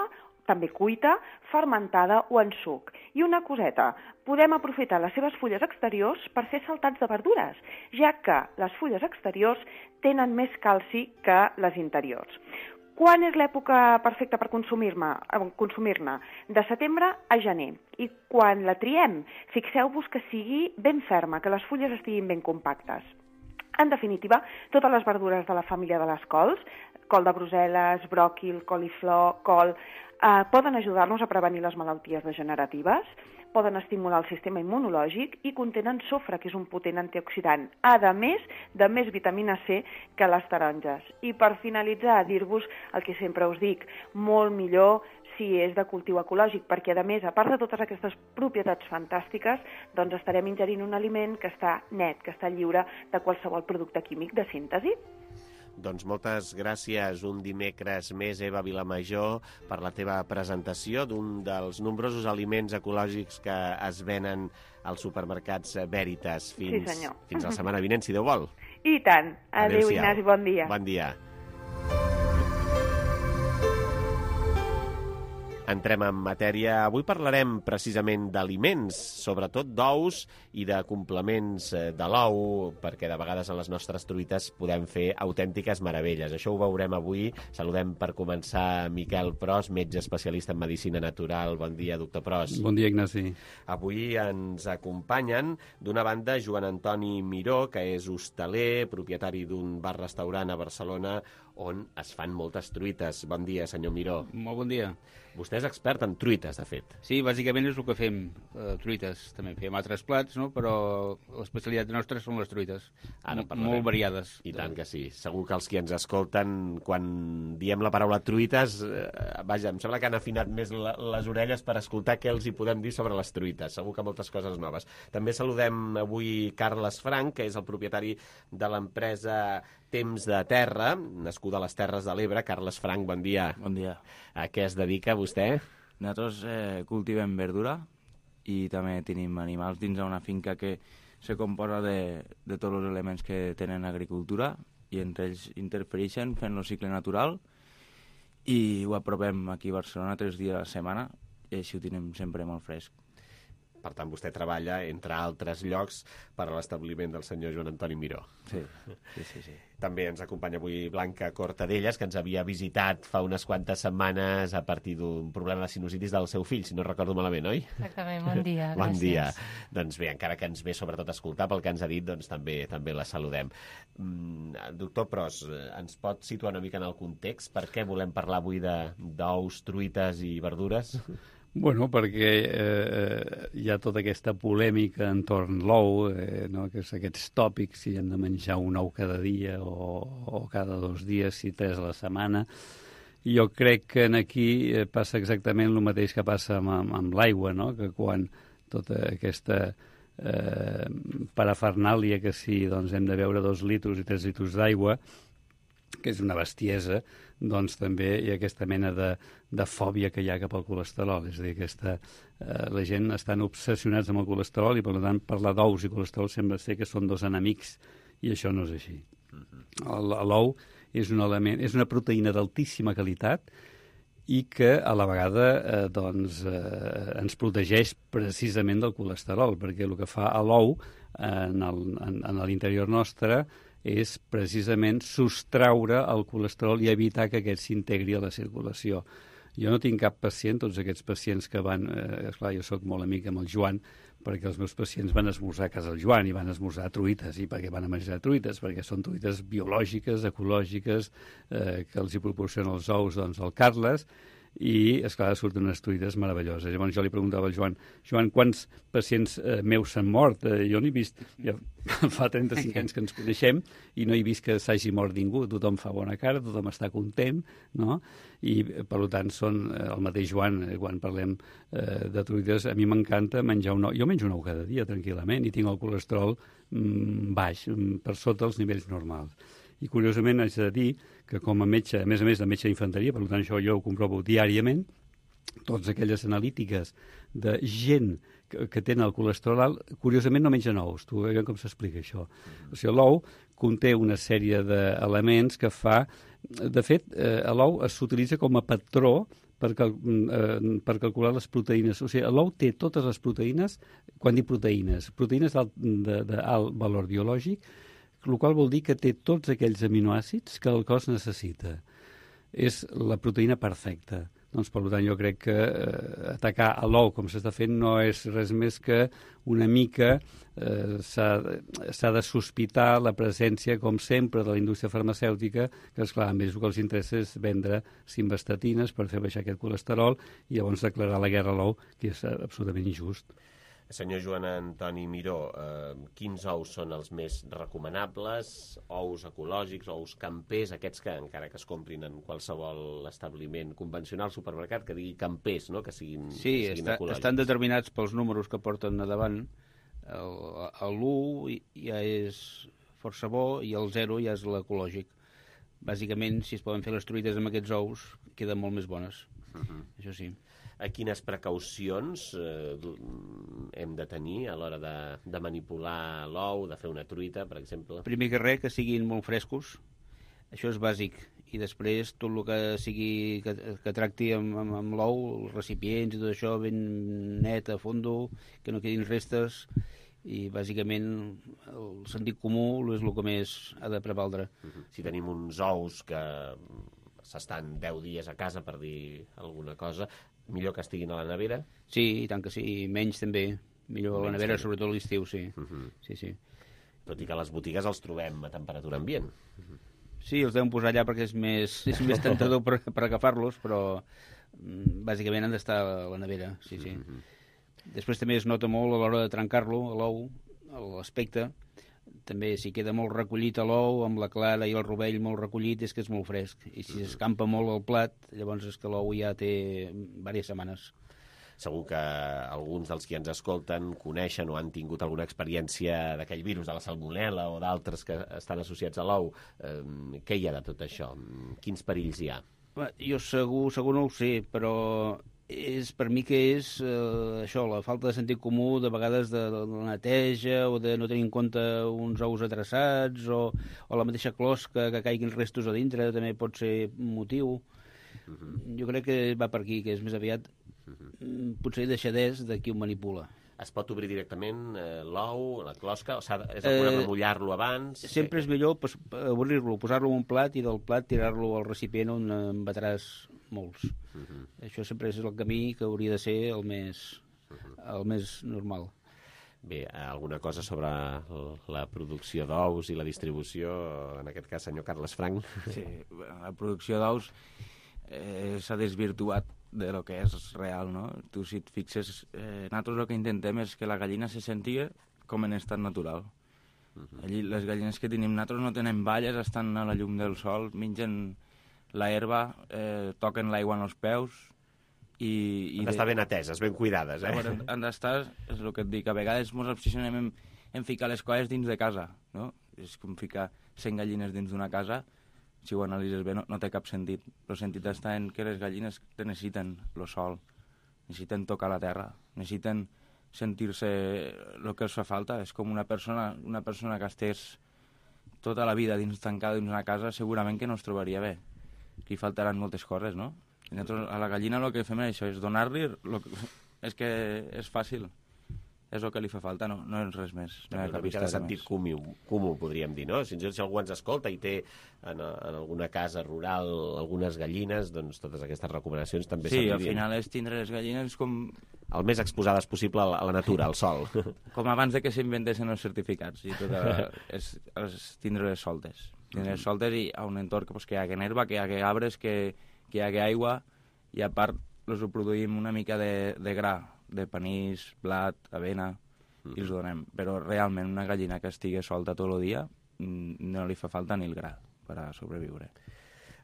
també cuita, fermentada o en suc. I una coseta, podem aprofitar les seves fulles exteriors per fer saltats de verdures, ja que les fulles exteriors tenen més calci que les interiors. Quan és l'època perfecta per consumir-ne? De setembre a gener. I quan la triem, fixeu-vos que sigui ben ferma, que les fulles estiguin ben compactes. En definitiva, totes les verdures de la família de les cols, col de Brussel·les, bròquil, coliflor, col, poden ajudar-nos a prevenir les malalties degeneratives, poden estimular el sistema immunològic i contenen sofre, que és un potent antioxidant, a més de més vitamina C que les taronges. I per finalitzar, dir-vos el que sempre us dic, molt millor si és de cultiu ecològic, perquè a més, a part de totes aquestes propietats fantàstiques, doncs estarem ingerint un aliment que està net, que està lliure de qualsevol producte químic de síntesi. Doncs moltes gràcies un dimecres més, Eva Vilamajor, per la teva presentació d'un dels nombrosos aliments ecològics que es venen als supermercats Veritas fins la setmana vinent, si Déu vol. I tant. Adéu, Ignasi, bon dia. Bon dia. Entrem en matèria. Avui parlarem precisament d'aliments, sobretot d'ous i de complements de l'ou, perquè de vegades en les nostres truites podem fer autèntiques meravelles. Això ho veurem avui. Saludem per començar Miquel Pros, metge especialista en medicina natural. Bon dia, doctor Pros. Bon dia, Ignasi. Avui ens acompanyen, d'una banda, Joan Antoni Miró, que és hostaler, propietari d'un bar-restaurant a Barcelona, on es fan moltes truites. Bon dia, senyor Miró. Molt bon dia. Vostè és expert en truites, de fet. Sí, bàsicament és el que fem, truites. També fem altres plats, no? Però l'especialitat nostra són les truites. Molt variades. I tant que sí. Segur que els que ens escolten, quan diem la paraula truites, vaja, em sembla que han afinat més les orelles per escoltar què els hi podem dir sobre les truites. Segur que moltes coses noves. També saludem avui Carles Frank, que és el propietari de l'empresa Temps de Terra, nascuda a les Terres de l'Ebre. Carles Frank, bon dia. Bon dia. A què es dedica vostè? Nosaltres cultivem verdura i també tenim animals dins d'una finca que se composa de tots els elements que tenen agricultura i entre ells interfereixen fent el cicle natural i ho aprovem aquí a Barcelona 3 dies a la setmana i així ho tenim sempre molt fresc. Per tant, vostè treballa, entre altres llocs, per a l'establiment del senyor Joan Antoni Miró. Sí. També ens acompanya avui Blanca Cortadellas, que ens havia visitat fa unes quantes setmanes a partir d'un problema de sinusitis del seu fill, si no recordo malament, oi? Exactament, bon dia. Bon dia. Doncs bé, encara que ens ve sobretot a escoltar pel que ens ha dit, doncs també la saludem. Doctor Pros, ens pot situar una mica en el context? Per què volem parlar avui d'ous, truites i verdures? Bueno, perquè hi ha tota aquesta polèmica entorn l'ou, no? Que és aquests tòpics, si hem de menjar un ou cada dia o cada 2 dies, si 3 a la setmana. I jo crec que aquí passa exactament el mateix que passa amb l'aigua, no? Que quan tota aquesta parafernàlia que si doncs, hem de beure 2 litres i 3 litres d'aigua, que és una bestiesa, doncs també hi ha aquesta mena de fòbia que hi ha cap al colesterol. És a dir, la gent estan obsessionats amb el colesterol i, per tant, parlar d'ous i colesterol sembla ser que són 2 enemics, i això no és així. L'ou és un element, és una proteïna d'altíssima qualitat i que a la vegada ens protegeix precisament del colesterol, perquè el que fa a l'ou en l'interior nostre és precisament sostraure el colesterol i evitar que aquest s'integri a la circulació. Jo no tinc cap pacient, tots aquests pacients que van... esclar, jo sóc molt amic amb el Joan, perquè els meus pacients van esmorzar a casa del Joan i van esmorzar truites. I per què van a menjar truites? Perquè són truites biològiques, ecològiques, que els hi proporcionen els ous del Carles, i, esclar, surten unes truites meravelloses. Llavors jo li preguntava al Joan, quants pacients meus s'han mort? Jo no he vist... Ja fa 35 anys que ens coneixem i no he vist que s'hagi mort ningú. Tothom fa bona cara, tothom està content, no? I, per tant, són el mateix Joan, quan parlem de truites, a mi m'encanta menjar un ou. Jo menjo un ou cada dia, tranquil·lament, i tinc el colesterol baix, per sota els nivells normals. I, curiosament, haig de dir que com a metge, a més de metge d'infanteria, per tant, això jo ho comprovo diàriament, totes aquelles analítiques de gent que tenen el colesterol alt, curiosament no mengen ous. Tu veus com s'explica això. O sigui, l'ou conté una sèrie d'elements que fa... De fet, l'ou s'utilitza com a patró per calcular les proteïnes. O sigui, l'ou té totes les proteïnes, quan dic proteïnes d'alt valor biològic, el qual vol dir que té tots aquells aminoàcids que el cos necessita. És la proteïna perfecta. Doncs, per tant, jo crec que atacar a l'ou, com s'està fent, no és res més que una mica s'ha de sospitar la presència, com sempre, de la indústria farmacèutica, que, esclar, a ells el que els interessa és vendre simvastatines per fer baixar aquest colesterol i llavors declarar la guerra a l'ou, que és absolutament injust. Senyor Joan Antoni Miró, quins ous són els més recomanables? Ous ecològics, ous campers, aquests que encara que es comprin en qualsevol establiment convencional, supermercat, que digui campers, no? Que siguin ecològics. Estan determinats pels números que porten a davant. L'1 ja és força bo i el 0 ja és l'ecològic. Bàsicament, si es poden fer les truites amb aquests ous, queden molt més bones. Això sí. Quines precaucions hem de tenir a l'hora de manipular l'ou, de fer una truita, per exemple? Primer que res, que siguin molt frescos. Això és bàsic. I després tot el que sigui que tracti amb l'ou, els recipients i tot això, ben net, a fondo, que no quedin restes, i bàsicament el sentit comú és el que més ha de prevaldre. Si tenim uns ous que s'estan 10 dies a casa, per dir alguna cosa, millor que estiguin a la nevera? Sí, i tant que sí, menys també. Millor a la nevera, sobretot a l'estiu, sí. Sí. Tot i que a les botigues els trobem a temperatura ambient. Sí, els deuen posar allà perquè és més tentador per agafar-los, però bàsicament han d'estar a la nevera, sí. Després també es nota molt a l'hora de trencar-lo, l'ou, l'aspecte. També, si queda molt recollit a l'ou, amb la clara i el rovell molt recollit, és que és molt fresc. I si s'escampa molt el plat, llavors és que l'ou ja té diverses setmanes. Segur que alguns dels que ens escolten coneixen o han tingut alguna experiència d'aquell virus de la salmonel·la o d'altres que estan associats a l'ou. Què hi ha de tot això? Quins perills hi ha? Jo segur no ho sé, però per mi que és això, la falta de sentit comú de vegades de la neteja o de no tenir en compte uns ous atreçats o la mateixa closca que caiguin restos a dintre també pot ser un motiu. Jo crec que va per aquí, que és més aviat potser deixadès de qui ho manipula. Es pot obrir directament l'ou, la closca, o és el problema de mullar-lo abans? Sempre és millor obrir-lo, posar-lo en un plat i del plat tirar-lo al recipient on en batràs molts. Això sempre és el camí que hauria de ser el més normal. Bé, alguna cosa sobre la producció d'ous i la distribució, en aquest cas, senyor Carles Frank? Sí, la producció d'ous s'ha desvirtuat de lo que és real, no? Tu, si et fixes, nosaltres el que intentem és que la gallina se sentia com en estat natural. Allí, les gallines que tenim nosaltres no tenen valles, estan a la llum del sol, mengen la herba, toquen l'aigua en els peus i han d'estar ben ateses, ben cuidades, Han d'estar, és el que et dic, a vegades ens obsessionem en ficar les coses dins de casa, no? És com ficar 100 gallines dins d'una casa. Si ho analitzes bé, no té cap sentit. El sentit està en que les gallines necessiten el sol, necessiten tocar la terra, necessiten sentir-se el que els fa falta. És com una persona que estigués tota la vida tancada dins una casa, segurament que no es trobaria bé. Li faltaran moltes coses, no? I nosaltres a la gallina el que fem és això, és donar-li... És que és fàcil. És el que li fa falta, no és res més. No una mica de sentit comú, podríem dir, no? Si algú ens escolta i té en alguna casa rural algunes gallines, doncs totes aquestes recomanacions també servirien. Sí, al final és tindre les gallines com... El més exposades possible a la natura, al sol. Com abans de que s'inventessin els certificats. I és tindre-les soltes. Tindre-les soltes i a un entorn que hi hagi herba, que hi hagi arbres, que hi hagi aigua, i a part els ho produïm una mica de gra, de panís, blat, avena, i els donem. Però realment una gallina que estigui solta tot el dia no li fa falta ni el gra per a sobreviure.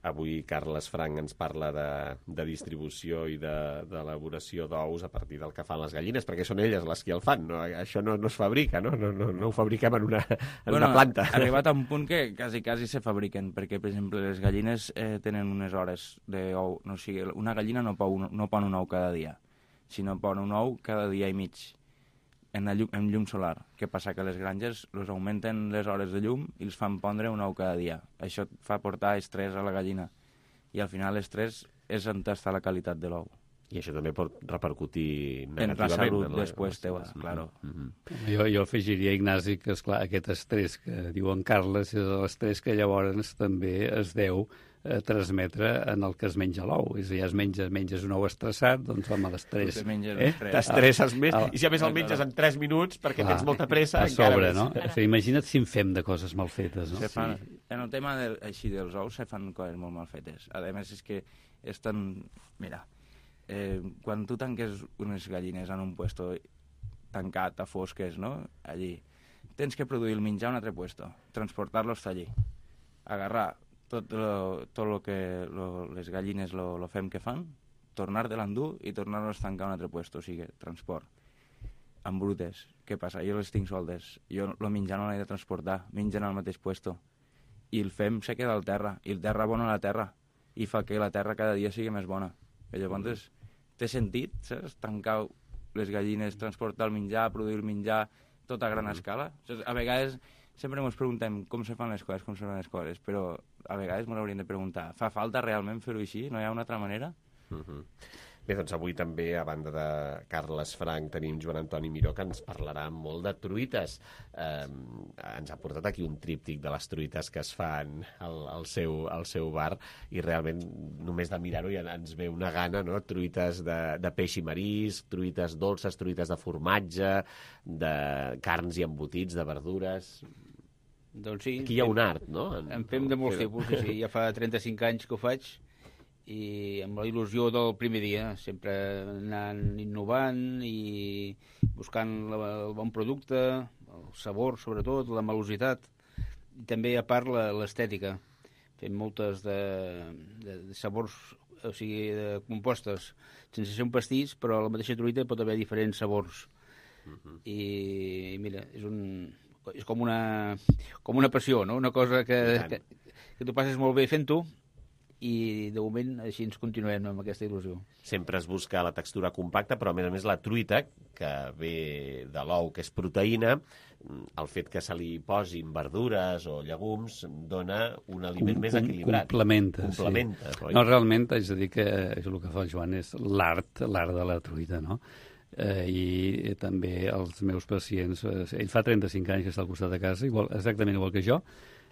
Avui Carles Frank ens parla de distribució i d'elaboració d'ous a partir del que fan les gallines, perquè són elles les que el fan, no? Això no es fabrica, no ho fabriquem en una planta. Ha arribat a un punt que quasi se fabriquen, perquè, per exemple, les gallines tenen unes hores d'ou. No, o sigui, una gallina no pon un ou cada dia, sinó pon un ou cada dia i mig en llum solar. Què passa? Que les granges els augmenten les hores de llum i els fan pondre un ou cada dia. Això fa portar estrès a la gallina. I al final l'estrès és on està la qualitat de l'ou. I això també pot repercutir negativament. En la salut després teua, claro. Jo afegiria, Ignasi, que esclar, aquest estrès que diuen Carles és l'estrès que llavors també es deu transmetre en el que es menja l'ou. És a dir, menges un ou estressat, doncs home, l'estrès... T'estresses més, i si a més el menges en 3 minuts perquè tens molta pressa, encara més. No? O sigui, imagina't si en fem de coses mal fetes, no? En el tema així dels ous se fan coses molt mal fetes. A més, és que és tan... Mira, quan tu tanques unes gallines en un puesto tancat, a fosques, no? Allí, tens que produir el menjar a un altre puesto, transportar-lo hasta allí, agarrar tot el que les gallines lo fem que fan, tornar de l'endur i tornar-lo a tancar a un altre puesto, o sigui, transport. Amb brutes, què passa? Jo les tinc soltes, jo el menjar no l'he de transportar, mengen al mateix puesto, i el fem se queda al terra, i el terra abona la terra, i fa que la terra cada dia sigui més bona. I llavors té sentit, saps? Tancar les gallines, transportar el menjar, produir el menjar, tot a gran escala. A vegades sempre ens preguntem com se fan les coses, però a vegades m'ho hauríem de preguntar, fa falta realment fer-ho així? No hi ha una altra manera? Bé, doncs avui també, a banda de Carles Frank, tenim Joan Antoni Miró, que ens parlarà molt de truites. Ens ha portat aquí un tríptic de les truites que es fan al seu bar, i realment només de mirar-ho ja ens ve una gana, no? Truites de peix i marisc, truites dolces, truites de formatge, de carns i embotits, de verdures... Doncs sí. Aquí hi ha un art, no? En fem de molts tipus, sí. Ja fa 35 anys que ho faig, i amb la il·lusió del primer dia, sempre anant innovant i buscant el bon producte, el sabor, sobretot, la malositat, i també, a part, l'estètica. Fem moltes de sabors, o sigui, de compostes, sense ser un pastís, però a la mateixa truita pot haver diferents sabors. I mira, és com una passió, no? Una cosa que tu passes molt bé fent-ho, i de moment així ens continuem amb aquesta il·lusió. Sempre es busca la textura compacta, però a més la truita, que ve de l'ou, que és proteïna, el fet que se li posin verdures o llegums dona un aliment més equilibrat. Complementa, sí. Oi? No, realment, haig de dir que el que fa el Joan és l'art de la truita, no? I també els meus pacients, ell fa 35 anys que està al costat de casa, exactament igual que jo,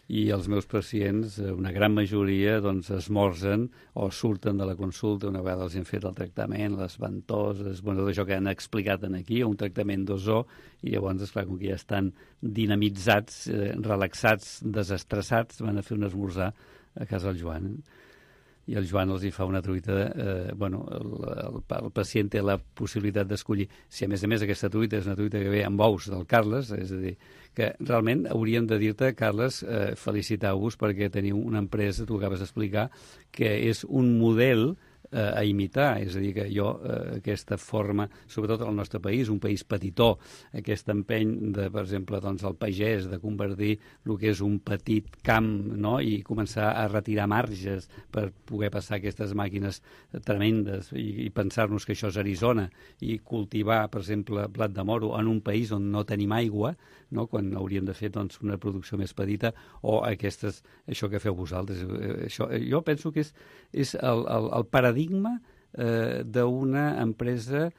i els meus pacients, una gran majoria, doncs, esmorzen o surten de la consulta una vegada els hem fet el tractament, les ventoses, tot això que han explicat aquí, un tractament d'ozó, i llavors, esclar, com que ja estan dinamitzats, relaxats, desestressats, van a fer un esmorzar a casa del Joan. I el Joan els hi fa una truita, el pacient té la possibilitat d'escollir. Si a més aquesta truita és una truita que ve amb ous del Carles, és a dir, que realment hauríem de dir-te, Carles, felicitar-vos perquè teniu una empresa, tu acabes d'explicar, que és un model a imitar. És a dir, que jo aquesta forma, sobretot al nostre país, un país petitó, aquest empeny de, per exemple, doncs, el pagès, de convertir el que és un petit camp, no?, i començar a retirar marges per poder passar aquestes màquines tremendes i pensar-nos que això és Arizona i cultivar, per exemple, blat de moro en un país on no tenim aigua, no?, quan hauríem de fer doncs, una producció més petita, o això que feu vosaltres. Jo penso que és el paradigma d'una empresa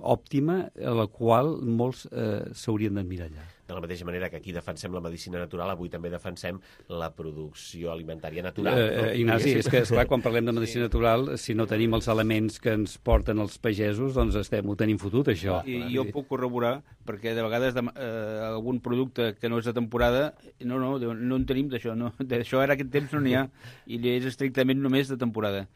òptima a la qual molts s'haurien d'emmirallar. De la mateixa manera que aquí defensem la medicina natural, avui també defensem la producció alimentària natural. Ignasi, és que, esclar, quan parlem de medicina natural, si no tenim els elements que ens porten els pagesos, doncs ho tenim fotut, això. I jo puc corroborar, perquè de vegades algun producte que no és de temporada, no en tenim d'això, no. D'això ara aquest temps no n'hi ha, i és estrictament només de temporada.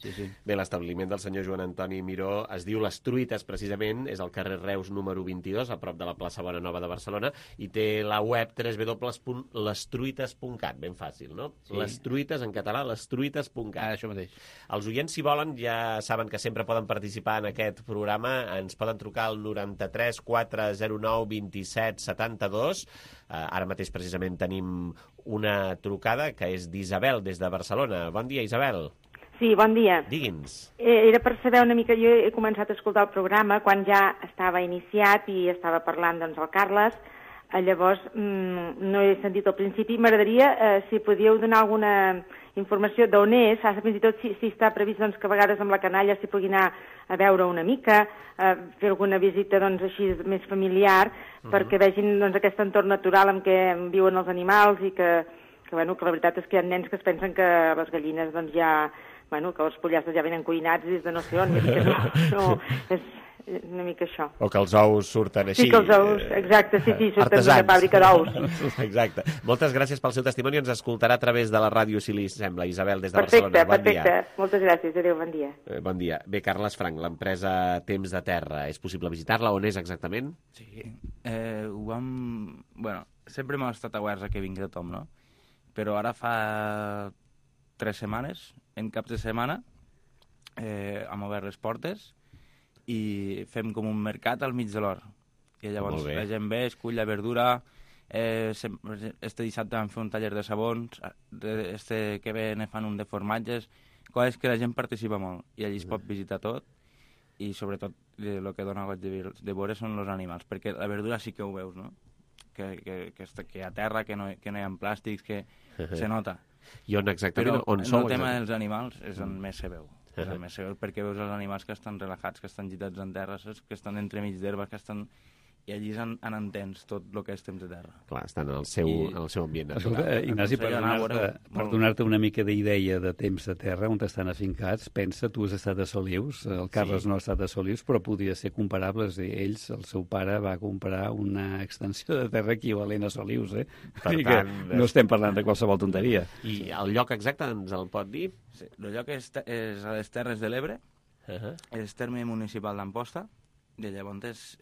Sí. Bé, l'establiment del senyor Joan Antoni Miró es diu Les Truites, precisament, és al carrer Reus número 22, a prop de la plaça Bonanova de Barcelona, i té la web www.lestruites.cat, ben fàcil, no? Sí. Les truites, en català, lestruites.cat. Això mateix. Els oients, si volen, ja saben que sempre poden participar en aquest programa. Ens poden trucar al 93 409 27 72. Ara mateix, precisament, tenim una trucada que és d'Isabel, des de Barcelona. Bon dia, Isabel. Sí, bon dia. Digui'ns. Era per saber una mica, jo he començat a escoltar el programa quan ja estava iniciat i estava parlant, doncs, el Carles. Llavors, no he sentit al principi. M'agradaria, si podíeu donar alguna informació d'on és, fins i tot si està previst doncs, que a vegades amb la canalla s'hi pugui anar a veure una mica, fer alguna visita doncs, així més familiar, perquè vegin doncs, aquest entorn natural en què viuen els animals i que la veritat és que hi ha nens que es pensen que les gallines doncs, ja... que els pollastres ja venen cuinats des de no sé on, que no, és una mica això. O que els ous surten així. Sí, que els ous, exacte, sí, surten d'una fàbrica d'ous. Exacte. Moltes gràcies pel seu testimoni, ens escoltarà a través de la ràdio, si li sembla. Isabel, des de Barcelona. Perfecte. Moltes gràcies, adéu, bon dia. Bon dia. Bé, Carles Frank, l'empresa Temps de Terra, és possible visitar-la? On és exactament? Sí, ho vam... Bueno, sempre hem estat awares a que vingui tothom, no? Però ara fa 3 setmanes, en caps de setmana, hem obert les portes i fem com un mercat al mig de l'hora. I llavors la gent ve, escull la verdura, este dissabte vam fer un taller de sabons, este que ve ne fan un de formatges, coses que la gent participa molt, i allí es pot visitar tot, i sobretot el que dona goig de veure són els animals, perquè la verdura sí que ho veus, no? Que hi ha terra, que no hi ha plàstics, que se nota. I on exactament? Però el tema dels animals és on més se veu. És on més se veu perquè veus els animals que estan relajats, que estan gitats en terra, que estan entremig d'herba, que estan... I allí en entens tot el que és Temps de Terra. Clar, estan en el seu ambient natural. Escolta, Ignasi, per donar-te una mica d'idea de Temps de Terra, on estan afincats, pensa, tu has estat a Solius, el Carles no ha estat a Solius, però podria ser comparables. Ells, el seu pare, va comprar una extensió de terra equivalent a Solius, Per tant, no estem parlant de qualsevol tonteria. I el lloc exacte ens el pot dir? Sí, el lloc és a les Terres de l'Ebre, és terme municipal d'Amposta, i llavors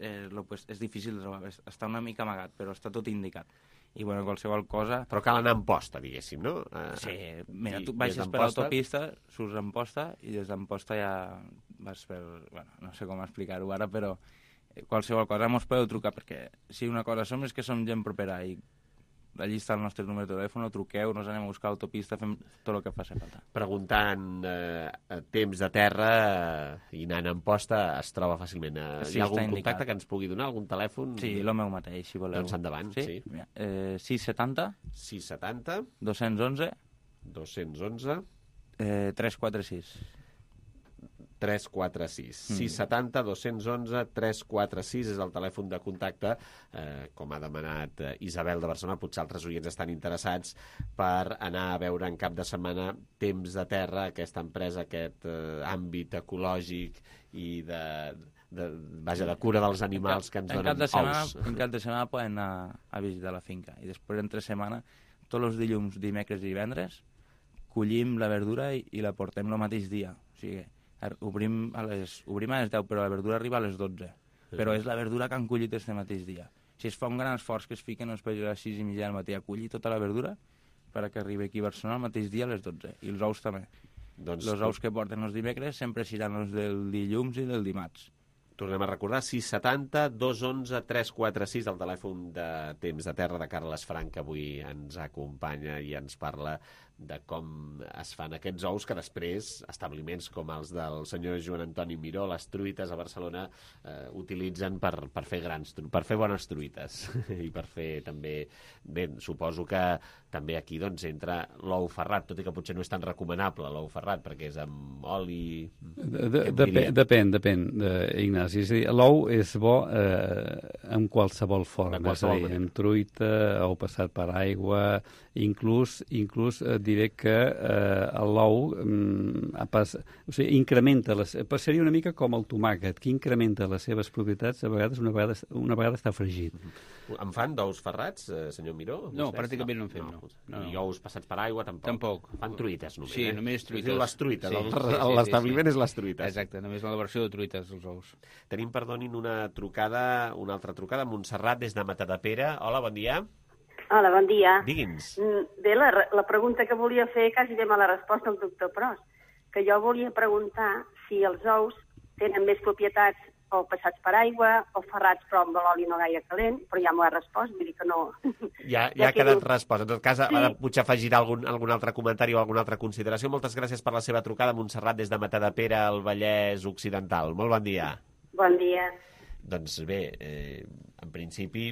és difícil de trobar, està una mica amagat, però està tot indicat. I bueno, qualsevol cosa... Però cal anar a Amposta, diguéssim, no? Sí, mira, tu baixes per l'autopista, surts a Amposta, i des d'Amposta ja vas per... Bueno, no sé com explicar-ho ara, però qualsevol cosa mos podeu trucar, perquè si una cosa som és que som gent propera, i allí està el nostre número de telèfon, truqueu, nos anem a buscar l'autopista, fem tot el que faci falta. Preguntant Temps de Terra i anant a Amposta es troba fàcilment. Hi ha algun contacte que ens pugui donar, algun telèfon? Sí, el meu mateix, si voleu. Doncs endavant, sí. 670 211 346 346. 670 211 346 és el telèfon de contacte, com ha demanat Isabel de Barcelona. Potser altres oients estan interessats per anar a veure en cap de setmana Temps de Terra, aquesta empresa, aquest àmbit ecològic i de cura dels animals que ens donen ous. En cap de setmana poden anar a visitar la finca, i després entre setmana, tots els dilluns, dimecres i divendres, collim la verdura i la portem el mateix dia. O sigui, obrim a les 10, però la verdura arriba a les 12. Però és la verdura que han collit este mateix dia. Si es fa un gran esforç que es fiquen els pagesos a les 6:30 del matí a collir tota la verdura, perquè arribi aquí a Barcelona el mateix dia a les 12. I els ous també. Els ous que porten els dimecres sempre seran els del dilluns i del dimarts. Tornem a recordar, 670 211 346, el telèfon de Temps de Terra de Carles Frank, que avui ens acompanya i ens parla de com es fan aquests ous que després establiments com els del senyor Joan Antoni Miró, les truites a Barcelona, utilitzen per fer bones truites i per fer també... Bé, suposo que també aquí doncs entra l'ou ferrat, tot i que potser no és tan recomanable l'ou ferrat, perquè és amb oli... Depèn, Ignasi. És a dir, l'ou és bo en qualsevol forma, és a dir, en truita, ou passat per aigua, inclús diré que l'ou incrementa, seria una mica com el tomàquet, que incrementa les seves propietats a vegades una vegada està fregit. En fan d'ous ferrats, senyor Miró? No, pràcticament no en fem, no. I ous passats per aigua, tampoc? Tampoc. Fan truites, només, Sí, només truites. Les truites, l'establiment és les truites. Exacte, només la versió de truites, els ous. Tenim, perdonin, una altra trucada, Montserrat, des de Matadepera. Hola, bon dia. Hola, bon dia. Digui'ns. Bé, la pregunta que volia fer quasi ve a la resposta al doctor Pros, que jo volia preguntar si els ous tenen més propietats o passats per aigua o ferrats però amb l'oli no gaire calent, però ja m'ho ha respost, vull dir que no... Ja ha quedat respost. En tot cas, ara potser afegirà algun altre comentari o alguna altra consideració. Moltes gràcies per la seva trucada, Montserrat, des de Matadepera, al Vallès Occidental. Molt bon dia. Bon dia. Doncs bé, en principi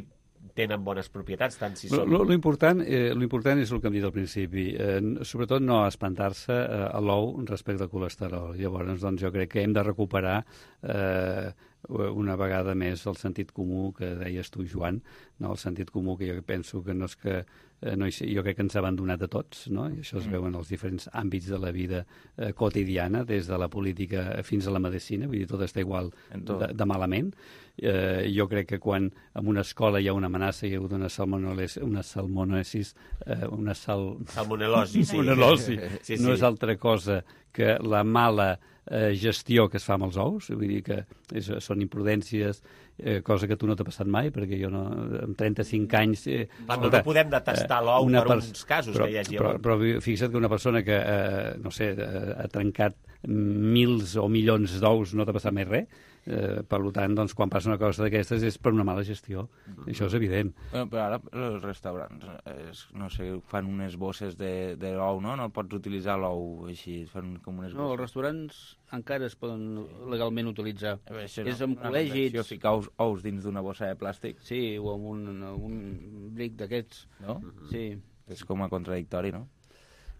tenen bones propietats, tant si són... L'important és el que hem dit al principi, sobretot no espantar-se a l'ou respecte al colesterol. Llavors, doncs, jo crec que hem de recuperar una vegada més el sentit comú que deies tu, Joan, no? El sentit comú que jo penso que no és que... jo crec que ens ha abandonat a tots, no? I això es veu en els diferents àmbits de la vida quotidiana, des de la política fins a la medicina, vull dir, tot està igual de malament. Jo crec que quan en una escola hi ha una amenaça, hi ha hagut una salmonelosi, sí. No és altra cosa que la mala gestió que es fa amb els ous, vull dir que són imprudències, cosa que tu no t'ha passat mai, perquè jo no, amb 35 anys... no podem detestar l'ou per uns casos que hi hagi. Però fixa't que una persona que, no sé, ha trencat mils o milions d'ous no t'ha passat mai res, per tant, doncs, quan passa una cosa d'aquestes és per una mala gestió. Això és evident. Però ara els restaurants, no sé, fan unes bosses de l'ou, no? No pots utilitzar l'ou així, fan com unes bosses. No, els restaurants encara es poden legalment utilitzar. És amb col·legis... Ficar ous dins d'una bossa de plàstic. Sí, o amb un bric d'aquests. No? Sí. És com a contradictori, no?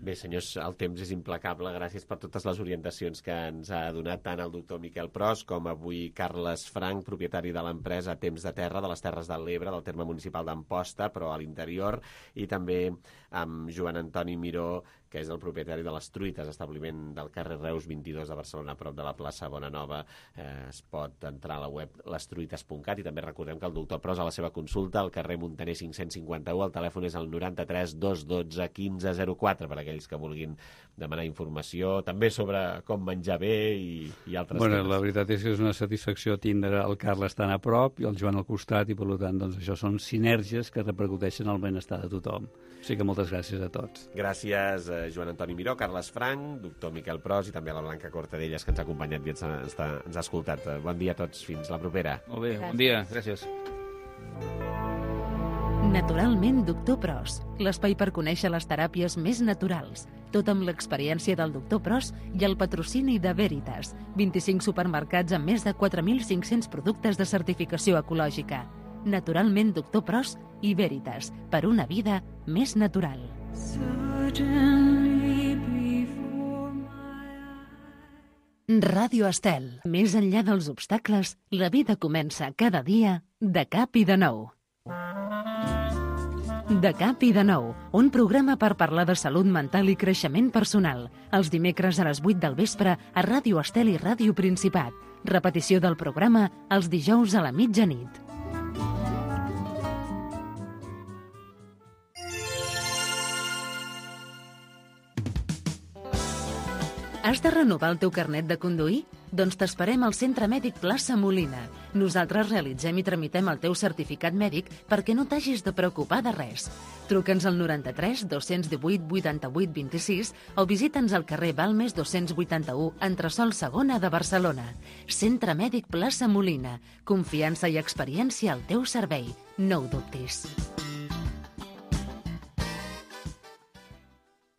Bé, senyors, el temps és implacable. Gràcies per totes les orientacions que ens ha donat tant el doctor Miquel Pros com avui Carles Frank, propietari de l'empresa Temps de Terra, de les Terres de l'Ebre, del terme municipal d'Amposta, però a l'interior, i també amb Joan Antoni Miró, que és el propietari de les Truites, establiment del carrer Reus 22 de Barcelona, a prop de la plaça Bonanova. Es pot entrar a la web lestruites.cat i també recordem que el doctor Pros a la seva consulta al carrer Muntaner 551, el telèfon és el 93 212 1504 per aquells que vulguin demanar informació, també sobre com menjar bé i altres temes. La veritat és que és una satisfacció tindre el Carles tan a prop i el Joan al costat i per tant doncs, això són sinergies que repercuteixen el benestar de tothom. O sigui que moltes gràcies a tots. Gràcies Joan Antoni Miró, Carles Frank, doctor Miquel Pros i també a la Blanca Cortadellas, que ens ha acompanyat i ens ha escoltat. Bon dia a tots, fins la propera. Molt bé, bon dia, gràcies. Naturalment, doctor Pros, l'espai per conèixer les teràpies més naturals, tot amb l'experiència del doctor Pros i el patrocini de Veritas, 25 supermercats amb més de 4.500 productes de certificació ecològica. Naturalment, doctor Pros i Veritas, per una vida més natural. Ràdio Estel. Més enllà dels obstacles, la vida comença cada dia de cap i de nou. De cap i de nou, un programa per parlar de salut mental i creixement personal. Els dimecres a les 8 del vespre a Ràdio Estel i Ràdio Principat. Repetició del programa els dijous a la mitjanit. Has de renovar el teu carnet de conduir? Doncs t'esperem al Centre Mèdic Plaça Molina. Nosaltres realitzem i tramitem el teu certificat mèdic perquè no t'hagis de preocupar de res. Truca'ns al 93 218 88 26 o visita'ns al carrer Balmes 281, entresòl Segona de Barcelona. Centre Mèdic Plaça Molina. Confiança i experiència al teu servei. No ho dubtis.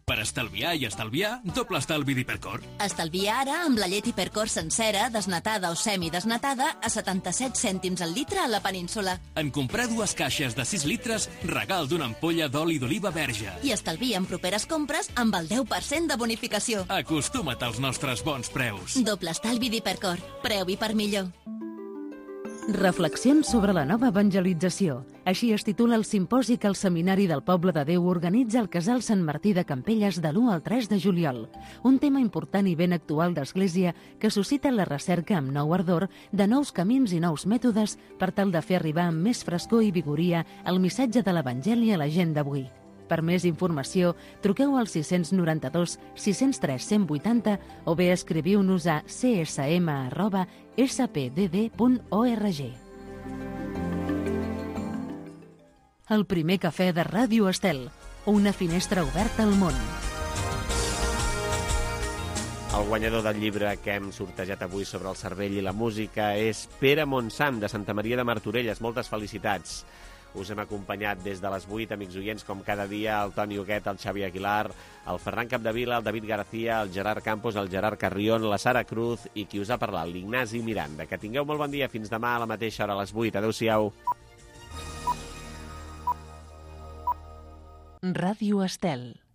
Per estalviar i estalviar, doble estalvi d'Hipercor. Estalvia ara amb la llet Hipercor sencera, desnatada o semidesnatada, a 77 cèntims al litre a la península. En comprar 2 caixes de 6 litres, regal d'una ampolla d'oli d'oliva verge. I estalvia en properes compres amb el 10% de bonificació. Acostuma't als nostres bons preus. Doble estalvi d'Hipercor. Preu i per millor. Reflexions sobre la nova evangelització. Així es titula el simposi que el Seminari del Poble de Déu organitza al Casal Sant Martí de Campelles de l'1 al 3 de juliol. Un tema important i ben actual d'Església que suscita la recerca amb nou ardor de nous camins i nous mètodes per tal de fer arribar amb més frescor i vigoria el missatge de l'Evangeli a la gent d'avui. Per més informació, truqueu al 692 603 180 o bé escriviu-nos a csm@spdd.org. El primer cafè de Ràdio Estel, una finestra oberta al món. El guanyador del llibre que hem sortejat avui sobre el cervell i la música és Pere Montsant, de Santa Maria de Martorelles. Moltes felicitats. Us hem acompanyat des de les 8, amics oients, com cada dia, el Toni Huguet, el Xavi Aguilar, el Ferran Capdevila, el David García, el Gerard Campos, el Gerard Carrión, la Sara Cruz i qui us ha parlat, l'Ignasi Miranda. Que tingueu molt bon dia. Fins demà a la mateixa hora, a les 8. Adéu-siau. Ràdio Estel.